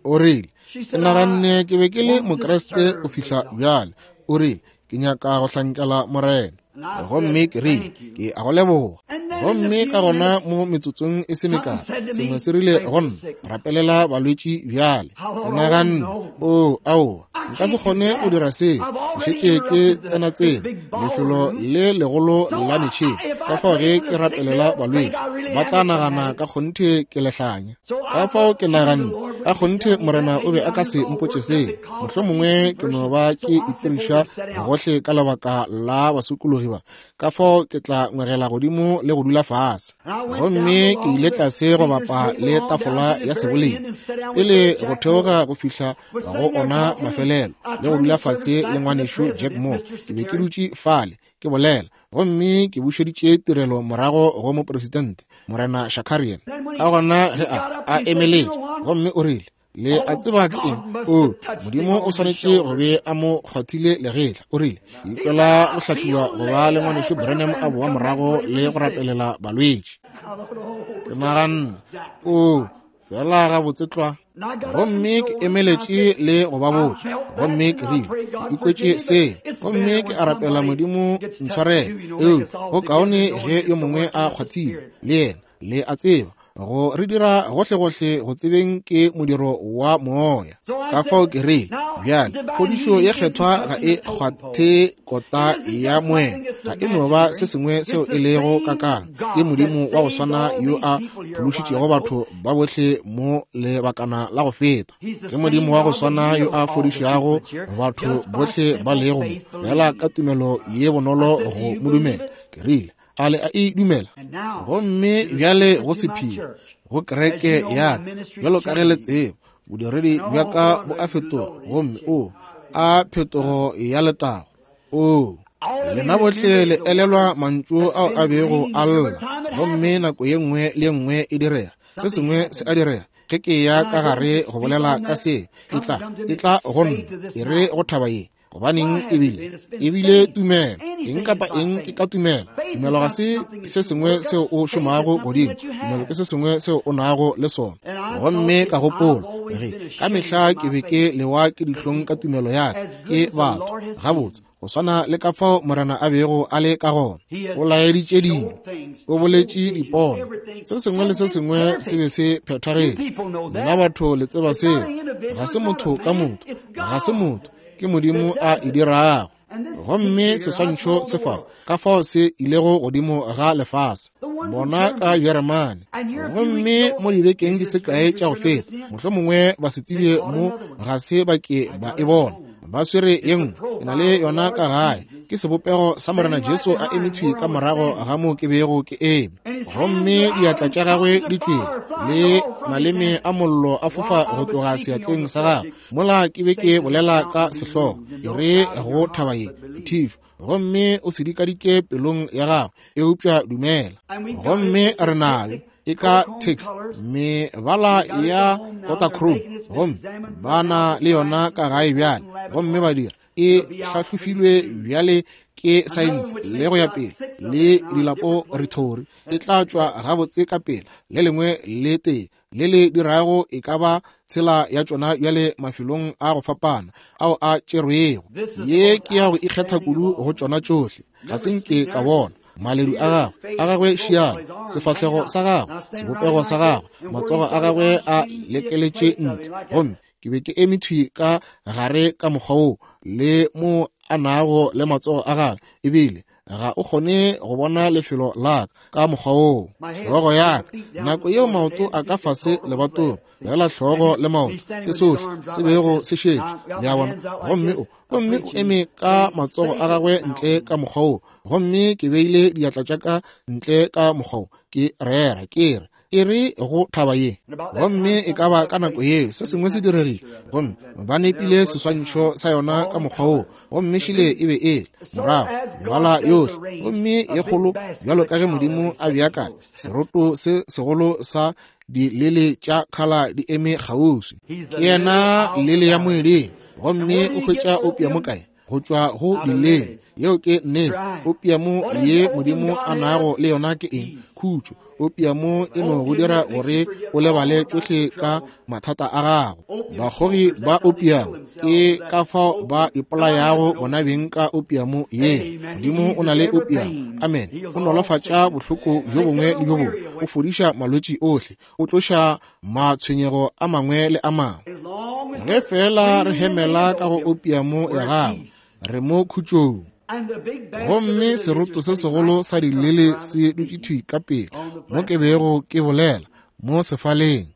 Speaker 1: O rile, Ke naganne ke be ke le Mokriste go fihla bjale. O rile, Ke nyaka go hlankela Morena. Gomme ke rile, Ke a go leboga. Gomme ka gona mo metsotsong e se mekae, sengwe se rile go nna, Rapelela balwetši bjale. Ke naganne, Oo, aowa, nka se kgone go dira seo. Ke šetše ke tsenatsena lefelo le legolo la metšhene. Ka fao ge ke rapelela balwetši, ba tla nagana ka kgonthe ke lehlanya. Ka fao ke naganne, ka kgonthe Morena o be a ka se mpotše seo. Mohlomongwe ke no ba ke itiriša gohle ka lebaka la basokologi ba. Ka fao ke tla ngwegela godimo le go dula fase. Gomme ke ile tlase go bapa le tafola ya seboledi, pele go theoga go fihla go ona mafelelo, le go dula fase le ngwanešu Jack Moore. Ke be ke dutše fale ke bolela, gomme ke bušeditše tirelo morago go mopresidente, Morena Shakarian. Ka gona ge a emeletše, gomme o rile, Le a tseba ke eng? O, Modimo o swanetše go be a mo kgwathile legetla. O rile, Ke ikwela go hlahliwa go ba le ngwanešu Branham a boa morago le go rapelela balwetši. Ke naganne, O, fela gabotse tlwa. Gomme ke emeletše le go ba botša, gomme ke rile, Ke ikwetše se, gomme ke a rapela Modimo ntshwarele. Eupša go kaone ge yo mongwe a kgwathile, le yena. Le a tseba, go re dira gohlegohle go tsebeng ke modiro wa moya. Ka fao ke rile, Bjale, phodišo ye kgethwa ga e kgwathe kota ya moya, ga e no ba se sengwe seo e lego kakang. Ke Modimo wa go swana yo a phološitšego batho ba bohle mo lebakana la go feta. Ke Modimo wa go swana yo a fodišago batho bohle ba lego mo, feela ka tumelo ye bonolo go mo dumela. Ke rile, A le a e dumela? Gomme bjale go sephiri go kereke ya ka, bjalo ka ge le tseba, bodiredi bja ka bo a fetoga, gomme o a phetogo ya letago. O, lena bohle le elelwa mantšu ao a bego a lla, gomme nako ye nngwe le ye nngwe e direga, se sengwe se a direga. Ge ke ya ka gare go bolela ka se, e tla, e tla go nna, e re go thaba ye, Gobaneng ebile ebile tumelo, eng kapa eng ke ka tumelo. Tumelo ga se se sengwe seo o šomago godimo, tumelo ke se sengwe seo o nago le sona. Gomme ka gopola ge ka mehla ke be ke lewa ke dihlong ka tumelo ya ka ke batho. Gabotse, go swana le ka fao Morena a bego a le ka gona, o laeditše dilo, o boletše dipono, se sengwe le se sengwe se be se phethagetše. Lena batho le tseba seo. Ga se motho ka motho, ga se motho, ke Modimo a e dirago. Gomme seswantšho se fa, ka fao se ilego godimo ga lefase, bona ka Jeremane. Gomme mo dibekeng di se kae tša go feta, mohlomongwe ba se tsebje mo ga se ba ke ba e bona. Ba swere ye nngwe, ke na le yona ka gae. Ke sebopego sa Morena Jesu a eme thwi ka morago ga mo ke bego ke eme. Gomme diatla tša gagwe di tšwele, le maleme a mollo a fofa go tloga seatleng sa gagwe. Mola ke be ke bolela ka sehlogo, e re go thaba ye, Thišo, gomme o se dikadike pelong ya gago, eupša dumela. Gomme re nayo e ka tick mebala ya Kodachrome, gomme ba na le yona ka gae bjale, gomme ba dira e hlahlofilwe bjale ke saense le go ya pele le dilaporatori, e tla tšwa gabotse ka pela le lengwe le tee le le dirago e ka ba tshela ya tšona bjale mafelong a go fapana ao a tšerwego. Ye ke ya go ikgetha kudu go tšona tšohle. Ga se nke ka bona maledu a gagwe, a gagwe šiana, sefahlego sa gagwe, sebopego sa gagwe, matsogo a gagwe a lekeletše ntle. Gomme ke be ke eme thwi ka gare ka mokgwa wo, le mo a nago le matsogo a gagwe, ebile ga o kgone go bona lefelo la ka ka mokgwa woo. Hlogo ya ka, nako yeo maoto a ka fase lebatong, fela hlogo le maoto ke sohle se bego se šetše, le a bona. Gomme o, gomme o eme ka matsogo a gagwe ntle ka mokgwa woo, gomme ke beile diatla tša ka ntle ka mokgwa wo, ke rera, ke re, E re go thaba ye. Gomme e ka ba ka nako yeo se sengwe se diregile, gomme ba nepile seswantšho sa yona ka mokgwa woo, gomme šile e be e le morago mebala yohle, gomme ye kgolo bjalo ka ge Modimo a beakanya seroto se segolo sa dilele tša khala di eme kgauswi. Ke yena lele ya moeding, gomme o hwetša opiamo kae? Go tšwa go dilele. Yeo ke nnete. Opiamo ye Modimo a nago le yona ke eng? Khutšo. Opiamo e no go dira gore o lebale tšohle ka mathata a gago. Bakgogi ba opiamo ke ka fao ba ipolayago bona beng ka opiamo ye. Modimo o na le opiamo. Amen. O nolofatša bohloko bjo bongwe le bjo bongwe. O fodiša malwetši ohle. O tloša matshwenyego a mangwe le a mangwe. Ge feela re hemela ka go opiamo ya gago, re mo khutšong. Gomme seroto se segolo sa dilele se dutše thwi ka pele mo ke bego ke bolela mo sefaleng.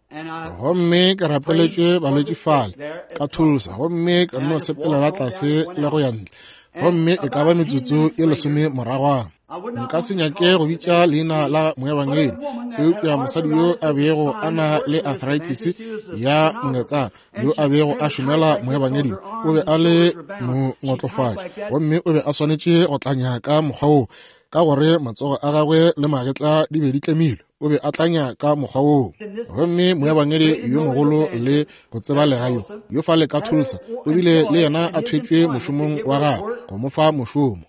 Speaker 1: Gomme ke rapeletšwe balwetši fale ka Tulsa, gomme ka no sepelela tlase le go ya ntle, gomme e ka ba metsotso e 10 moragwana. Nka se nyake go bitša leina la moebangedi, eupša mosadi yo a bego a na le arthritis ya mongetsana, yo a bego a šomela moebangedi, o be a le mongotlofatši, gomme o be a swanetše go tlanya ka mokgwa woo, ka gore matsogo a gagwe le magetla di be di tlemilwe. O be a tlanya ka mokgwa woo. Gomme moebangedi yo mogolo le go tsebalega yo, yo fale ka Tulsa, o bile le yena a thwetšwe mošomong wa gagwe go mo fa mošomo.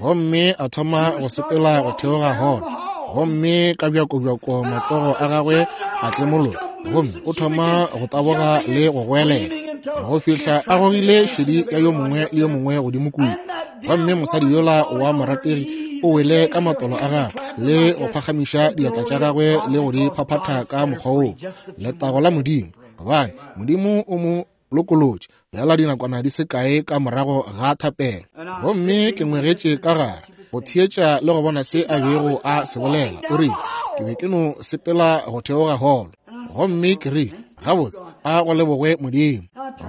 Speaker 1: Gomme a thoma go sepela go theoga holo, gomme ka bjakobjako matsogo a gagwe a tlemologa, gomme o thoma go taboga le go goelela go fihla a gogile šedi ya yo mongwe le yo mongwe godimo kua. Gomme mosadi yola wa morategi o wele ka matolo a gagwe le go phagamiša diatla tša gagwe le go di phaphatha ka mokgwa woo. Letago la Modimo, gobane Modimo o mo lokolotše bjala dinakwana di se kae ka morago ga thapelo. Gomme ke ngwegetše ka gare go theetša le go bona se a bego a se bolela. O rile, ke be ke no sepela go theoga holo, gomme ke rile, gabotse, a go lebogwe Modimo.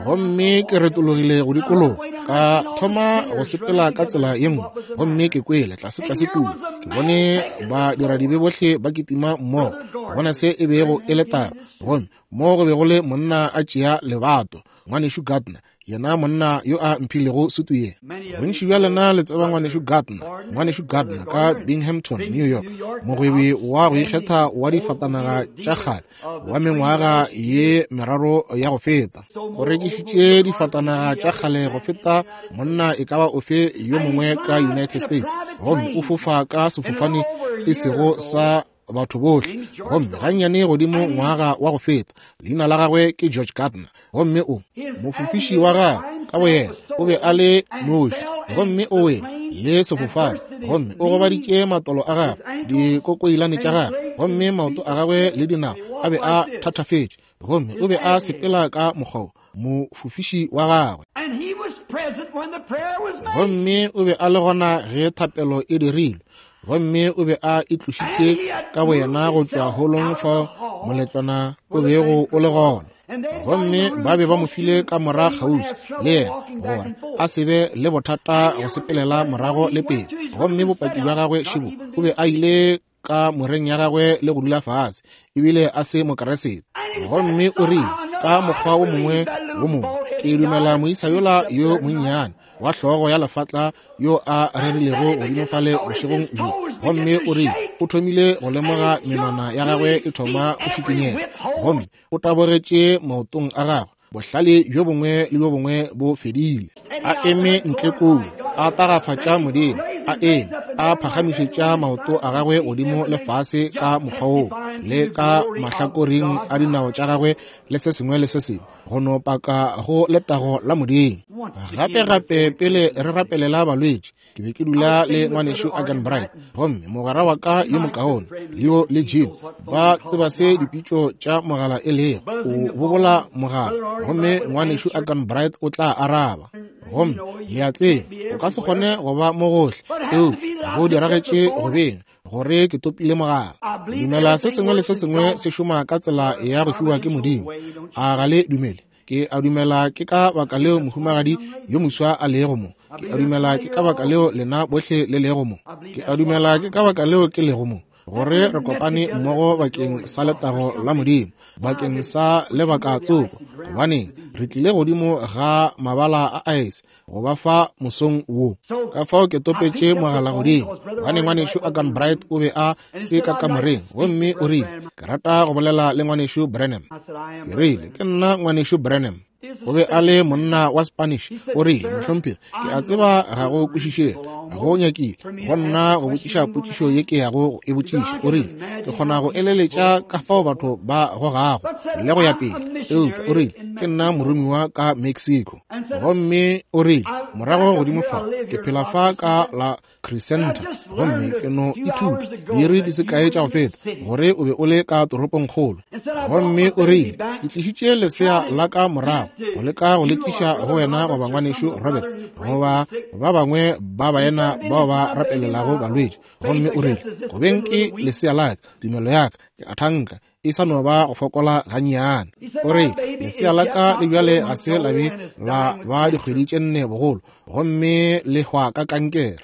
Speaker 1: Gomme ke retologile go dikologa, ka thoma go sepela ka tsela ye nngwe, gomme ke kwele tlase tlase kua, ke bone badiradibe bohle ba kitima mmogo, go bona se e bego e le taba. Gomme mo go be go le monna a tšea lebato, ngwanešu Gardner, yena monna yo a mphilego sutu ye. Bontši bja lena le tseba ngwanešu Gardner, ngwanešu Gardner ka Binghamton, New York, mogwebi wa go ikgetha wa difatanaga tša kgale wa mengwaga ye meraro ya go feta. O rekišitše difatanaga tša kgale go feta monna e ka ba ofe yo mongwe ka United States, gomme o fofa ka sefofane e sego sa batho bohle, gomme gannyane godimo ngwaga wa go feta. Leina la gagwe ke George Gardner, gomme o mofofiši wa gagwe ka boyena o be a le noši, gomme o wele le sefofane, gomme o gobaditše matolo a gagwe, dikokoilane tša gagwe, gomme maoto a gagwe le dinao a be a thathafetše, gomme o be a sepela ka mokgwa mofofiši wa gagwe. Gomme o be a le gona ge thapelo e dirilwe, gomme o be a itlošitše ka boyena go tšwa holong fao moletlwana o bego o le gona. Gomme ba be ba mo file ka mora kgauswi le yena gore a se be le bothata go sepelela morago le pele. Gomme bopaki bja gagwe šibo, o be a ile ka moreng ya gagwe le go dula fase, ebile a se Mokeresete. Gomme o rile, ka mokgwa wo mongwe wo mongwe, ke dumela moisa yola yo monnyane wa hlogo ya lefatla yo a rerilego godimo fale bošegong bjo. Gomme o rile o thomile go lemoga menwana ya gagwe e thoma go šikinyega, gomme o tabogetše maotong a gagwe, bohlale bjo bongwe le bjo bongwe bo fedile. A eme ntle koo, a tagafatša Modimo, a eme a phagamišetša maoto a gagwe godimo le fase ka mokgwa woo, le ka mahlakoreng a dinao tša gagwe le se sengwe le se sengwe, go no paka go letago la Modimo. Gape gape pele re rapelela balwetši, ke be ke dula le ngwanešu Agan Bright, gomme mogwera wa ka yo mokaone Leo le Jim ba tseba se dipitšo tša mogala e lego. O bobola mogala, gomme ngwanešu Agan Bright o tla araba. Gomme le a tseba, o ka se kgone go ba mo gohle, eupša go diragetše go beng gore ke topile mogala. Dumela se sengwe le se sengwe se šoma ka tsela ya go fiwa ke Modimo. A ga le dumele? Ke a dumela ke ka baka leo mohumagadi yo moswa a lego mo. Ke a dumela ke ka baka leo lena bohle le lego mo. Ke a dumela ke ka baka leo ke lego mo. gore re kopane mmogo bakeng sa letago la Modimo, bakeng sa lebaka tsoko, gobane re tlile godimo ga mabala a aese go ba fa mosong wo. Ka fao ke topetše mogala godimo, gobane ngwanešu Agan Bright o be a se ka kamoreng, gomme o rile, ke rata go bolela le ngwanešu Branham. Ke rile, ke nna ngwanešu Branham. O be a le monna wa Spanish. O rile, mohlomphegi, ke a tseba ga go kwešišege, go nyakile go nna go botšiša potšišo ye ke yago go e botšiša. O rile, ke kgona go eleletša ka fao batho ba gogago le go ya pele, eupša o rile, ke nna moromiwa ka Mexico. Gomme o rile, morago godimo fa, ke phela fa ka la Crescenta, gomme ke no ithuta diiri di se kae tša go feta gore o be o le ka toropongkgolo. Gomme o rile, ke tlišitše lesea la ka morago go leka go le tliša go wena goba ngwanešu Roberts goba ba bangwe ba baena bao ba rapelelago balwetši. Gomme o rile, go beng ke lesea la ka, tumelo ya ka, ke a thanka e sa no ba go fokola gannyane. O re, lesea la ka le bjale ga se la be la ba dikgwedi tše 4 bogolo, gomme le hwa ka kankere.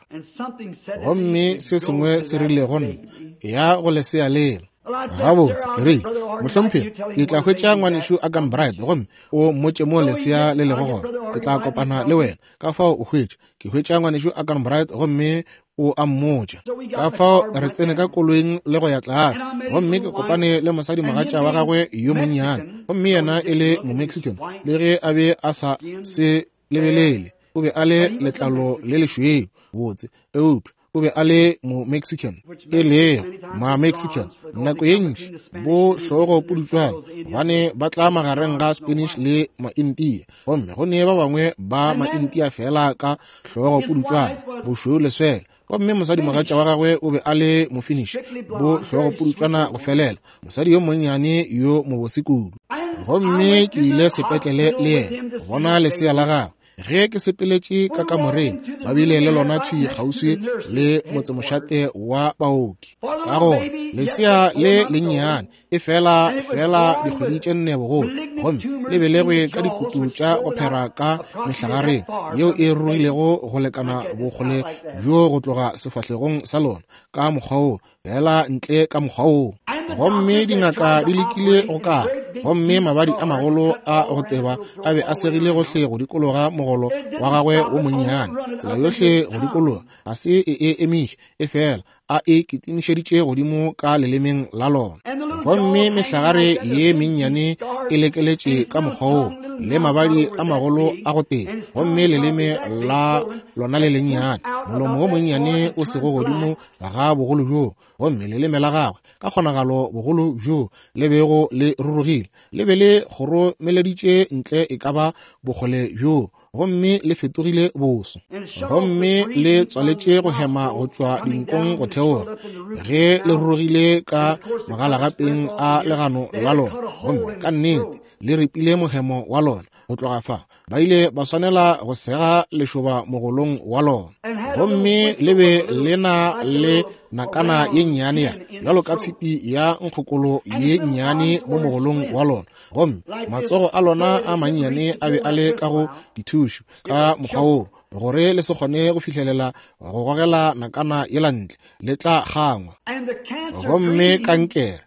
Speaker 1: Gomme se sengwe se rile go nna, ya go lesea lela. Gabotse, ke rile, mohlomphegi, ke tla hwetša ngwanešu Agan Bright gomme o mmotše mo lesea le lego gona. Ke tla kopana le wena. Ka fao o hwetša, ke hwetša ngwanešu Agan Bright gomme o a mmotša. Ka fao re tsene ka koloing le go ya tlase, gomme ke kopane le mosadimogatša wa gagwe yo monnyane, gomme yena e le Momexican, le ge a be a sa se lebelele, o be a le letlalo le lešweu botse, eupša o be a le Momexican, e lego Ma-Mexican nako ye ntši bo hlogo pudutšwana, gobane ba tla magareng ga Spanish le Maindia, gomme go ne ba bangwe ba Maindia fela ka hlogo pudutšwana, bošweu leswele. Gomme mosadimogatša wa gagwe o be a le Mofinish, bo hlogo pudutšwana go felela, mosadi yo monnyane yo mobose kudu. Gomme ke ile sepetlele le yena go bona lesea la gagwe. Ge ke sepeletše ka kamoreng, ba bile le lona thwi kgauswi le motsemošate wa baoki. Ka gona lesea le lennyane e fela fela dikgwedi tše 4 bogolo, gomme le belegwe ka dikutu tša go phera ka mehlagareng yeo e rurugilego go lekana bokgole bjo go tloga sefahlegong sa lona ka mokgwa wo, fela ntle ka mokgwa wo. Gomme dingaka di lekile go kala, gomme mabadi a magolo a go teba a be a segile gohle go dikologa mogolo wa gagwe wo monnyane, tsela yohle go dikologa, ga se e e emiše, e fela a e kitimišeditše godimo ka lelemeng la lona. Gomme mehlagare ye mennyane e lekeletše ka mokgwa wo, le mabadi a magolo a go teba, gomme leleme la lona le lennyane, molomo wo monnyane o sego godimo ga bogolo bjo, gomme leleme la gagwe ka kgonagalo bogolo bjo le bego le rurugile, le be le kgoromeleditše ntle e ka ba bokgole bjo, gomme le fetogile boso, gomme le tswaletše go hema go tšwa dinkong go theoga ge le rurugile ka mogalagapeng a legano la lona, gomme ka nnete le ripile mohemo wa lona go tloga fa. Ba ile ba swanela go sega lešoba mogolong wa lona, gomme le be le na le nakana ye nnyane ya bjalo ka tshipi ya nkgokolo ye nnyane mo mogolong wa lona, gomme matsogo a lona a mannyane a be a le ka go dithušo ka mokgwa wo, gore le se kgone go fihlelela go gogela nakana yela ntle, le tla kgangwa. Gomme kankere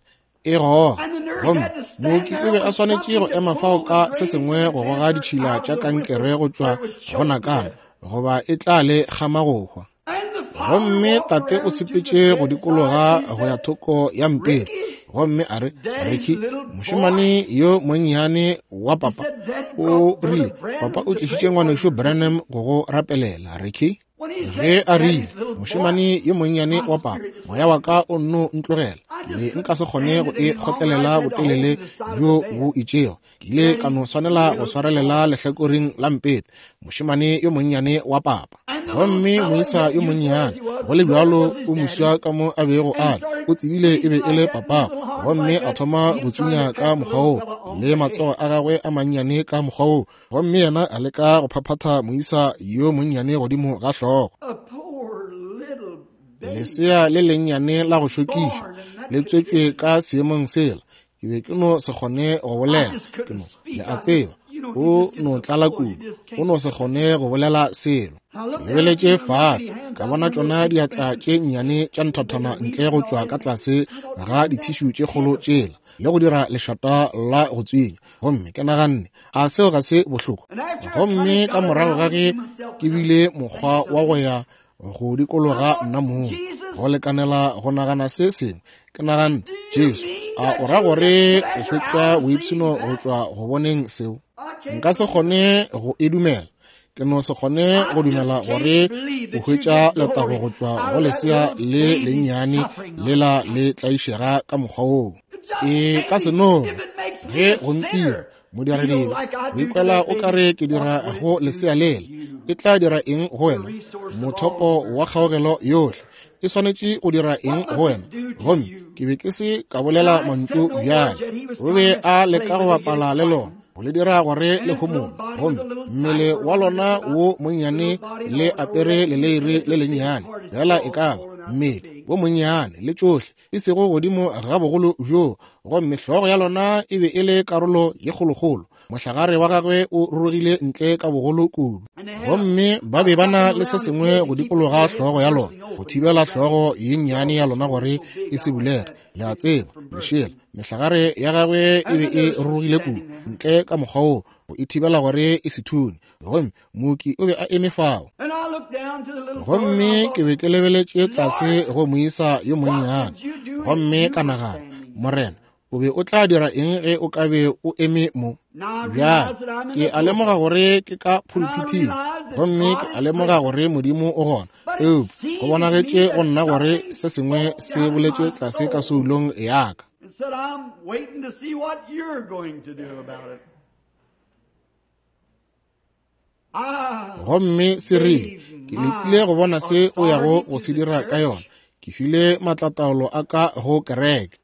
Speaker 1: e goga, gomme mooki o be a swanetše go ema fao ka se sengwe go goga ditšhila tša kankere go tšwa go nakana, goba e tla le kgama go hwa. Gomme tate o sepetše go dikologa go ya thoko ya mpete, gomme a re, Ricky, mošemane yo monnyane wa papa, o rile, papa o tlišitše ngwanešu Branham go go rapelela, Ricky. Ge a rile, mošemane yo monnyane wa papa, moya wa ka o nno ntlogela, ke be nka se kgone go e kgotlelela botelele bjo bo itšego, ke ile ka no swanela go swarelela lehlakoreng la mpete, mošemane yo monnyane wa papa. Gomme moisa yo monnyane, go le bjalo o moswa ka mo a bego a le, o tsebile e be e le papa, gomme a thoma go tsunya ka mokgwa wo, le matsogo a gagwe a mannyane ka mokgwa wo, gomme yena a leka go phaphatha moisa yo monnyane godimo ga hlogo. Lesea le lennyane la go šokiša le tswetšwe ka seemong sela. Ke be ke no se kgone go bolela, ke no, le a tseba, O no tlala kudu, o no se kgone go bolela selo. Ke lebeletše fase, ka bona tšona diatla tše nnyane tša nthathana ntle go tšwa ka tlase ga dithišu tše kgolo tšela, le go dira lešata la go tswinya. Gomme ke naganne, a seo ga se bohloko? Gomme ka morago ga ge ke bile mokgwa wa go ya go dikologa nna mong go lekanela go nagana se sengwe, ke naganne, Jesu, a o ra gore o hwetša boipshino go tšwa go boneng seo? Nka se kgone go e dumela. Ke no se kgone go dumela gore o hwetša letago go tšwa go lesea le lennyane lela le tlaišega ka mokgwa woo. E ka se no ge go ntira modiredile o ikwela o ka re ke dira go lesea lela, e tla dira eng go wena? Mothopo wa kgaogelo yohle e swanetše go dira eng go wena? Gomme ke be ke se ka bolela mantšu bjale. O be a leka go bapala le lona, go le dira gore le homole. Gomme mmele wa lona wo monnyane le apere leleire le lennyane, fela e ka ba mmele wo monnyane le tšohle, e sego godimo ga bogolo bjoo. Gomme hlogo ya lona e be e le karolo ye kgolokgolo, mohlagare wa gagwe o rurugile ntle ka bogolo kudu. Gomme ba be ba na le se sengwe go dikologa hlogo ya lona, go thibela hlogo ye nnyane ya lona gore e se bulege. Le a tseba, lešela, mehlagare ya gagwe e be e rurugile kudu ntle ka mokgwa woo, go e thibela gore e se thune. Gomme mooki o be a eme fao. Gomme ke be ke lebeletše tlase go moisa yo monnyane, gomme ka nagana, Morena, o be o tla dira eng ge o ka be o eme mo? Bjale ke a lemoga gore ke ka pulpithing, gomme ke a lemoga gore Modimo o gona, eupša go bonagetše go nna gore se sengwe se boletše tlase ka soulong ya ka. Gomme se rile, ke letile go bona se o yago go se dira ka yona. Ke file maatlataolo a ka go kereke.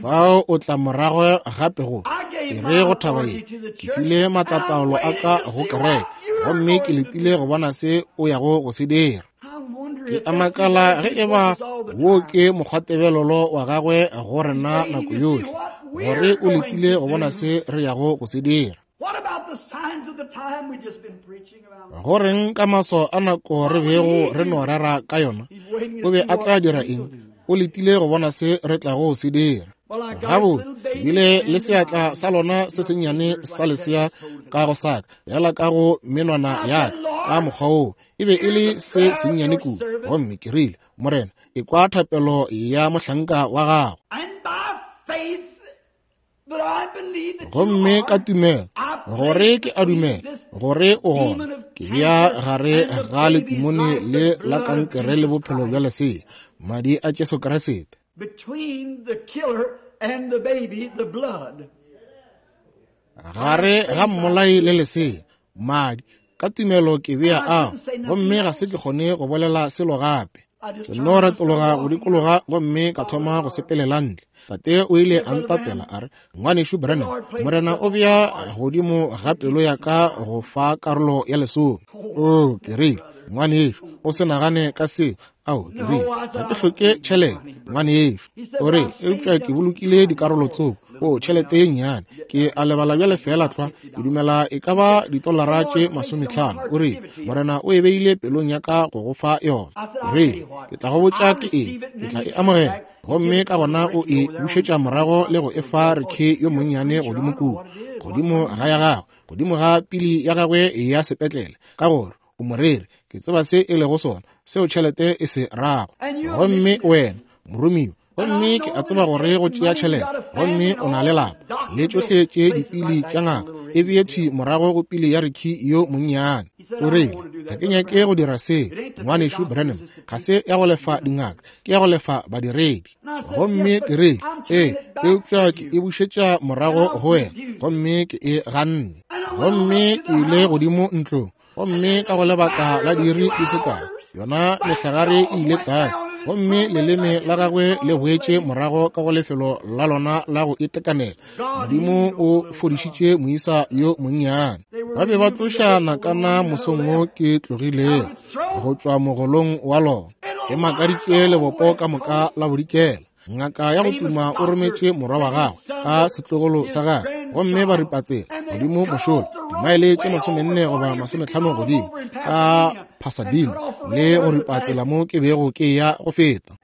Speaker 1: Fao o tla morago gape go e re go thaba ye, ke file maatlataolo a ka go kereke, gomme ke letile go bona se o yago go se dira. Ke a makala ge e ba wo ke mokgwatebelelo wa gagwe go rena nako yohle, gore o letile go bona se re yago go se dira. Go reng ka maswao a nako re bego re no rera ka yona? O be a tla dira eng? O letile go bona se re tlago se dira. Gabotse, ke bile le seatla sa lona se sennyane sa lesea ka go saka, bjala ka go menwana ya ka mokgwa woo. E be e le se sennyane kudu. Gomme ke rile, Morena, e kwa thapelo ya mohlanka wa gago. Gomme ka tumelo, gore ke a dumela gore o gona, ke bea gare ga letimone le la kankere le bophelo bja lesea, madi a Jesu Kriste. Gare ga mmolai le lesea, madi, ka tumelo ke bea ao, gomme ga se ke kgone go bolela selo gape. Ke no retologa go dikologa gomme ka thoma go sepelela ntle. Tate o ile a ntatela a re, Ngwanešu Branham, Morena o bea godimo ga pelo ya ka go fa karolo ya lesome. O, ke rile, ngwanešu, o se nagane ka seo. Ao, ke rile, ga ke hloke tšhelete, ngwanešu. O re, eupša ke bolokile dikarolo tsoko. O, tšhelete ye nnyane. Ke a lebala bjale feela tlwa. Ke dumela e ka ba ditolara tše 50. O re, Morena o e beile pelong ya ka go go fa yona. Rile, ke tla go botša ke eng, ke tla e amogela. Gomme ka gona o e bušetša morago le go e fa Ricky yo monnyane godimo kua, godimo ga ya gagwe, godimo ga pili ya gagwe ya sepetlele, ka gore o moreri, ke tseba se e lego sona, seo tšhelete e se rago. Gomme wena, moromiwa, gomme ke a tseba gore go tšea tšhelete, gomme o na le lapa le tšohle tše dipili tša ngaka, e bee thwi morago go pili ya Ricky yo monnyane. O rile, ga ke nyake go dira seo, ngwanešu Branham, ga se ya go lefa dingaka, ke ya go lefa badiredi. Gomme ke rile, ee, eupša ke e bušetša morago go wena, gomme ke e ganne. Gomme ke ile godimo ntlong, gomme ka go lebaka la diiri di se kae, yona mehlagare e ile tlase, gomme leleme la gagwe le boetše morago ka go lefelo la lona la go itekanela. Modimo o fodišitše moisa yo monnyane. Ba be ba tloša nakana mosong wo ke tlogilego go tšwa mogolong wa lona. E makaditše lebopo ka moka la bodikela. Ngaka ya go tuma o rometše morwa wa gagwe ka setlogolo sa gagwe, gomme ba ripa tsela godimo mošola, dimaele tše 40 goba 50 godimo ka Pasadena, le go ripa tsela mo ke bego ke ya go feta,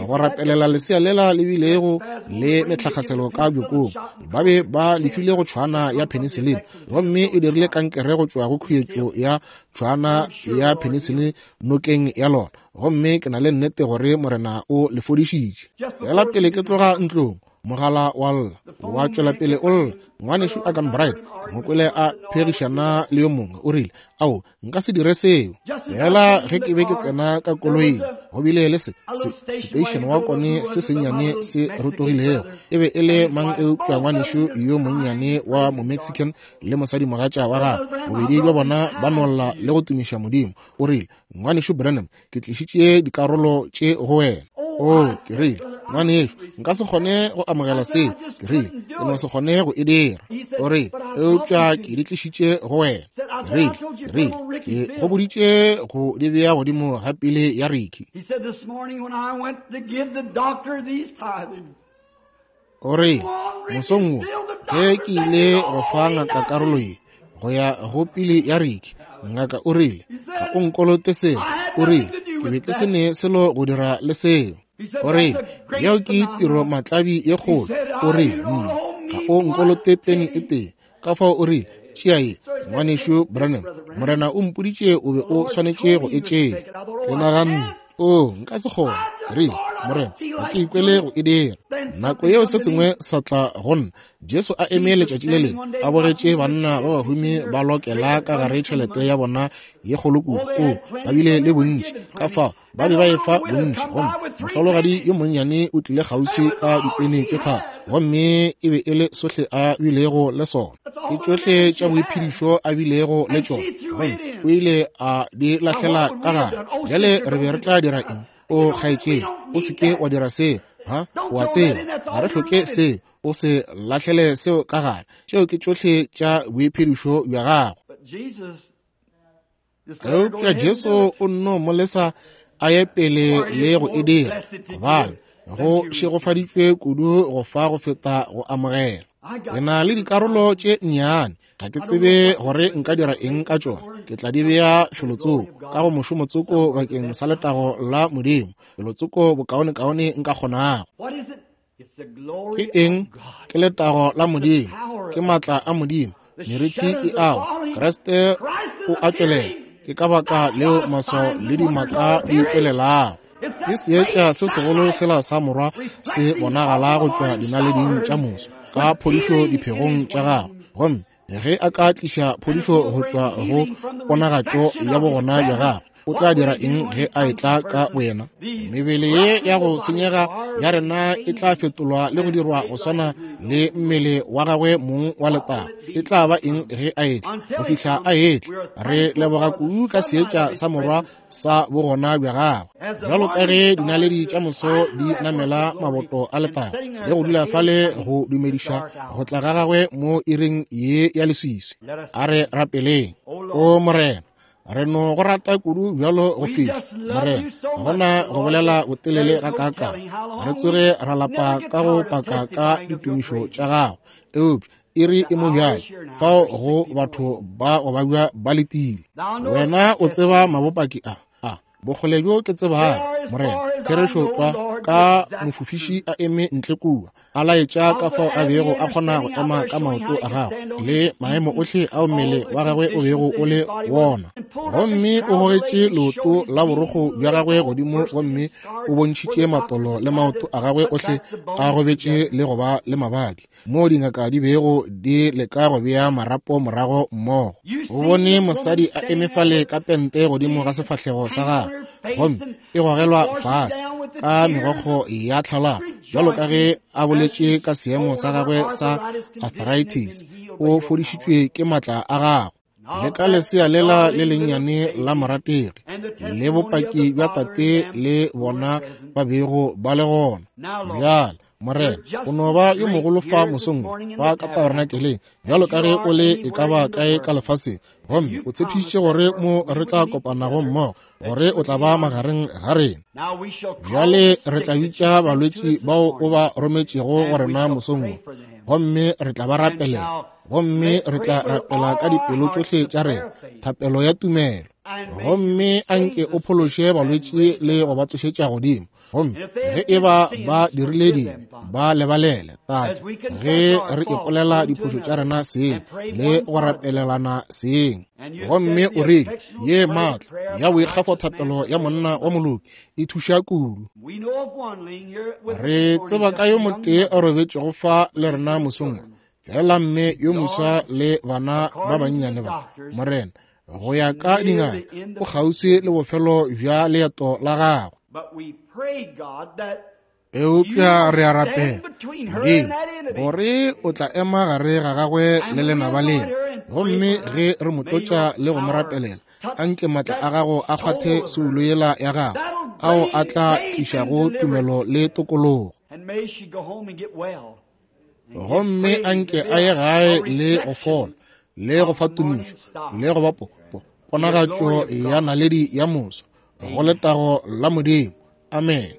Speaker 1: go rapelela lesea lela le bilego le metlhakgaselo ka bjokong. Ba be ba lefile go tšhwana ya penicillin, gomme e dirile kankere go tšwa go khuetšo ya tšhwana ya penicillin nokeng ya lona. Gomme ke na le nnete gore Morena o le fodišitše. Fela pele ke tloga ntlong, mogala wa lla, wa tšwela pele o lla. Ngwanešu Agan Bright, mo kwele a phegišana le yo mongwe, o rile, ao, nka se dire seo. Fela ge ke be ke tsena ka koloing, go bile le station wa kone se sennyane se rotogilego. E be e le mang eupša ngwanešu yo monnyane wa mo-Mexican le mosadimogatša wa gagwe, bobedi bja bona ba nolla le go tumiša Modimo. O rile, Ngwanešu Branham, ke tlišitše dikarolo tše go wena. Oh, ke rile, ngwanešu, nka se kgone go amogela seo. Ke rile, ke no se kgone go e dira. O rile, eupša ke di tlišitše go wena. Ke rile, ke go boditše go di bea godimo ga pele ya Ricky. O rile, mosong wo, ge ke ile go fa ngaka karolo ye go ya go pele ya Ricky, ngaka o rile, ga o nkolote seo. O rile, ke be ke se ne selo go dira le seo. O rile, yeo ke tiro matlabi ye kgolo. O rile, ga o nkolote peni e tee. Ka fao o rile, tšea ye, ngwanešu Branham, Morena o mpoditše o be o swanetše go e tšea. Ke naganne, o, nka se kgone. Ke rile, Morena, ga ke ikwele go e dira. Nako yeo se sengwe sa tla go nna. Jesu a eme letšatši le lengwe, a bogetše banna ba bahumi ba lokela ka gare tšhelete ya bona ye kgolo kudu. O, ba bile le bontši. Ka fao ba be ba efa bontši. Gomme mohlologadi yo monnyane o tlile kgauswi ka dipene tše 3, gomme e be e le sohle a bilego le sona. Ke tšohle tša boiphedišo a bilego le tšona, gomme o ile a di lahlela ka gare. Bjale re be re tla dira eng? O kgaetšedi, o se ke wa dira seo. Ha, o a tseba, ga re hloke seo. O se lahlele seo ka gare. Tšeo ke tšohle tša boiphedišo bja gago. Eupša Jesu o nno mo lesa a ye pele le go e dira, gobane go šegofaditšwe kudu go fa go feta go amogela. Ke na le dikarolo tše nnyane, ga ke tsebe gore nka dira eng ka tšona. Ke tla di bea felotsoko ka go mošomotsoko bakeng sa letago la Modimo, felotsoko bokaonekaone nka kgonago. Ke eng? Ke letago la Modimo, ke maatla a Modimo. Meriti e awa, Kriste o a tšwelela. Ke ka baka leo maswao le dimaka di tšwelelago. Ke seetša se segolo sela sa morwa se bonagala go tšwa dinaleding tša moso ka phodišo diphegong tša gagwe. Gomme ge a ka tliša phodišo go tšwa go ponagatšo ya bogona bja gagwe, o tla dira eng ge a etla ka boyena? Mebele ye ya go senyega ya rena e tla fetolwa le go dirwa go swana le mmele wa gagwe mong wa letago. E tla ba eng ge a etla? Go fihla a etla, re leboga kudu ka seetša sa morwa sa bogona bja gagwe. Bjalo ka ge dinaledi tša moso di namela maboto a letago le go dula fale go dumediša go tla ga gagwe mo iring ye ya leswiswi. A re rapeleng. O Morena, re no go rata kudu bjalo go fihla, Morena, gona go bolela botelele ga kaakang. Re tsoge ra lapa ka go paka ka ditumišo tša gago, eupša iri e mo bjale fao go batho ba go babja ba letile. Wena o tseba mabopaki a bokgole bjo ke tsebago, Morena, therešo tlwa, ka mofofiši a eme ntle kua, a laetša ka fao a bego a kgona go ema ka maoto a gagwe le maemo ohle ao mmele wa gagwe o bego o le wona. Gomme o gogetše leoto la borokgo bja gagwe godimo gomme o bontšhitše matolo le maoto a gagwe ohle a gobetše le go ba le mabadi, moo dingaka di bego di leka go bea marapo morago mmogo. O bone mosadi a eme fale ka pente godimo ga sefahlego sa gagwe, gomme e gogelwa fase ka megokgo ya tlhalago, bjalo ka ge a boletše ka seemo sa gagwe sa arthritis. O fodišitšwe ke maatla a gagwe. Le ka lesea lela le lennyane la morategi, le bopaki bja tate le bona ba bego ba le gona. Bjale, Morena, o no ba yo mogolo fa mosong fa ka tabernakeleng, bjalo ka ge o le e ka ba kae ka lefaseng. Gomme o tshepišitše gore mo re tla kopanago mmogo, gore o tla ba magareng ga rena. Bjale re tla bitša balwetši bao o ba rometšego go rena mosong wo, gomme re tla ba rapelela, gomme re tla rapela ka dipelo tšohle tša rena, thapelo ya tumelo. Gomme anke o phološe balwetši le go ba tsošetša godimo. Gomme ge e ba ba dirile dibe, ba lebalele, Tate, ge re ipolela diphošo tša rena seng le go rapelelana seng. Gomme o rile, ye maatla ya boikgafo thapelo ya monna wa moloki e thuša kudu. Re tseba ka yo motee a robetšego fa le rena mosong wo, fela mme yo moswa le bana ba bannyane ba, Morena, go ya ka dingaka, o kgauswi le bofelo bja leeto la gagwe. Eupša re a rapela, Modimo, gore o tla ema gare ga gagwe le lenaba lena. Gomme ge re mo tlotša le go mo rapelela, anke maatla a gago a kgwathe soulo yela ya gagwe, ao a tla tlišago tumelo le tokologo. Gomme anke a ye gae le go fola, le go fa tumišo, le go ba po, po, ponagatšo ya naledi ya moso, go letago la Modimo. Amen.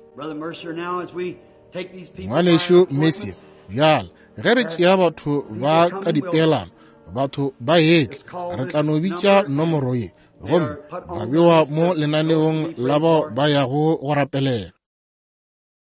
Speaker 1: Ngwanešu Mercier, bjale ge re tšea batho ba ka dipeelano, batho ba etla, re tla no bitša nomoro ye, gomme ba bewa mo lenaneong la bao ba yago go rapelela.